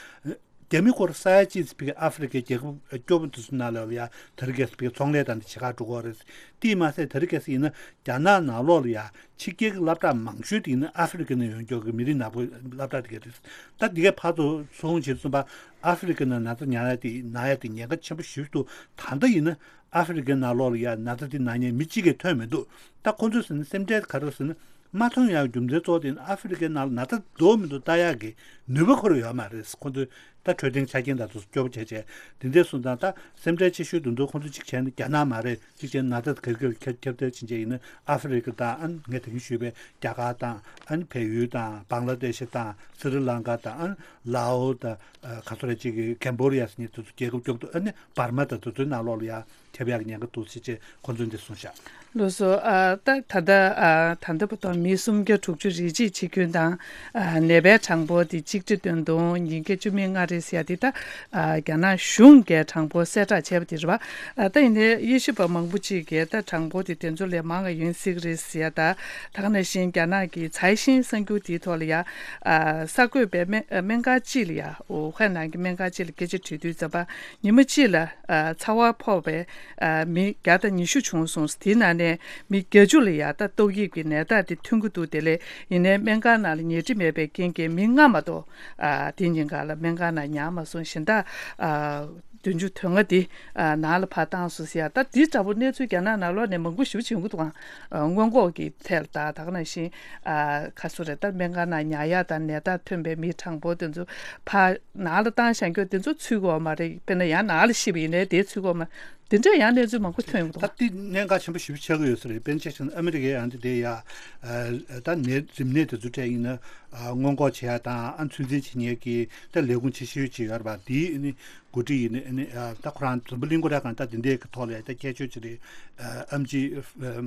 རྒྱ་མི་སྐོར་ས་ཡ་གཅིག་ཙམ་ཕ་གིའི་ཨ་ཧྥེ་རི་ཁའི་རྒྱལ་ཁབ་སྐྱོ་པོ་དེ་ཚོའི་ནང་ལོགས་ལ་ཡ་དེ་རིང་ཁ་སང་ཕ་གིའི་ཚོང་ལས་དང་དེ་བྱེད་གར་འགྲོ་གི་ཡོད་རེད། དེས་མ་ཟད་དེ་རིང་ཁ་སང་ཡིན་ན་རྒྱ་ནག་ནང་ལོགས་ལ་ཡ་ཕྱི་རྒྱལ་གྱི་སློབ་གྲྭ་མང་ཤོས་དེ་ཡིན་ན་ཨ་ཧྥེ་རི་ཁ་ནས་ཡོང་རྒྱུ་གི་མི་རིགས་ནག་པོའི་སློབ་གྲྭ་དེ་ག་རེད། ད་འདི་གའི་ཕར་ཚུར་སོང་བྱས་ཙམ་པ་ཨ་ཧྥེ་རི་ཁ་ནང་ན་ཚ་ཉར་ཡ་དེ་ན་ཡ་དེ་ཉེན་ཁ་ཆེན་པོ་ཞེ་པོ་འདུག་ད་ལྟ་ཡིན་ན་ཨ་ཧྥེ་རི་ཁའི་ནང་ལོགས་ལ་ཡ་ན་ཚ་དེ་ན་མཁན་མི་གཅིག་ཀྱང་ཐོན་མི་འདུག་ད་ཁོང་ཚོས་ཟེར་ན་སེམས་ཁྲལ་ག་རེ་ཟེར་ན། མ་ཐོན་ཡག་རྒྱུ་མཚན་གཙོ་བོ་དེ་ནི་ཨ་ཧྥེ་རི་ཁའི་ནང་ལ་ན་ཚ་འདུག་མི་འདུག་ལྟ་ཡག་གི་ ནུས་པ་ཁོ་རང་ཡོད་མ་རེད། ཁོ་ཚོས་ད་འཕྲོད་བསྟེན་ཆ་རྐྱེན་དང་དེ་ཚོ་སྐྱོ་པོ་བྱས་བྱས། དེ་འདྲའི་སོང་ཙང་ད་སེམས་ཁྲལ་ཆེ་ཤོས་དེ་ཚོ་ཁོ་ཚོ་གཅིག་བྱས་ན་རྒྱ་ནག་མ་རེད། གཅིག་བྱས་ན་ན་ཚ་དེ་ག་ག་ཁྱབ་ཁྱབ་གདལ་ཕྱིན་བྱས་ཡིན་ན་ཨ་ཧྥེ་རི་ཁ་དང་། ཨ་ནི་ངས་ད་གིན་ཞུས་པའི་རྒྱ་གར་དང་། ཨ་ནི་བལ་ཡུལ་དང་། བང་ལ་དེ་ཤི་དང་། སི་རི་ལང་ཀ་དང་། ཨ་ནི་ལའོ་དང་། ཨ་ག་ཚོད་རེད། གཅིག་གི་ཀེམ་བོ་ཌི་ཡ་ཟེར་མཁན་དེ་ཚོ་རྒྱལ་ཁབ་སྐྱོ་པོ་འདུག་ཨ་ནི་འབར་མ་དང་དེ་ཚོའི་ནང་ལོགས་ལ་ཡ་ཁྱབ་ཡག་གི་ཉེན་ཁ་འདུག་ཟེར་བྱས་ཁོ་ཚོས་འདི་གསུངས་ཤག་ལགས་སོ། ཨ་ད་ད་ལྟ་ཨ་ད་ལྟ་བར་དུ་མི་སུམ་བརྒྱ་དྲུག་ཅུ་རེ་གཅིག་འཆི་སྐྱོན་དང་། ཨ་ནད་པའི་གྲངས་འབོར་དེ་གཅིག་ཁྲི་བདུན་སྟོང་ཉིས་བརྒྱ་བཅུ་མེད་ལྔ་རེད་ཟེར་ཡ་དེ། ད་ཨ་རྒྱ་ནག་གཞུང་གིས་གྲངས་འབོར་གསལ་བསྒྲགས་བྱས་པ་དེ་རེད་པ། ཨ་ད་ཡིན་ནའི་དབྱེ་ཞིབ་པ་མང་པོ་ཅིག་གིས་ད་གྲངས་འབོར་དེ་དེ་ཚོ་ལས་མང་བ་ཡིན་སྲིད་ཀྱི་རེད་ཟེར་ཡ། ད་ད་ག་ནང་བཞིན་རྒྱ་ནག་གི་ཚའེ་ཤིན་གསར་འགྱུར་དེའི་ཐོག་ལ་ཡ། ཨ་གསར་འགོད་པས་སྨན་སྨན་ཁང་གཅིག་ལ་ཡ། ཝུ་ཧན་ནང་གི་སྨན་ཁང་གཅིག་ལ་སྐད་ཆ་དྲིས་དུས་ཙམ་པ། ཉི་མ་གཅིག་ལ་ཨ་ཚ་བ་ཕོག་པའི་ཨ་མི་བརྒྱ་དང་ཉི་ཤུ་བྱུང་སོང་། དེའི་ནང་ནས་མི་བརྒྱད་ཅུ་ལ་ཡ་ད་ཏོག་དབྱིབས་ཀྱི་ནད་རྟགས་དེ་ཐོན་གྱི་འདུག་དེ་ལས་ཡིན་ནའི་སྨན་ཁང་ནང་ལ་ཉལ་ཁྲི་མེད་པའི་རྐྱེན་གྱིས་མི་ལྔ་མ་གཏོགས་ཨ་དེ་ཉིན་གང་ལ་སྨན་ཁང་ནང་ཉལ་མ་སོང་། གཞན་དག་ཨ་བདུན་ཅུ་དོན་ལྔ་དེ་ཨ་ནང་ལ་ཕར་བཏང་སོང་ཟེར་ཡ། ད་དེ་འདྲ་པོ་གནས་ཚུལ་རྒྱ་ནག་ནང་ལོགས་ནས་མང་པོ་ཞེ་པོ་ཅིག་ཡོང་གི་འདུག་ག་ཨ་སྔོན་འགོག་གི་ཐད་ལ། ད་ད་ག་ནང་བཞིན་ཨ་ག་ཚོད་རེད། ད་སྨན་ཁང་ནང་ཉལ་ཡ་དང་ནད་རྟགས་ཐོན་པའི་མིའི་གྲངས་འབོར་དེ་ཚོ་ཕར་ནང་ལ་བཏང་བཞག་རྒྱུ་དེ་ཚོ་ཚུད་ཀྱི་ཡོད་མ་རེད། དཔེར་ན་ཡང་ནང་ལ་ཤི་བ་ཡིན་ནའི་དེ་ཚུད་ཀྱི་ཡོད་མ་རེད། དེ་འདྲ་ཡང་གནས་ཚུལ་མང་པོ་ཐོན་ཡོང་གི་འདུག་ད་དེ་གནད་འགག་ཆེན་པོ་ཞེ་པོ་ཆགས་ཀྱི་ཡོད་ས་རེད། དཔེར་ན་ཆ་བཞག་ན་ཨ་མི་རི་ཀའི་ཡང་དེ་དེ་ཡ་ཨ་ད་ནད་རིམས་ནད་དེ་ཚོ་འཕྲད་ཡིན་ན་ཨ་སྔོན་འགོག་བྱེད་ཡ་དང་། ཨ་ཚོད་འཛིན་བྱེད་མཁན་གྱི་ད་ལས་ཁུངས་ཆེ་ཤོས་ཅིག་ཡོད་རེད་པ། དེའི་ཨ་ནི་འགོ་ཁྲིད་ཡིན་ནི། ཨ་ནི་ཨ་ད་ཁོ་རང་འཛམ་བུ་གླིང་སྐོར་ཡ་གང་ལྟར་དེ་འདྲའི་གི་ཐོག་ལ་ད་ཁྱད་ཆོས་ཅིག་རེད། ཨ་ཨེམ་ཆི་ཨ་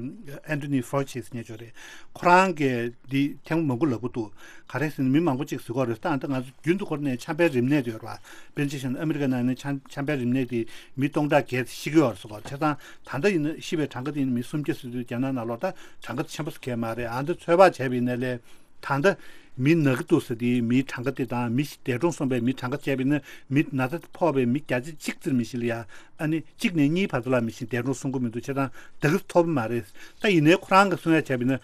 ཨན་ཐོ་ནི་ཕའོ་ཆི་ཟེར་མཁན་ཅིག་ཡོད་རེད། ཁོ་རང་གིས་འདི་ཐེངས་མང་པོ་ལབ་ཀྱི་འདུག་ག་རེ་ཟེར་ན་མི་མང་པོ་ཅིག་ཟེར་གྱི་ཡོད་རེད། ད་ད་ང་ཚོ་རྒྱུན་དུ་ཁོ་རང་ནས་ཆམ་པའི་རིམས་ནད་དེ་ཡོད་རེད་པ། དཔེར་ན་ཆ་བཞག་ན་ཨ་མི་རི་ཀ་ནང་ནས་ཆམ་ཆམ་པའི་རིམས་ནད་དེ་མི་སྟོང་ཕྲག་བརྒལ་ཤི་གི་ཡོད་རེད་ཟེར་གྱི་ཡོད་རེད། བྱས་ཙང་ད་ལྟ་ཡིན་ན་ཤི་བའི་གྲངས་ཀ་དེ་ཡིན་ན་མི་སུམ་བརྒྱ་ཟེར་དུས་རྒྱ་ནག་ནང་ལོགས་ད་གྲངས་ཀ་ཆེན་པོ་ཟེར་མཁན་མ་རེད། ཨ་འདི་ཚོད་དཔག་བྱས་པ་ཡིན་ན་ལས། ད་ལྟ་མི་ན་གི་འདུག་ཟེར་དེའི་མིའི་གྲངས་ཀ་དེ་དང་། མི་ཞིག་འདས་གྲོངས་སོང་བའི་མིའི་གྲངས་ཀ་བྱས་པ་ཡིན་ན། མི་ན་ཚ་ཕོག་པའི་མི་བརྒྱ་ཆ་གཅིག་ཙམ་མི་ཞིག་ལ་ཡ་ཨ་ནི་གཅིག་ནས་གཉིས་བར་དུ་ལ་མི་ཞིག་འདས་གྲོངས་སོང་གི་མི་འདུག་བྱས་ཙང་དེ་ག་ཚོད་ཐོབ་མ་རེད། ད་ཡིན་ནའི་ཁོ་རང་གི་གསུང་ཡ་བྱས་པ་ཡིན་ན།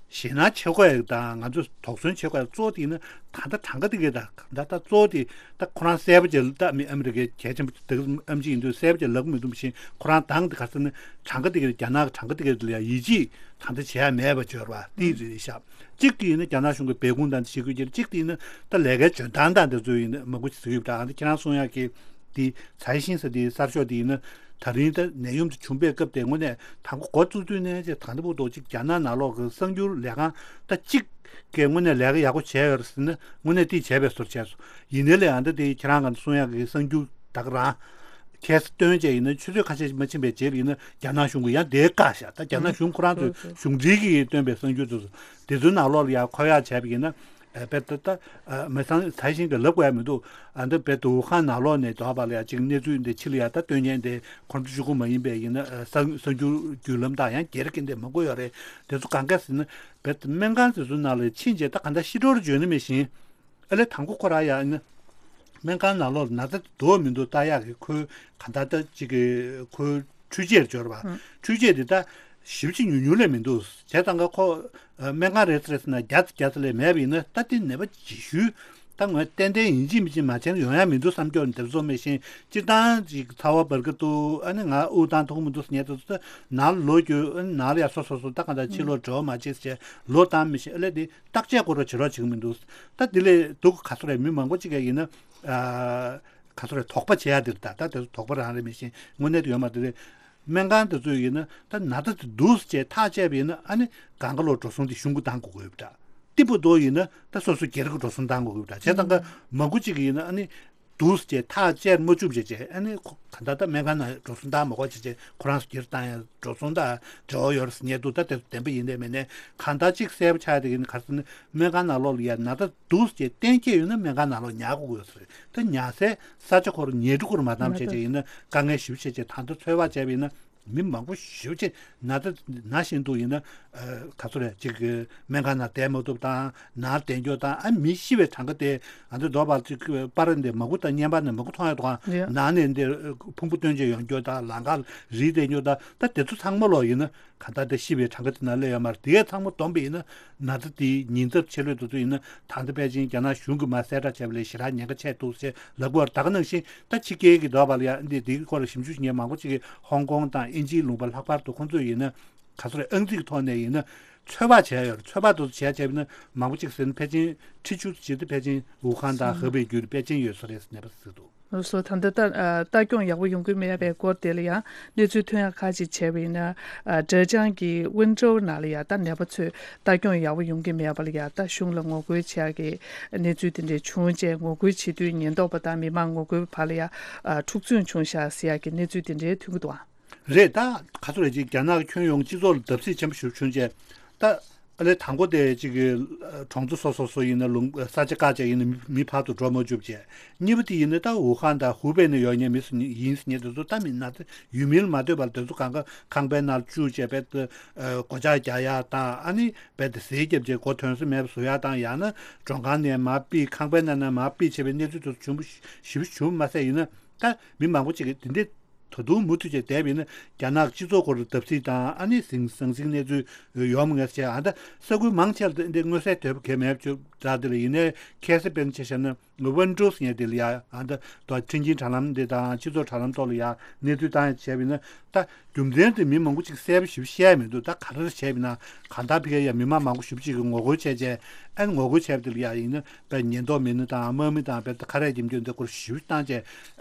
ཞེད་སྣང་བྱེད་དགོས་ཡ་དང་ང་ཚོས་དོགས་ཟོན་བྱེད་དགོས་ཡ་གཙོ་བོ་དེ་ཡིན་ན། ད་ལྟ་གྲངས་ཀ་དེ་གས་ད་ད་ལྟ་གཙོ་བོ་དེ་ད་ཁོ་རང་གསལ་པོ་ཅིག་ད་མི་ཨ་མི་རི་ཀའི་གལ་ཆེན་པོ་དེ་ག་ཨེམ་ཆི་ཡིན་དུས་གསལ་པོ་ཅིག་ལབ་མི་འདུག་བཞིན། ཁོ་རང་དང་དེ་ག་ཟེར་ན་གྲངས་ཀ་དེ་གས། རྒྱ་ནག་གི་གྲངས་ཀ་དེ་གས་ལ་ཡ་ཡིད་ཆེས་ད་ལྟ་བྱེད་ཡ་མེད་པ་ཅིག་ཡོད་རེད་པ། དེ་རེད་ཤག་གཅིག་དེ་ཡིན་ན་རྒྱ་ནག་གཞུང་གི་སྦས་སྐུང་དང་དེ་བྱེད་དགོས་ཀྱི་རེད། གཅིག་དེ་ཡིན་ན་ད་ལས་ཀའི་འཇོན་ཐང་དང་དེ་ཚོ་ཡིན་ན་མང་པོ་ཞིག་ཟེར་གྱི་ཡོད་པ་འདྲ། ཨ་ནི་ཁྱེད་རང་གསུང་ཡག་གི་དེ་ཚའེ་ཤིན་ཟེར་དེ་གསར་ཤོག་དེ་ཡིན་ན། ད་རིང་ད་ནད་ཡམས་དེ་བྱུང་པའི་སྐབས་དེ་དངོས་གནས་དང་པོ་འགོ་བཙུགས་དུས་ནས་ཅེས་ད་ལྟ་བར་དུ་ཅིག་རྒྱ་ནག་ནང་ལོགས་ཀྱི་གསར་འགྱུར་ལས་ཁང་ད་གཅིག་གིས་དངོས་གནས་ལས་ཀ་ཡག་པོ་བྱས་ཡོད་རེད་ཟེར་ན་དངོས་གནས་དེ་བྱས་པའི་བཟོ་འདྲ་བྱས་སོང་། ཡིན་ནའི་ལས་ཨ་ད་དེ་ཁྱེད་རང་ག་ཚོད་གསུང་ཡག་གི་གསར་འགྱུར་ད་ག་རང་ཁྱེད་སྟོན་བྱས་ཡིན་ན་ཆུ་ཚོད་ཁ་ཤས་ཤིག་མ་ཕྱིན་པའི་རྗེས་ལ་ཡིན་ན་རྒྱ་ནག་གཞུང་གིས་ཡང་དེ་བཀག་བཞག་ད་རྒྱ་ནག་གཞུང་ཁོ་རང་ཚོའི་གཞུང་འབྲེལ་གྱིས་བཏོན་པའི་གསར་འགྱུར་དེ་ཚོ་དེ་ཚོའི་ནང་ལོགས་ལ་ཡང་འཁོད་ཡག་བྱས་པ་ཡིན་ན། ཨ་དཔེ་ད་ལྟ་ཨ་མི་སང་ཚའེ་ཤིན་གྱིས་ལབ་དགོས་ཡ་མི་འདུག་ཨ་འདི་དཔེ་ད་ཝུ་ཧན་ནང་ལོགས་ནས་དོགས་པ་ལ་ཡ་གཅིག་གནས་ཚུལ་འདི་ཕྱི་ལ་ཡ་ད་སྟོན་མཁན་དེ་ཁོང་ཚོ་གཅིག་པུ་མ་ཡིན་པའི་ཡིན་ན། ཨ་གསར་གསར་འགྱུར་བརྒྱུད་ལམ་དང་ཡང་སྒེར་གྱི་འདི་མང་པོ་ཡོད་རེད། དེ་ཚོ་གང་ག་ཟེར་ན་དཔེ་ད་སྨན་ཁང་དེ་ཚོའི་ནང་ལ་ཕྱིན་རྗེས་ད་ག་འདྲ་ཤི་འགྲོ་རུ་འཇོན་ནི་མེད་བཞིན། ཨ་ལས་དང་པོ་ཁོ་རང་ཡ་ཨ་ནི་སྨན་ཁང་ནང་ལོགས་ན་ཚ་འདུག་མི་འདུག་ལྟ་ཡག་གི་ཁོའི་ག་འདྲ་ལྟ་ཅིག་གི་ཁོའི་འཕྲུལ་ཆས་འབྱོར་བ། ཨང་། འཕྲུལ་ཆས་འདི་ད་ཞེ་པོ་ཅིག་ཉུང་ཉུང་ལས་མི་འདུག་བྱས་ཙང་ཀ་ཁོ་ཨ་སྨན་ཁང་རེད་ཟེར་ཟེར་ན་བརྒྱ་ཙམ་བརྒྱ་ཙམ་ལས་མེད་པ་ཡིན་ན། ད་དེ་ནད་པ་ལྗིད་ཤུལ་ད་ངོས་ཏན་ཏན་ཡིན་གཅིག་མིན་གཅིག་མ་བྱས་ན་ཡོང་ཡ་མི་འདུག་བསམ་རྒྱུ་འདི་ཚོ་མེད་བཞིན། སྤྱིར་བཏང་ཅིག་ཚ་བ་འབར་གི་འདུག་ཨ་ནི་ང་དབུགས་བཏང་ཐུབ་ཀྱི་མི་འདུག་ཟེར་མཁན་དེ་ཚོ་ད་ནང་ལ་ལོག་རྒྱུ། ཨ་ནི་ནང་ལ་ཡ་སོ་སོ་སོ་ད་ག་འདྲ་ཕྱི་ལོགས་འགྲོ་མ་བྱེད་ཟེར་ལོག་བཏང་མི་ཤེས། ཨ་ལས་དེ་བརྟག་དཔྱད་སྐོར་ར་བྱེད་རོགས་བྱེད་ཀྱི་མི་འདུག་ད་དེ་ལས་སྡུག་ག་ཚོད་རེད། མི་མང་པོ་ཅིག་གིས་ཡིན་ན་ཨ་ག་ཚོད་རེད། དོགས་པ་བྱེད་ཡ་དེ་རེད། ད་ད་དེ་ཚོ་དོགས་པ་རང་རེད། མི་ཤེས་དངོས་གནས་དེ་ཡོད་མ་རེད། སྨན་ཁང་དེ་ཚོ་ཡིན་ན་ད་ན་ཚ་དེ་འདུག་ཟེར་བྱས་ཐག་བཅད་པ་ཡིན་ན། ཨ་ནི་སྒང་ག་ལོག་འགྲོ་སོང་དེ་གཞུང་གིས་བཏང་དགོས་ཀྱི་ཡོད་པ་འདྲ། ཏི་པོ་རྡོ་ཡིན་ན་ད་སོ་སོ་སྒེར་གྱི་འགྲོ་སོང་བཏང་དགོས་ཀྱི་ཡོད་པ་འདྲ། བྱས་ཙང་ཀ་མང་པོ་ཅིག་གིས་ཡིན་ན་ཨ་ནི་འདུག་ཟེར་བྱས་ཐག་བཅད་མ་བཅུག་བྱས་བྱས། ཨ་ནི་ཁོ་ག་ད་ལྟ་སྨན་ཁང་ནང་འགྲོ་སོང་བཏང་མ་དགོས་བྱས་བྱས་ཁོ་རང་ཚོ་སྒེར་བཏང་ཡ་འགྲོ་སོང་དང་འབྲེལ་བ་ཡོད་རེད་ཟེར་མཁན་འདུག་ད་དེ་ཚོ་བདེན་པ་ཡིན་ནའི་མིན་ནའི་གང་ལྟར་གཅིག་གསལ་པོ་ཆགས་ཡ་དེ་གིན་ག་རེ་ཟེར་ན། སྨན་ཁང་ནང་ལོགས་ལ་ཡ་ན་ཚ་འདུག་ཟེར་བྱས་གཏན་འཁེལ་ཡོད་ན་སྨན་ཁང་ནང་ལོགས་ཉར་དགོས་ཀྱི་ཡོད་ས་རེད། ད་ཉར་སའི་ས་ཆ་ཁོ་རང་ཉལ་ཁྲི་ཁོ་རང་མ་བཏང་བྱས་བྱས་ཡིན་ན་དཀའ་ངལ་ཞེ་པོ་བྱས་བྱས། ད་ལྟ་ཚོད་དཔག་བྱས་པ་ཡིན་ན། མི་མང་པོ་ཞེ་པོ་ཅིག་ན་ཚ་ན་བཞིན་དུ་ཡིན་ན། ཨ་ག་ཚོད་རེད། ཅིག་གི་སྨན་ཁང་ནང་བསྡད་མ་ཐུབ་དང་། ནང་བསྡད་རྒྱུ་དང་། ཨ་མི་ཤི་བའི་གྲངས་ཀ་དེ་ཨ་འདི་རྡོ་བར་ཅིག་པར་འདི་མ་གུ་དང་བརྙན་པར་ནས་མ་གུ་མཐོང་ཡ་དང་། ཡ། ནང་ནས་འདི་ཕུང་པོ་བཏོན་བྱས་ཡོང་རྒྱུ་དང་། ལམ་ཁ་རིལ་བསྡད་རྒྱུ་དང་། ད་དེ་ཚོ་ཚང་མ་ལོག་ཡིན་ན་ག་ད་དེ་ཤི་བའི་གྲངས་ཀ་དེ་ནང་སླེབས་ཡོད་མ་རེད། དེ་གས་ཚང་མ་བསྡོམས་པ་ཡིན་ན། ན་ཚ་དེའི་ཉེན་ཚབས་ཆེ་ལོས་དེ་ཚོ་ཡིན་ན། ད་ལྟ་ཕལ་ཆེར་རྒྱ་ནག་གཞུང་གིས་མར་གསལ་བསྒྲགས་བྱས་པ་ལས་ཞེ་དྲག་ཉེན་ཁ་ཆེ་འདུག་ཟེར་ལབ་ཀྱི་ཡོད་རེད། ད་ག་ནང་བཞིན་ད་ཕྱི་རྒྱལ་གྱི་རྡོ་བར་ལ་ཡ་འདི་དེའི་སྐོར་ལ་ཞིབ་འཇུག་བྱེད་མཁན་མང་པོ་ཅིག་གིས་ཧོང་ཀོང་དང་དབྱིན་ཇིའི་ལུང་པ་ལྷག་པར་དུ་ཁོང་ཚོས་ཡིན་ན། ག་ཚོད་རེད། ཨང་རྩིས་ཀྱི་ཐོག་ནས་ཡིན་ན། ཚོད་དཔག་བྱས་ཡོད་རེད། ཚོད་དཔག་དེ་ཚོ་བྱས་བྱས་པ་ན་མང་པོ་ཅིག་ཟེར་ན་ཕལ་ཆེར་ཁྲི་བཅུ་ཅིག་དེ་ཕལ་ཆེར་ཝུ་ཧན་དང་ཧེ་པེ་བརྒྱུད་དེ་པེ་ཅིན་ཡོད་ས་རེད་ཟེར་ནས་པ་ཟེར་འདུག། སོ་ད་ལྟ་ལྟ་ལྟ་སྐྱོང་ཡག་པོ་ཡོང་གི་མེད་པའི་སྐོར་དེ་ལ་ཡང་གནས་ཚུལ་ཐོན་ཡག་ཁག་ཅིག་བྱས་པ་ཡིན་ན། ཨ་ཀྲེ་ཅང་གི་ཝུན་ཀྲོའུ་ནང་ལ་ཡང་ད་ནད་པ་ཚོས་ལྟ་སྐྱོང་ཡག་པོ་ཡོང་གི་མེད་པ་ལ་ཡང་ད་གཞུང་ལ་ངོ་རྒོལ་བྱེད་ཡག་གི་གནས་ཚུལ་དེ་འདྲས་བྱུང་རྗེས་ངོ་རྒོལ་བྱེད་དུས་ཉེན་རྟོག་པ་དང་མི་མང་ངོ་རྒོལ་བ་ལ་ཡང་ཨ་འཁྲུག་རྩོད་བྱུང་ཤག་ཟེར་ཡག་གི་གནས་ཚུལ་དེ་འདྲས་ཐོན་གྱི་འདུག་ཨ། རེད། ད་ག་ཚོད་རེད་ཅིག་རྒྱ་ནག་ཁྱོན་ཡོངས་སྤྱི་ཚོགས་ལ་བརྡབ་གསིག་ཆེན་པོ་ཞིག་བྱུང་རྗེས། ད་ཨ་ལས་དང་པོ་དེ་གཅིག་གི་གྲོང་ཚོ་སོ་སོ་སོ་ཡིན་ན་ལུང་ས་ཆ་བཀག་བྱས་ཡིན་ན་མི་མི་ཕར་དུ་འགྲོ་མ་བཅུག་བྱས། གཉིས་པ་དེ་ཡིན་ན་ད་ཝུ་ཧན་དང་ཧུའུ་པེ་ནས་ཡོང་མཁན་མི་སུ་ཡིན་ཟེར་མཁན་དེ་ཚོ་ད་མི་སྣ་དེ་ཡུལ་མིར་མ་ལྟོས་པར་དེ་ཚོ་གང་ག་ཁང་པའི་ནང་བཅུག་བྱས་རྦད་དེ་སྒོ་ལྕགས་རྒྱག་ཡག་དང་ཨ་ནི་རྦད་དེ་ཟས་བརྒྱབ་བྱས་སྒོ་ཐོན་ས་མེད་པ་བཟོ་ཡག་དང་ཡང་ན་མགྲོན་ཁང་ནས་མར་ཕུད་ཁང་པའི་ནང་ནས་མར་ཕུད་བྱས་པའི་གནས་ཚུལ་དེ་ཚོ་བྱུང་བ་ཞེ་པོ་བྱུང་མ་ཟད་ཡིན་ན་ད་མི་མང་པོ་ཅིག་གིས་དེ་འདྲའི། ད་དུང་མུ་མཐུད་བྱས་བསྡད་པ་ཡིན་ན་རྒྱ་ནག་སྤྱི་ཚོགས་སྐོར་བརྡབ་གསིག་དང་ཨ་ནི་ཟང་ཟང་ཟིང་གནས་ཚུལ་ཡོང་མི་ངེས་བྱས། ཨ་ད་ས་ཁུལ་མང་ཆེ་ལ་འདི་མངོན་གསལ་དོད་པོ་གང་ཡང་མེད་པ་བྱུང་འདྲ། དེ་ལ་ཡིན་ནའི་ཁ་སང་དཔེར་ན་ཆ་བཞག་ན་ཝུན་ཀྲོའུ་ཟེར་མཁན་དེ་ལ་ཡ་ཨ་ད་དོ་ཁྲིན་ཅིན་དྲ་ལམ་འདི་དང་སྤྱི་ཚོགས་དྲ་ལམ་ཐོག་ལ་ཡ་གནས་ཚུལ་བཏང་ཡ་བྱས་པ་ཡིན་ན་ད་རྒྱུ་མཚན་དེ་མི་མང་པོ་ཅིག་གསལ་པོ་ཞིག་བཤད་མི་འདུག། ད་ག་རེ་བྱས་པ་ཡིན་ན་གང་ལྟར་ཕ་གིར་ཡ་མི་མང་མང་པོ་ཞེ་པོ་ཅིག་གིས་ངོ་རྒོལ་བྱས་བྱས་ཨ་ནི་ངོ་རྒོལ་བྱས་པ་དེ་ལ་ཡ་ཡིན་ན། པའི་ཉེན་རྟོག་མི་སྣ་དང་དམག་མི་དང་བལ་ཁ་རས་འཇིབ་རྒྱུ་འདི་སྐོར་ཞིབ་བཏང་བྱས་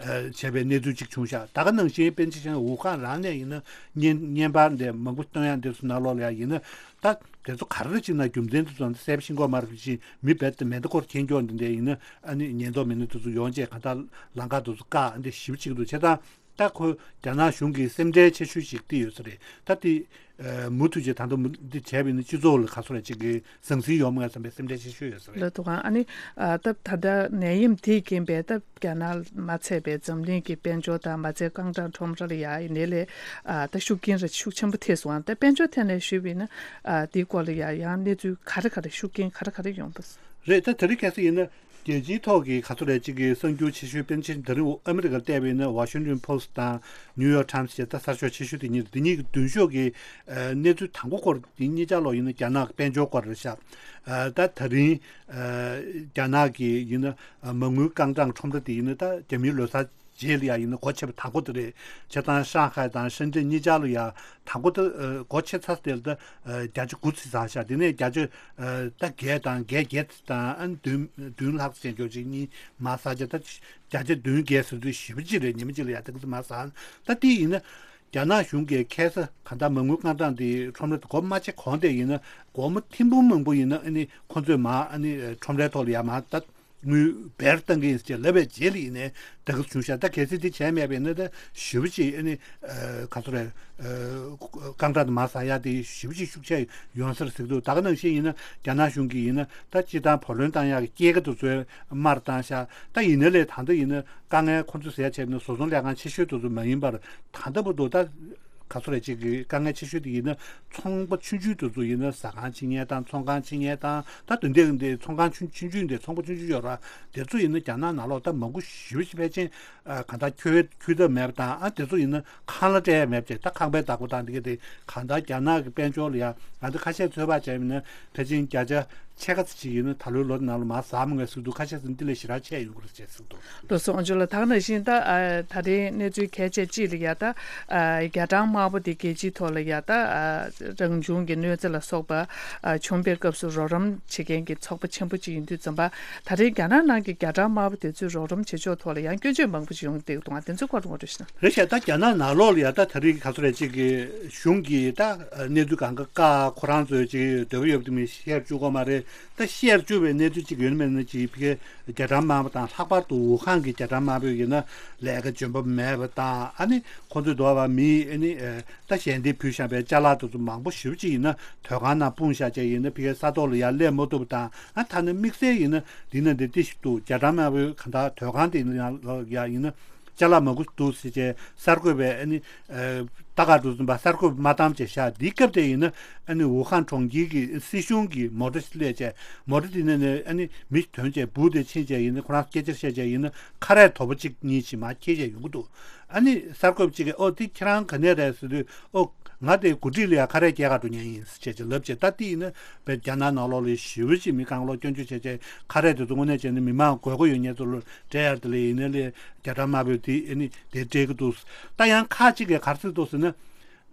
བྱས་པའི་གནས་ཚུལ་ཅིག་བྱུང་ཤག། ད་ག་ནང་བཞིན་པཎ་ཆེན་ཞང་ཝུ་ཧན་རང་ནས་ཡིན་ན་བརྙན་བརྙན་པར་འདི་མང་པོ་སྟོན་ཡག་འདི་ཚོ་ནང་ལོགས་ལ་ཡང་ཡིན་ན་ད་དེ་ཚོ་ག་རེ་ཅིག་ན་རྒྱུ་མཚན་དེ་ཚོ་གསལ་པོ་ཤེས་ཀྱི་ཡོད་མ་རེད། ཅིག་མི་རྦད་དེ་མེ་མདའ་སྐོར་མཁྱེན་རྒྱུ་འདི་འདྲ་ཡིན་ན་ཨ་ནི་ཉེན་རྟོག་མི་སྣ་དེ་ཚོ་ཡོང་བྱས་གང་ལྟར་ལམ་ཁ་དེ་ཚོ་བཀག་འདི་ཞིབ་བྱེད་ཀྱི་འདུག། བྱས་ཙང་། ད་ཁོ་རྒྱ་ནག་གཞུང་གི་སེམས་ཁྲལ་ཆེ་ཤོས་ཤིག་དེ་ཡོད་ས་རེད། ད་དེ་མུ་མཐུད་བྱས་ད་དུང་འདི་བྱས་པ་ཡིན་ན་སྤྱི་ཚོགས་ལ་ག་ཚོད་རེ་ཅིག་གི་ཟང་ཟིང་ཡོང་མ་ཡོང་བསམ་པའི་སེམས་ཁྲལ་ཆེ་ཤོས་ཡོད་ས་རེད། ལགས་འདུག་ག། ཨ་ནི་ཨ་ད་ད་ལྟ་ནད་ཡམས་དེས་རྐྱེན་པས་ད་རྒྱ་ནག་མ་ཚད་པའི་འཛམ་གླིང་གི་དཔལ་འབྱོར་དང་མ་ཚད་རྐང་གྲངས་ཁྲོམ་ར་ལ་ཡ་ཡིན་ནའི་ལས་ཨ་ད་ཤུགས་རྐྱེན་ར་ཤུགས་ཆེན་པོ་ཐེབས་སོང་། ཨ་ད་དཔལ་འབྱོར་ཐད་ནས་ཞུས་པ་ཡིན་ན་ཨ་དེའི་སྐོར་ལ་ཡ་ཡང་གནས་ཚུལ་ག་རེ་ག་རེ་ཤུགས་རྐྱེན་ག་རེ་ག་རེ་ཡོང་པ། རེད། ད་དེ་རིང་ཁ་སང་ཡིན་ན། རྒྱལ་སྤྱིའི་ཐོག་གི་ག་ཚོད་རེད་ཅིག་གི་གསར་འགྱུར་ཆེ་ཤོས་པཎ་ཆེན་དེ་རིང་ཨ་མི་རི་ཀར་བལྟས་པ་ཡིན་ན་Washington Post་དང་New York Times་བཅས་ད་གསར་ཤོག་ཆེ་ཤོས་དེ་གཉིས་རེད། དེ་གཉིས་ཀྱི་མདུན་ཤོག་གི་གནས་ཚུལ་དང་པོ་སྐོར་དེ་གཉིས་ཆ་ལོག་ཡིན་ན་རྒྱ་ནག་གི་དཔལ་འབྱོར་སྐོར་རེད་ཤག། ད་དེ་རིང་རྒྱ་ནག་གི་ཡིན་ན་མ་དངུལ་རྐང་གྲངས་ཁྲོམ་ར་དེ་ཡིན་ན་ད་རྒྱ་མིའི་ལོ་གསར་རྗེས་ལ་ཡ་ཡིན་ན་སྒོ་ཕྱེ་བ་དང་པོ་དེ་རེད། བྱས་ཙང་ཧྲང་ཧའེ་དང་ཧྲེན་ཀྲེན་གཉིས་ཆ་ལ་ཡ་དང་པོ་དེ་སྒོ་ཕྱེ་ཚར་དེ་ལ་ད་བརྒྱ་ཆ་དགུ་ཙམ་ཟ་ཤག། དེ་ནས་བརྒྱ་ཆ་ད་བརྒྱད་དང་བརྒྱད་བརྒྱད་དང་ཨ་ནི་བདུན་བདུན་ལྷག་ཙམ་ཅིག་གཉིས་མར་ཟ་བྱས། ད་བརྒྱ་ཆ་བདུན་བརྒྱད་ཟེར་དུས་ཞེ་པོ་ཅིག་རེད། ཉི་མ་གཅིག་ལ་ཡ་ད་ག་ཚོད་མར་ཟ། ད་དེ་ཡིན་ན་རྒྱ་ནག་གཞུང་གིས་ཁ་སང་གང་ལྟར་མ་དངུལ་རྐང་གྲངས་དེ་ཁྲོམ་ར་དེ་སྒོ་མ་ཕྱེ་གོང་དེ་ཡིན་ན་སྒོར་མོ་ཐེར་འབུམ་མང་པོ་ཡིན་ན་ཨ་ནི་ཁོ་ཚོས་མར་ཨ་ནི་ཁྲོམ་རའི་ཐོག་ལ་ཡ་མར་ད། དངུལ་སྦེར་བཏང་གི་ཡིན་ཟེར་ལབ་པའི་རྗེས་ལ་ཡིན་ནའི་དེ་ག་བྱུང་ཤག། ད་གལ་སྲིད་དེ་བྱས་མེད་པ་ཡིན་ན་ད་ཞེ་པོ་ཅིག་ཨ་ནི་ག་ཚོད་རེད། རྐང་གྲངས་དེ་མར་ཟ་ཡ་དེ་ཞེ་པོ་ཅིག་ཤུགས་ཆེ་ཡོང་ས་རེད་ཟེར་གྱི་འདུག། ད་ག་ནང་བཞིན་ཡིན་ན་རྒྱ་ནག་གཞུང་གིས་ཡིན་ན་ད་སྤྱིར་བཏང་བུ་ལོན་བཏང་ཡག་གི་སྐྱེད་ཀ་དེ་ཚོ་མར་བཏང་ཤག། ད་ཡིན་ན་ལས་ད་ལྟ་ཡིན་ན་དཀའ་ངལ་ཁོ་ཚོས་ཟ་ཡ་བྱས་པ་ཡིན་ན་བཟོ་ཚོང་ལས་ཁང་ཆེ་ཤོས་དེ་ཚོ་མ་ཡིན་པར་ད་ལྟ་བར་དུ་ད། ག་ཚོད་རེད་ཅིག་གི་དཀའ་ངལ་ཆེ་ཤོས་དེ་ཡིན་ན་ཚོང་པ་ཆུང་ཆུང་དེ་ཚོ་ཡིན་ན་ཟ་ཁང་ཕྱེ་མཁན་དང་ཚོང་ཁང་ཕྱེ་མཁན་དང་ད་དོན་དེ་འདི་ཚོང་ཁང་ཆུང་ཆུང་ཆུང་འདི་ཚོང་པ་ཆུང་ཆུང་ཡོད་ར་དེ་ཚོ་ཡིན་ན་རྒྱ་ནག་ནང་ལོགས་ད་མང་པོ་ཞེ་པོ་ཞིག་ཕལ་ཆེར་གང་ལྟར་ཁྱོད་ཁྱོད་ཐབས་མེད་པ་དང་ཨ་དེ་ཚོ་ཡིན་ན་ཁང་གླ་སྤྲད་ཡ་མེད་པ་བྱས་ད་ཁང་པའི་བདག་པོ་དང་འདི་ག་དེ་གང་ལྟར་རྒྱ་ནག་གི་དཔལ་འབྱོར་ལ་ཡ་ང་ཚོ་ཁ་ཤས་ཚོད་དཔག་བྱས་ཡིན་ན་ཕལ་ཆེར་བརྒྱ་ཆ་ཕྱེད་ཀ་ཙམ་ཅིག་ཡིན་ན་ད་ལོའི་ལོ་ནང་ལ་མར་ཟ་མི་ངེས་ཟེར་འདུག། ཁ་ཤས་ཟིན་དེ་ལས་ཞེ་དྲག་ཆད་ཡོང་གི་རེད་ཅེས་ཟེར་འདུག། ལགས་སོ། ཨོ་ཇོ་ལགས། ད་ག་ནང་བཞིན་ད་ཨ་ད་རེས་གནས་ཚུལ་གལ་ཆེ་གཅིག་ལ་ཡ་ད་ཨ་རྒྱ་གྲམ་དམར་པོ་དེ་རྒྱལ་སྤྱིའི་ཐོག་ལ་ཡ་ད་ཨ་རང་བྱུང་གི་གནོད་འཚེ་ལ་སོགས་པ་ཨ་བྱུང་པའི་སྐབས་སུ་རོགས་རམ་བྱེད་མཁན་གྱི་ཚོགས་པ་ཆེན་པོ་གཅིག་ཡིན་དུས་ཙམ་པ་ད་རེས་རྒྱ་ནག་ནང་གི་རྒྱ་གྲམ་དམར་པོ་དེ་ཚོས་རོགས་རམ་བྱེད་ཕྱོགས་ཐོག་ལ་ཡང་སྐྱོན་བརྗོད་མང་པོ་ཞིག་ཡོང་གི་འདུག་ག། དེ་ཚོའི་སྐོར་ངོ་སྤྲོད་ཞུ་ན། རེད་ཤག། ད་རྒྱ་ནག་ནང་ལོགས་ལ་ཡ་ད་ད་རེས་ག་ཚོད་རེད་ཅིག་གི་གཞུང་གིས་ད་གནས་ཚུལ་གང་ག་བཀག་ཁོ་རང་ཚོས་ཅིག་འདོད་པ་ཡོད་པ་དེ་མི་བཤད་བཅུག་གོ་མ་རེད། ད་བཤད་བཅུག་པའི་གནས་ཚུལ་ཅིག་ཡོད་ན་མེད་ན་ཅིག་ཕ་གིའི་རྒྱ་གྲམ་དམར་པོ་དང་ལྷག་པར་དུ་ཝུ་ཧན་གྱི་རྒྱ་གྲམ་དམར་པོ་ཡིན་ན་ལས་ཀ་འཇོན་པོ་མེད་པ་དང་ཨ་ནི་ཁོ་ཚོས་འདོད་པ་མི་ཨ་ནི་ད་ཞལ་འདེབས་ཕུལ་བཞག་པའི་ཅ་ལག་དེ་ཚོ་མང་པོ་ཞེ་པོ་ཅིག་ཡིན་ན་དོས་ཁང་ནང་སྤུངས་བཞག་བྱས་ཡིན་ན་ཕ་གིའི་ས་ཐོག་ལ་ཡར་སླེབས་མ་ཐུབ་པ་དང་ཨ་ཐ་ན་དམིགས་བསལ་ཡིན་ན་འདི་ན་འདི་ཏི་ཞིག་འདུག། རྒྱ་གྲམ་དམར་པོའི་ག་འདྲ་དོས་ཁང་དེ་ཡིན་ན་ཡང་ལ་ཡ་ཡིན་ན། ཅ་ལག་མང་པོ་འདུག་ཟེར་བྱས་གསར་འགོད་པས་ཨ་ནི་ལྟ་ག་འགྲོ་བཙུན་པ་གསར་འགོད་པ་མ་བཏང་བྱས་བཞག། འདིའི་སྐབས་དེ་ཡིན་ན་ཨ་ནི་ཝུ་ཧན་གྲོང་ཁྱེར་གྱི་སྲིད་གཞུང་གི་མོ་ཊ་ཞིག་སླེབས་བྱས་མོ་ཊ་དེ་ནས་ནས་ཨ་ནི་མི་ཐོན་བྱས་འབུ་དེ་ཕྱིན་བྱས་ཡིན་ན་ཁོ་རང་སྐད་ཆ་བཤད་བྱས་ཡིན་ན་ཁ་རས་དོ་པོ་གཅིག་གཉིས་ཞིག་མར་འཁྱེར་བྱས་ཡོང་གི་འདུག། ཨ་ནི་གསར་འགོད་པ་གཅིག་གིས་ཨོ་དེ་ཁྱེད་རང་ག་ནས་རེད་ཟེར་དུས་ཨོ། ང་དེ་འགོ་ཁྲིད་ལ་ཡང་ཁ་རས་རྒྱག་ག་འགྲོ་མཁན་ཡིན་ཟེར་བྱས་ལབ་བྱས། ད་དེ་ཡིན་ན་བས་རྒྱ་ནག་ནང་ལོགས་ལ་ཞེ་པོ་ཅིག་མི་རྐང་ལོག་སྐྱོན་བརྗོད་བྱས་བྱས་ཁ་རས་དེ་ཚོ་དངོས་གནས་བྱས་ན་མི་མང་དགོས་མཁོ་ཡོད་མཁན་ཚོ་ལ་སྤྲད་ཡ་དེ་ལ་ཡིན་ན་ལས་རྒྱ་གྲམ་དམར་པོས་དེ་ཨ་ནི་དེ་སྤྲད་ཀྱི་འདུག། ད་ཡང་ཁག་ཅིག་གིས་ག་རེ་ཟེར་འདུག་ཟེར་ན།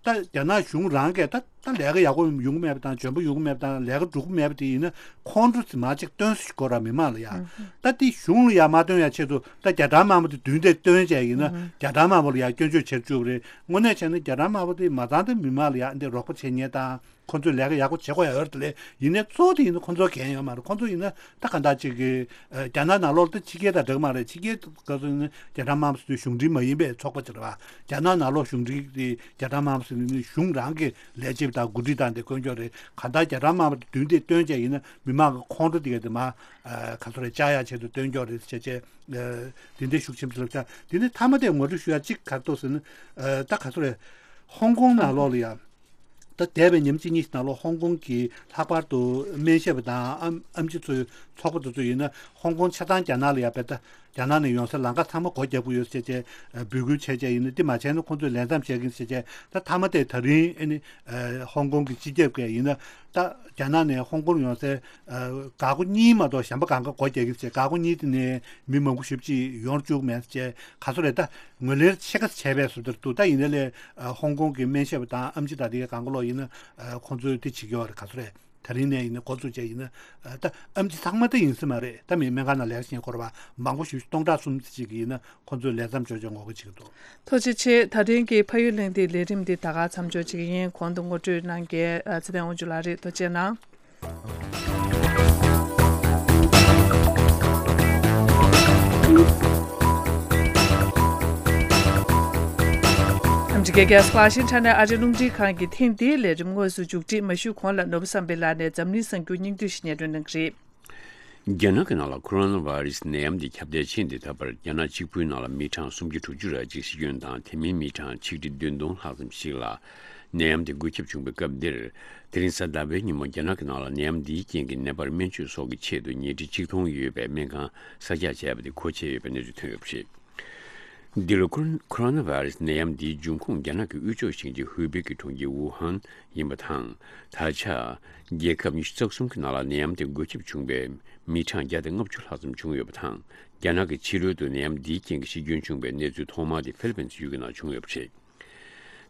ད་རྒྱ་ནག་གཞུང་རང་གིས་ད་ད་ལས་ཀ་ཡག་པོ་ཡོང་གི་མེད་པ་དང་འཇོན་པོ་ཡོང་གི་མེད་པ་དང་ལས་ཀ་འགྲུབ་ཀྱི་མེད་པ་དེ་ཡིན་ན་ཁོང་ཁྲོ་ཟེར་མ་ཅིག་སྟོན་སྲིད་དགོས་ར་མི་མང་ལ་ཡ། ད་དེ་གཞུང་ལ་ཡ་མ་སྟོན་ཡ་ཆེད་དུ་ད་རྒྱ་གྲམ་དམར་པོ་དེ་མདུན་དེ་སྟོན་བྱས་ཡིན་ན་རྒྱ་གྲམ་དམར་པོ་ལ་ཡ་སྐྱོན་བརྗོད་བྱེད་བཅུག་པ་རེད། དངོས་གནས་བྱས་ན་རྒྱ་གྲམ་དམར་པོ་དེ་མ་ཚང་ད་མི་མང་ལ་ཡ་འདི་རོགས་པ་བྱེད་མཁན་དང་། ཁོ་ཚོས་ལས་ཀ་ཡག་པོ་བྱེད་དགོས་ཡ་ཡོད་རེད་དེ་ལས་ཡིན་ནའི་གཙོ་བོ་དེ་ཡིན་ན་ཁོ་ཚོ་འགན་ཡོད་མ་རེད། ཁོ་ཚོ་ཡིན་ན་ད་ག་འདྲ་ཅིག་གི་རྒྱ་ནག་ནང་ལོགས་ད་ཕྱི་རྒྱལ་དང་འདྲ་གི་མ་རེད། ཕྱི་རྒྱལ་སྐབས་སུ་ཡིན་ན་རྒྱ་གྲམ་དམར་པོ་ཟེར་དུས་གཞུང་འབྲེལ་མ་ཡིན་པའི་ཚོགས་པ་ཅིག་རེད་བ། རྒྱ་ནག་ནང་ལོགས་གཞུང་འབྲེལ་དེ་རྒྱ་གྲམ་དམར་པོ་ཟེར་ནས་གཞུང་རང་གི་ལས་བྱེད་དང་འགོ་ཁྲིད་དང་དེ་བསྐོ་འཇོག་རེད། ག་འདྲ་རྒྱ་གྲམ་དམར་པོ་དེ་མདུན་དེ་སྟོན་བྱས་ཡིན་ན་མི་མང་གི་ཁོང་ཁྲོ་དེ་ག་དེ་མ་ག་ཚོད་རེད་བཅག་ཡ་ཆེད་དུ་བསྟན་འཇོག་རེད་བྱས་བྱས། དེ་འདྲའི་ཤུགས་ཆེན་པོ་ལབ་ཆགས། དེ་ནས་མཐའ་མ་དེ་ངོ་སྤྲོད་ཞུ་ཡ་གཅིག་ག་རེ་འདུག་ཟེར་ན། ད་ག་ཚོད་རེད། ཧོང་ཀོང་ནང་ལོགས་ལ་ཡ། ད་འདས་པའི་ཉིན་གཅིག་གཉིས་ཤིག་ནང་ལོགས་ཧོང་ཀོང་གི་ལྷག་པར་དུ་སྨན་ཞབས་དང་ཨམ་ཨམ་ཆི་ཚོའི་ཚོགས་པ་དེ་ཚོ་ཡིན་ན་ཧོང་ཀོང་ཆ་ཚང་རྒྱ་ནག་ལ་ཡ་བེད་ད་རྒྱ་ནག་ནས་ཡོང་སའི་ལམ་ཁ་ཚང་མ་སྒོ་རྒྱག་གི་ཡོད་ཟེར་བྱས་འབོད་སྐུལ་བྱས་བྱས་ཡིན་ན་འདི་མ་བྱས་ན་ཁོང་ཚོས་ལས་མཚམས་བཞག་གི་ཟེར་བྱས་ད་མཐའ་མ་དེ་ད་རིང་ཨ་ནི་ཧོང་ཀོང་གི་སྤྱི་ཁྱབ་ཀྱིས་ཡིན་ན་ད་རྒྱ་ནག་ནས་ཧོང་ཀོང་ཡོང་སའི་འགག་སྒོ་གཉིས་མ་གཏོགས་གཞན་པ་གང་ག་སྒོ་རྒྱག་གི་ཟེར། འགག་སྒོ་གཉིས་དེ་ནས་མི་མང་པོ་ཞེ་པོ་ཅིག་ཡོང་བཅུག་མེད་ཟེར་བྱས་ག་ཚོད་རེད། ད་ངོས་ལེན་ཕྱེད་ཀ་བྱས་པའི་བཟོ་འདྲ་འདུག་ད་ཡིན་ནའི་ལས་ཧོང་ཀོང་གི་སྨན་ཞབས་དང་ཨམ་ཆི་དང་དེ་ག་གང་ག་ལོག་ཡིན་ན་ཁོང་ཚོས་དེ་བྱེད་ཀྱི་ཡོད་རེད། ག་ཚོད་རེད། ད་རིང་ནས་ཡིན་ན་འགོ་བཙུགས་བྱས་ཡིན་ན་ད་ཨམ་ཆི་ཚང་མ་ད་ཡིན་ས་མ་རེད། ད་མི་སྨན་ཁང་ནང་ལས་ཀ་བྱེད་མཁན་སྐོར་བ་མང་པོ་ཞེ་པོ་ཅིག་སྟོང་ཕྲག་གསུམ་ཅིག་ཡིན་ན་ཁོང་ཚོས་ལས་མཚམས་འཇོག་ཆོག་ངོ་རྒོལ་བྱེད་ཀྱི་འདུག་ཐུགས་རྗེ་ཆེ། ད་ཐེངས་ཀྱི་ཕ་ཡུལ་གླེང་སྟེགས་ལས་རིམ་འདི་ད་ག་མཚམས་འཇོག་བྱེད་ཀྱི་ཡིན། གོང་དུ་ངོ་སྤྲོད་གནང་མཁན་ཚེ་བརྟན་དབང་ཕྱུག་ལགས་རེད། ཐུགས་རྗེ་གནང་། ཨ་མི་རི་ཀའི་རྒྱལ་ས་ཝ་ཤིང་ཊོན་ནས་ཨ་རིའི་རླུང་འཕྲིན་ཁང་གི་ཐེངས་འདིའི་ལས་རིམ་དངོས་སུ་མཇུག་སྒྲིལ་མ་ཞུས་གོང་ལ་ནོར་བུ་བསམ་འཕེལ་ལགས་ནས་འཛམ་གླིང་གསར་འགྱུར་སྙིང་བསྡུས་ཤིག་སྙན་སྒྲོན་གནང་གི་རེད། རྒྱ་ནག་གི་ནང་ལ་ཁོ་རོ་ན་བྷ་རེ་སི་ནད་ཡམས་འདི་ཁྱབ་གདལ་ཕྱིན་དེ་ད་བར་རྒྱ་ནག་གཅིག་པུའི་ནང་ལ་མི་གྲངས་སུམ་བརྒྱ་དྲུག་ཅུ་རེ་གཅིག་ཤི་སྐྱོན་དང་དེ་མིན་མི་གྲངས་ཆིག་ཁྲི་བདུན་སྟོང་ལྷག་ཙམ་ཞིག་ལ་ནད་ཡམས་དེ་འགོས་ཁྱབ་བྱུང་བའི་སྐབས་འདིར། དེ་རིང་གཟའ་ཟླ་བའི་ཉིན་མོ་རྒྱ་ནག་གི་ནང་ལ་ནད་ཡམས་འདིའི་རྐྱེན་གྱིས་ནད་པར་སྨན་བཅོས་སོགས་ཀྱི་ཆེད་དུ་ཉལ་ཁྲི་ཆིག་སྟོང་ཡོད་པའི་སྨན་ཁང་གསར་རྒྱག་བྱས་པ་དེ་གོ་ཆོད་ཡོད་པའི་གནས་ཚུལ་ཐོན་ཡོད་པ་རེད། འདི་ལོ་ཁོ་རོ་ཁོ་རོ་ན་བྷ་རེ་སི་ནད་ཡམས་འདིའི་འབྱུང་ཁུངས་རྒྱ་ནག་གི་དབུས་ཕྱོགས་ཤིང་ཆེན་ཧུའེ་པེ་གི་གྲོང་ཁྱེར་ཝུ་ཧན་ཡིན་པ་དང་། ད་ཆ་རྒྱལ་ཁབ་ཉི་ཤུ་རྩ་གསུམ་གྱི་ནང་ལ་ནད་ཡམས་དེ་འགོས་ཁྱབ་བྱུང་བའི་མི་གྲངས་བརྒྱ་དང་ལྔ་བཅུ་ལྷག་ཙམ་བྱུང་ཡོད་པ་དང་། རྒྱ་ནག་གི་ཕྱི་རོལ་དུ་ནད་ཡམས་འདིའི་རྐྱེན་གྱིས་ཤི་སྐྱོན་བྱུང་བའི་གནས་ཚུལ་ཐོག་མ་དེ་ཧྥི་ལི་པིན་སི་ཡུལ་གྱི་ནང་བྱུང་ཡོད་པ་རེད།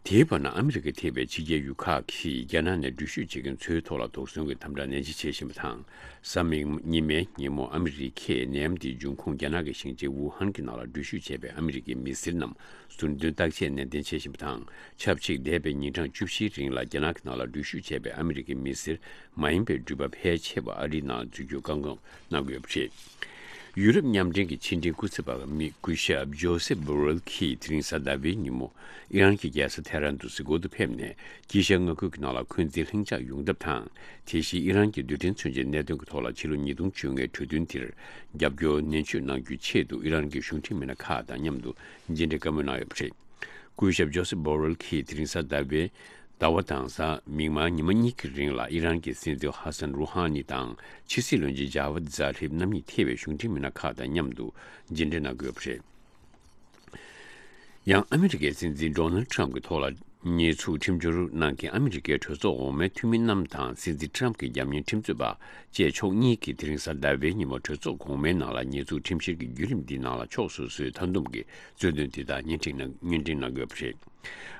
དེའི་བར་ན་ཨ་མི་རི་ཀས་ཐེ་བའི་ཕྱི་རྒྱལ་ཡུལ་ཁག་གིས་རྒྱ་ནག་ནས་འགྲུལ་བཞུད་བྱེད་མཁན་ཚོའི་ཐོག་ལ་དོགས་ཟོན་གྱི་དམ་དྲག་ནན་ཆེ་བྱེད་བཞིན་པ་དང་། གཟའ་མིག་དམར་ཉི་མའི་ཉིན་མོ་ཨ་མི་རི་ཀས་ནད་ཡམས་དེའི་འབྱུང་ཁུངས་རྒྱ་ནག་གི་ཞིང་ཆེན་ཝུ་ཧན་གྱི་ནང་ལ་འགྲུལ་བཞུད་བྱས་པའི་ཨ་མི་རི་ཀའི་མི་སེར་རྣམས་ཟུར་འདོན་བརྟག་དཔྱད་ནན་ཏན་བྱེད་བཞིན་པ་དང་། ཆབས་ཅིག་འདས་པའི་ཉིན་གྲངས་བཅུ་བཞིའི་རིང་ལ་རྒྱ་ནག་གི་ནང་ལ་འགྲུལ་བཞུད་བྱས་པའི་ཨ་མི་རི་ཀའི་མི་སེར་མ་ཡིན་པའི་འགྲུལ་པ་ཕལ་ཆེ་བ་ཨ་རིའི་ནང་འཛུལ་རྒྱུར་བཀག་འགོག་གནང་དགོས་པ་རེད། ཡུ་རོབ་མཉམ་འབྲེལ་གྱི་ཕྱི་འབྲེལ་སྐུ་ཚབ་པ་མི་སྐུ་ཞབས་ཇོ་སེབ་བྷོ་རེལ་གྱིས་དེ་རིང་གཟའ་ཟླ་བའི་ཉིན་མོ་ཨི་རན་གྱི་རྒྱལ་ས་ཐེ་རན་དུ་གཟིགས་སྐོར་དུ་ཕེབས་ནས་དཀྱིལ་ཤར་མངའ་ཁུལ་གྱི་ནང་ལ་འཁོན་འཛིན་ལྷིང་འཇགས་ཡོང་ཐབས་དང་། དེ་བཞིན་ཨི་རན་གྱི་རྡུལ་ཕྲན་མཚོན་ཆའི་གནད་དོན་གྱི་ཐོག་ལ་ཕྱི་ལོ་ཉིས་སྟོང་བཅོ་ལྔའི་གྲོས་མཐུན་དེར་རྒྱབ་སྐྱོར་ནན་བརྗོད་གནང་རྒྱུའི་ཆེད་དུ་ཨི་རན་གྱི་གཞུང་འབྲེལ་མི་སྣ་ཁག་དང་མཉམ་དུ་མཇལ་འཕྲད་བཀའ་མོལ་གནང་ཡོད་པ་རེད། སྐུ་ཞབས་ཇོ་སེབ་བྷོ་རེལ་གྱིས་དེ་རིང་གཟའ་ཟླ་བའི་ཟླ་བ་དང་གཟའ་མིག་དམར་ཉི་མ་གཉིས་ཀྱི་རིང་ལ་ཨི་རན་གྱི་སྲིད་འཛིན་ཧ་སན་རུ་ཧ་ནི་དང་ཕྱི་སྲིད་བློན་ཆེན་ཇཱ་ཝད་ཛཱ་རིབ་རྣམ་གཉིས་ཐེ་བའི་གཞུང་འབྲེལ་མི་སྣ་ཁག་དང་མཉམ་དུ་མཇལ་འཕྲད་གནང་དགོས་པ་རེད། ཡང་ཨ་མི་རི་ཀའི་སྲིད་འཛིན་ཌོ་ནལ་ཊམ་གྱི་ཐོག་ལ་ཉེས་འཛུགས་ཁྲིམས་སྦྱོར་གནང་མཁན་ཨ་མི་རི་ཀའི་གྲོས་ཚོགས་འོག་མའི་འཐུས་མི་རྣམས་དང་སྲིད་འཛིན་ཊམ་གྱི་རྒྱབ་གཉེར་ཁྲིམས་རྩོད་པ་བཅས་ཕྱོགས་གཉིས་ཀྱིས་དེ་རིང་གཟའ་ཟླ་བའི་ཉིན་མོ་གྲོས་ཚོགས་གོང་མའི་ནང་ལ་ཉེས་འཛུགས་ཁྲིམས་བཤེར་གྱི་བརྒྱུད་རིམ་འདིའི་ནང་ལ་ཕྱོགས་སོ་སོའི་མཐའ་འདོམས་ཀྱི་རྩོད་དོན་འདི་དག་སྙན་སྒྲོན་གནང་སྙན་སྒྲོན་གནང་དགོས་པ་རེད།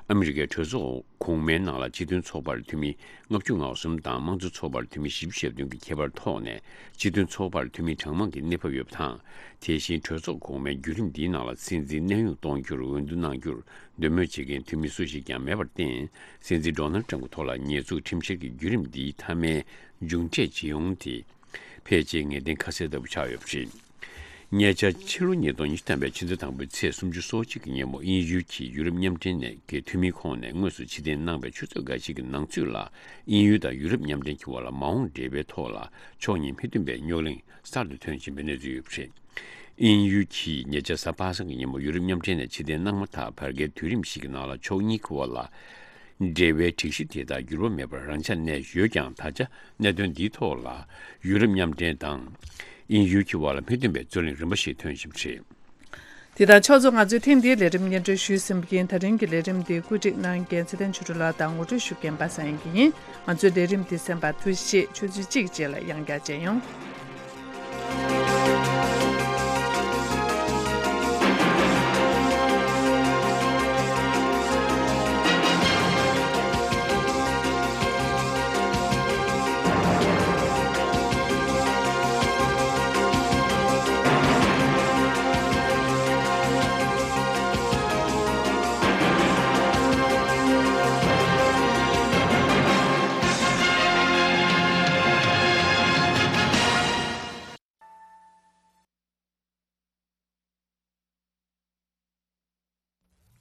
ཨ་མི་རི་ཀའི་གྲོས་ཚོགས་གོང་མའི་ནང་ལ་སྤྱི་མཐུན་ཚོགས་པར་འཐུས་མི་ལྔ་བཅུ་ང་གསུམ་དང་དམངས་གཙོ་ཚོགས་པར་འཐུས་མི་བཞི་བཅུ་ཞེ་བདུན་གྱི་ཁྱད་པར་ཐོག་ནས་སྤྱི་མཐུན་ཚོགས་པར་འཐུས་མི་གྲངས་མང་གི་གནས་བབ་ཡོད་པ་དང་། དེ་བཞིན་གྲོས་ཚོགས་གོང་མའི་བརྒྱུད་རིམ་འདིའི་ནང་ལ་སྲིད་འཛིན་གནས་དབྱུང་གཏོང་རྒྱུར་འོས་བསྡུ་གནང་རྒྱུར་འདོད་མོས་བྱེད་མཁན་འཐུས་མི་སུ་ཞིག་ཀྱང་མེད་པར་བརྟེན། སྲིད་འཛིན་ཌོ་ནལ་ཊམ་གྱི་ཐོག་ལ་ཉེས་འཛུགས་ཁྲིམས་བཤེར་གྱི་བརྒྱུད་རིམ་འདིའི་མཐའ་མའི་མཇུག་འབྲས་ཇི་ཡོང་དེ། ཕལ་ཆེར་ངེས་གཏན་ཁ་གསལ་ལྟ་བུ་ཆགས་ཡོད་པ་རེད། ཉེ་ཆར་ཕྱི་ལོ་ཉིས་སྟོང་ཉི་ཤུ་ཐམ་པའི་ཕྱི་ཟླ་དང་པོའི་ཚེས་སུམ་ཅུ་སོ་གཅིག་གི་ཉིན་མོ་དབྱིན་ཡུལ་གྱི་ཡུ་རོབ་མཉམ་འབྲེལ་ནས་ཀྱི་འཐུས་མིའི་ཁོངས་ནས་དངོས་སུ་ཕྱིར་འཐེན་གནང་བའི་ཆུ་ཚོད་འགའ་ཞིག་གི་ནང་ཚུད་ལ། དབྱིན་ཡུལ་དང་ཡུ་རོབ་མཉམ་འབྲེལ་གྱི་དབར་ལ་མ་འོངས་འབྲེལ་བའི་ཐོག་ལ་ཕྱོགས་གཉིས་མི་མཐུན་པའི་རྙོག་གླེང་གསར་དུ་ཐོན་བཞིན་པའི་གནས་ཚུལ་ཡོད་པ་རེད། དབྱིན་ཡུལ་གྱིས་ཉེ་ཆར་གཟའ་པ་སངས་ཀྱི་ཉིན་མོ་ཡུ་རོབ་མཉམ་འབྲེལ་ནས་ཕྱིར་འཐེན་གནང་མ་ཐག་བར་བརྒལ་དུས་རིམ་ཞིག་གི་ནང་ལ་ཕྱོགས་གཉིས་ཀྱི་དབར་ལ། འབྲེལ་བའི་སྒྲིག་གཞི་དེ་དག་འགྱུར་བ་མེད་པར་རང་འཇགས་གནས་ཡོད་ཀྱང་། ད་ཆ་གནད་དོན་འདིའི་ཐོག་ལ་ཡུ་རོབ་མཉམ་འབྲེལ་དང་དབྱིན་ཡུལ་གྱི་དབར་ལ་མི་མཐུན་པའི་རྩོད་གླེང་རིམ་པ་ཞིག་ཐོན་བཞིན་པ་རེད། དེ་དང་ཕྱོགས་མཚུངས་ང་ཚོས་ཐེངས་འདིའི་ལས་རིམ་སྙན་སྒྲོན་ཞུས་ཟིན་པ་ཡིན། ད་རིང་གི་ལས་རིམ་འདི་བཀོད་སྒྲིག་གནང་མཁན་ཚེ་བརྟན་ཆོས་སྒྲོན་ལགས་དང་ངོ་སྤྲོད་ཞུ་མཁན་པ་སངས་དབྱངས་སྐྱིད་ཡིན། ང་ཚོའི་ལས་རིམ་འདི་གསན་པར་ཐུགས་རྗེ་ཆེ། ཆུ་ཚོད་གཅིག་རྗེས་ལ་ཡང་བསྐྱར་མཇལ་ཡོང་།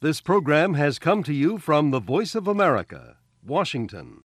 This program has come to you from the Voice of America, Washington.